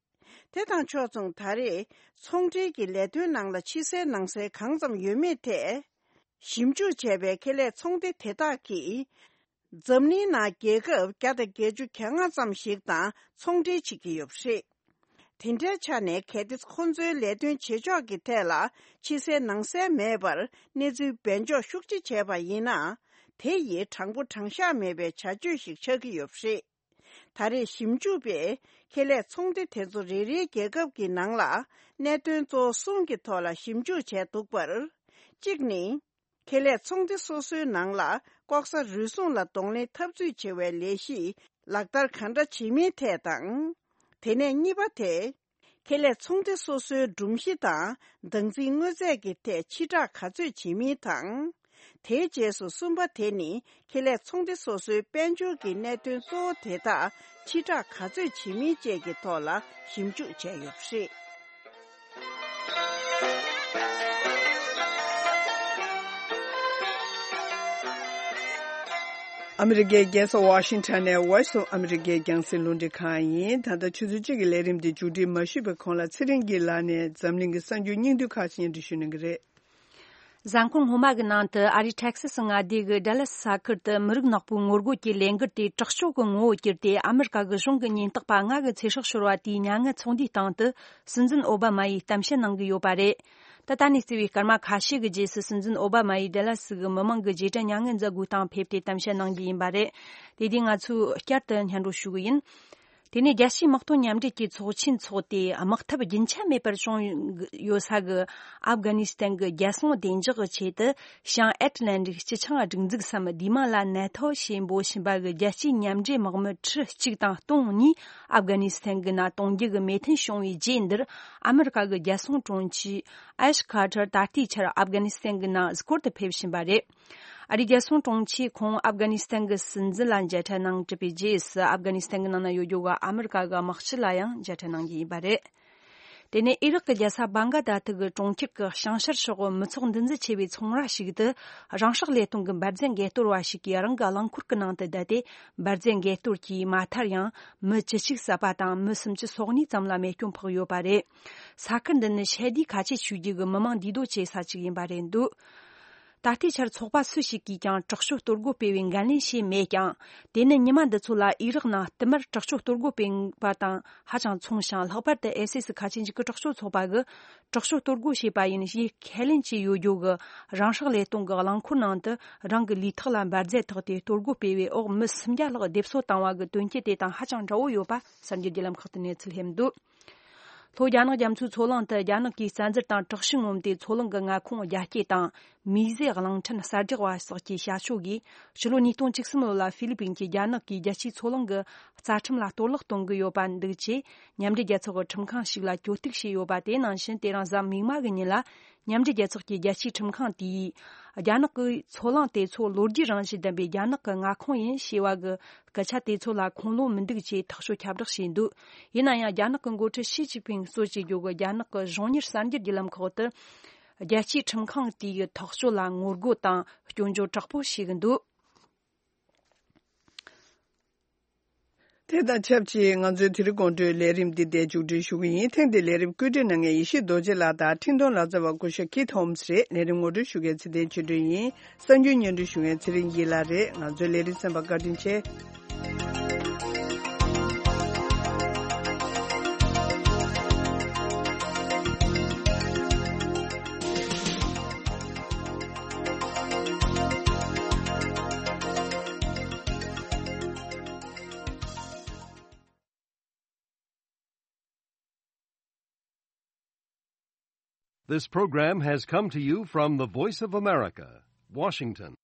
དེ་དང་ཕྱོགས་མཚུངས་ད་རེས་ཚོང་འབྲེལ་གྱི་ལས་དོན་ནང་ལ་ཕྱི་གསལ་ནང་གསལ་གང་ཙམ་ཡོད་མེད་ཐད། ཞིབ་འཇུག་བྱས་པའི་ཁེ་ལས་ཚོང་སྡེ་དེ་དག་གིས། འཛམ་གླིང་ནང་རྒྱལ་ཁབ་བརྒྱ་དང་བརྒྱད་ཅུ་གྱ་ལྔ་ཙམ་ཞིག་དང་ཚོང་འབྲེལ་བྱེད་ཀྱི་ཡོད་པ་རེད། དེ་འདྲའི་ཆ་ནས་གལ་ཏེ་ཁོ་ཚོའི་ལས་དོན་བྱེད་ཕྱོགས་ཀྱི་ཐད་ལ་ཕྱི་གསལ་ནང་གསལ་མེད་པར་གནས་ཚུལ་སྦས་འཇོག་ཤུགས་ཆེ་བྱས་པ་ཡིན་ན། དེ་ཡིས་དྲང་པོ་དྲང་བཞག་མེད་པའི་བྱ་སྤྱོད་ཞིག་ཆགས་ཀྱི་ཡོད་པ་རེད། ད་རེས་ཞིབ་འཇུག་པས་ཁེ་ལས་ཚོང་སྡེ་དེ་ཚོ་རེ་རེའི་རྒྱལ་ཁབ་ཀྱི་ནང་ལ་གནད་དོན་གཙོ་བོ་གསུམ་གྱི་ཐོག་ལ་ཞིབ་འཇུག་བྱས་འདུག་པར། གཅིག་ནི། ཁེ་ལས་ཚོང་སྡེ་སོ་སོའི་ནང་ལ་ལྐོག་ཟ་རུལ་སུངས་ལ་གདོང་ལེན་འཐབ་རྩོད་བྱེད་པའི་ལས་གཞི་ལག་བསྟར་གང་འདྲ་བྱེད་མིན་ཐད་དང་། དེ་ནས་གཉིས་པ་དེ། ཁེ་ལས་ཚོང་སྡེ་སོ་སོའི་སྒྲོམ་གཞི་དང་བདག་འཛིན་དངོས་རྫས་ཀྱི་ཐད་ཕྱིར་བསྒྲགས་ག་ཚོད་བྱེད་མིན་དང་། དེའི་རྗེས་སུ་གསུམ་པ་དེ་ནི་ཁེ་ལས་ཚོང་སྡེ་སོ་སོའི་དཔལ་འབྱོར་གྱི་གནད་དོན་གཙོ་བོ་དེ་དག་ཕྱིར་བསྒྲགས་ག་ཚོད་བྱེད་མིན་བཅས་ཀྱི་ཐོག་ལ་ཞིབ་འཇུག་བྱས་ཡོད་པ་རེད། ཨ་མི་རི་ཀའི་རྒྱལ་ས་ཝ་ཤིང་ཊོན་ནས་Voice of America རྒྱང་སྲིང་རླུང་འཕྲིན་ཁང་ཡིན། ད་ལྟ་ཆུ་ཚོད་གཅིག་གི་ལས་རིམ་འདི་མཇུག་སྒྲིལ་མ་ཞུས་པའི་གོང་ལ་ཚེ་རིང་གི་ལག་ནས་འཛམ་གླིང་གི་གསར་འགྱུར་སྙིང་བསྡུས་ཁག་ཅིག་སྙན་སྒྲོན་ཞུ་གནང་གི་རེད། གཟའ་འཁོར་སྔོན་མ་གི་ནང་དུ་ཨ་རིའི་ཊེག་སི་སི་མངའ་སྡེ་གི་ཌ་ལ་སི་ས་ཁུལ་དུ་མི་རིགས་ནག་པོའི་ངོ་རྒོལ་གྱི་ལས་འགུལ་དེ་དྲག་སྤྱོད་ཀྱི་ངོ་བོར་གྱུར་ཏེ། ཨ་མི་རི་ཀ་གི་གཞུང་གི་ཉེན་རྟོག་པ་ལྔ་གི་ཚེ་སྲོག་ཤོར་བ་དེའི་མྱ་ངན་ཚོགས་འདུའི་སྟེང་དུ། སྲིད་འཛིན་ཨོ་བྷ་མ་ཡིས་གཏམ་བཤད་གནང་གི་ཡོད་པ་རེད། ད་ལྟ་ནས་བརྩིས་པའི་སྐར་མ་ཁ་ཤས་ཀྱི་རྗེས་སུ། སྲིད་འཛིན་ཨོ་བྷ་མ་ཡིས་ཌ་ལ་སི་གི་མི་མང་གི་རྗེས་དྲན་མྱ་ངན་མཛད་སྒོའི་སྟེང་ཕེབས་ཏེ་གཏམ་བཤད་གནང་རྒྱུ་ཡིན་པ་རེད། དེ་དུས་ང་ཚོས་བསྐྱར་དུ་སྙན་སྒྲོན་ཞུ་གི་ཡིན། དེ་ནས་རྒྱལ་སྤྱིའི་དམག་དོན་མཉམ་འབྲེལ་གྱི་ཚོགས་ཆེན་འཚོགས་ཏེ། དམག་འཐབ་རྒྱུན་ཆད་མེད་པར་བྱུང་ཡོད་ས་གི་ཨབ་གྷ་ནི་སི་ཐན་གྱི་རྒྱལ་སྲུང་བདེ་འཇགས་ཀྱི་ཆེད་དུ། བྱང་ཨེཊ་ལན་ཊིག་སྤྱི་ཆིངས་སྒྲིག་འཛུགས་སམ་བསྡུས་མིང་ལ་ནེ་ཐོ་ཞེས་འབོད་བཞིན་པ་གི་རྒྱལ་སྤྱིའི་མཉམ་འབྲེལ་དམག་མི་ཁྲི་གཅིག་དང་སྟོང་གཉིས་ཨབ་གྷ་ནི་སི་ཐན་གྱི་ནང་གཏོང་རྒྱུ་གི་མོས་མཐུན་བྱུང་བའི་རྗེས། འདིར་ཨ་མི་རི་ཀ་གི་རྒྱལ་སྲུང་དྲུང་ཆེ་ཨེཤ་ཁ་ཐར་ད་ལྟའི་ཆར་ཨབ་གྷ་ནི་སི་ཐན་གྱི་ནང་གཟིགས་སྐོར་དུ་ཕེབས་བཞིན་པ་རེད། ཨ་རིའི་རྒྱལ་སྲུང་དྲུང་ཆེས་ཁོང་ཨབ་གྷ་ནི་སི་ཐན་གྱི་སྲིད་འཛིན་ལ་མཇལ་འཕྲད་གནང་གྲུབ་པའི་རྗེས་སུ། ཨབ་གྷ་ནི་སི་ཐན་གྱི་ནང་ན་ཡོད་རྒྱུ་གི་ཨ་མི་རི་ཀ་གི་དམག་སྤྱི་ལ་ཡང་མཇལ་འཕྲད་གནང་རྒྱུ་ཡིན་པ་རེད། དེ་ནས་ཨི་རག་གི་རྒྱལ་ས་བྷང་ག་དྷ་ཐི་གི་གྲོང་ཁྱེར་གྱི་བྱང་ཤར་ཕྱོགས་མི་ཚོགས་འདུ་འཛོམས་ཆེ་བའི་ཚོང་ར་ཞིག་ཏུ། རང་སྲེག་ལས་སྟོང་གི་འབར་རྫས་འགས་གཏོར་བ་ཞིག་གིས་རང་གི་རླངས་འཁོར་གྱི་ནང་དུ་བསྡད་དེ། འབར་རྫས་འགས་གཏོར་གྱིས་མ་མཐར་ཡང་མི་བཅུ་གཅིག་བསད་པ་དང་། མི་སུམ་ཅུ་སོ་གཉིས་ཙམ་ལ་རྨས་སྐྱོན་ཕོག་ཡོད་པ་རེད། ས་ཁུལ་འདི་ནི་ཤེལ་དུས་ཁ་ཆེ་ཆོས་བརྒྱུད་ཀྱི་མི་མང་འདུས་སྡོད་བྱེད་ས་ཞིག་ཡིན་པ་རེད་འདུག་ད་ལྟའི་ཆར་ཚོགས་པ་སུ་ཞིག་གིས་ཀྱང་དྲག་སྤྱོད་གཏོར་རྒོལ་སྤེལ་བའི་འགན་ལེན་བྱས་མེད་ཀྱང་། དེ་ནི་ཉི་མ་འདི་ཚོ་ལ་ཨི་རག་ནང་བསྟུད་མར་དྲག་སྤྱོད་གཏོར་རྒོལ་སྤེལ་བ་དང་ཧ་ཅང་མཚུངས་ཤིང་། ལྷག་པར་དུ་ཨེ་སི་ཨེ་སི་ཁ་ཆེ་འཇིགས་སྐུལ་དྲག་སྤྱོད་ཚོགས་པ་གིས་དྲག་སྤྱོད་གཏོར་རྒོལ་བྱས་པ་ཡིན་ཞེས་ཁས་ལེན་བྱས་ཡོད་རྒྱུ་གི་རང་སྲེག་ལས་སྟོང་གི་རླངས་འཁོར་ནང་དུ་རང་གི་ལུས་ཐོག་ལ་འབར་རྫས་ཐེབས་ཏེ་གཏོར་རྒོལ་སྤེལ་བའི་འོག་མི་སུམ་བརྒྱ་ལྷག་སྡེབ་གསོད་བཏང་བ་གི་དོན་རྐྱེན་དེ་དང་ཧ་ཅང་འདྲ་བོ་ཡོད་པ་གསར་འགྱུར་བརྒྱུད་ལམ་ཁག་ཏུ་གནས་ཚུལ་ལྷོད་འདུག་ལྷོ་རྒྱ་ནག་རྒྱ་མཚོའི་མཚོ་གླིང་དུ་རྒྱ་ནག་གིས་བཙན་འཛུལ་དང་དྲག་ཤུགས་མངོན་ཏེ། མཚོ་གླིང་གི་མངའ་ཁོངས་རྒྱ་སྐྱེད་དང་མིའི་རྫས་གླིང་ཕྲན་གསར་རྒྱག་པ་སོགས་ཀྱི་བྱ་སྤྱོད་ཀྱིས། ཕྱི་ལོ་ཉིས་སྟོང་བཅུ་གསུམ་ལོ་ལ་ཧྥི་ལི་པིན་གྱིས་རྒྱ་ནག་གིས་རྒྱལ་སྤྱིའི་མཚོ་གླིང་གི་རྩ་ཁྲིམས་ལ་གཏོར་བརླག་གཏོང་གི་ཡོད་པ་འདུག་ཅེས་མཉམ་འབྲེལ་རྒྱལ་ཚོགས་ཀྱི་ཁྲིམས་ཁང་ཞིག་ལ་གྱོད་གཏུག་བྱས་ཡོད་པ། དེ་ནང་བཞིན་དེ་རིང་གཟའ་མིག་དམར་གྱི་ཉིན་ལ། མཉམ་འབྲེལ་རྒྱལ་ཚོགས་ཀྱི་རྒྱལ་སྤྱིའི་ཁྲིམས་ཁང་དེས། རྒྱ་ནག་གིས་མཚོ་གླིང་དེ་ཚོ་ལོ་རྒྱུས་རང་བཞིན་ལྡན་པའི་རྒྱ་ནག་གི་མངའ་ཁོངས་ཡིན་ཞེས་པ་གི་སྐད་ཆ་དེ་ཚོ་ལ་ཁུངས་ལུང་མི་འདུག་ཅེས་ཐག་གཅོད་ཁྱབ་བསྒྲགས་བྱས་འདུག་ཡིན་ན་ཡང་། རྒྱ་ནག་གི་འགོ་ཁྲིད་ཞི་ཅིན་ཕིང་གཙོས་བྱེད་རྒྱུ་གི་རྒྱ་ནག་གི་གཞུང་གཉེར་གསར་འགྱུར་བརྒྱུད་ལམ་ཁག་ཏུ། རྒྱལ་སྤྱིའི་ཁྲིམས་ཁང་དེའི་ཐག་གཅོད་ལ་ངོ་རྒོལ་དང་སྐྱོན་བརྗོད་དྲག་པོ་བྱེད་ཀྱི་འདུག་དེ་དང་ཆབས་ཅིག་ང་ཚོའི་དེ་རིང་དགོང་དྲོའི་ལས་རིམ་འདི་འདིར་མཇུག་སྒྲིལ་ཞུ་གི་ཡིན། ཐེངས་འདིའི་ལས་རིམ་བཀོད་སྒྲིག་གནང་མཁན་ཡེ་ཤེས་རྡོ་རྗེ་ལགས་དང་འཕྲིན་གཏོང་ལག་རྩལ་བ་སྐུ་ཞབས་ཀིད་ཧོམ་སི་རེད། ལས་རིམ་ངོ་སྤྲོད་ཞུ་མཁན་ཚེ་བརྟན་ཆོས་སྒྲོན་ཡིན། གསར་འགྱུར་སྙན་སྒྲོན་ཞུ་མཁན་ཚེ་རིང་སྐྱིད་ལགས་རེད། ང་ཚོའི་ལས་རིམ་གསན་པར་བཀའ་དྲིན་ཆེ། This program has come to you from the Voice of America, Washington.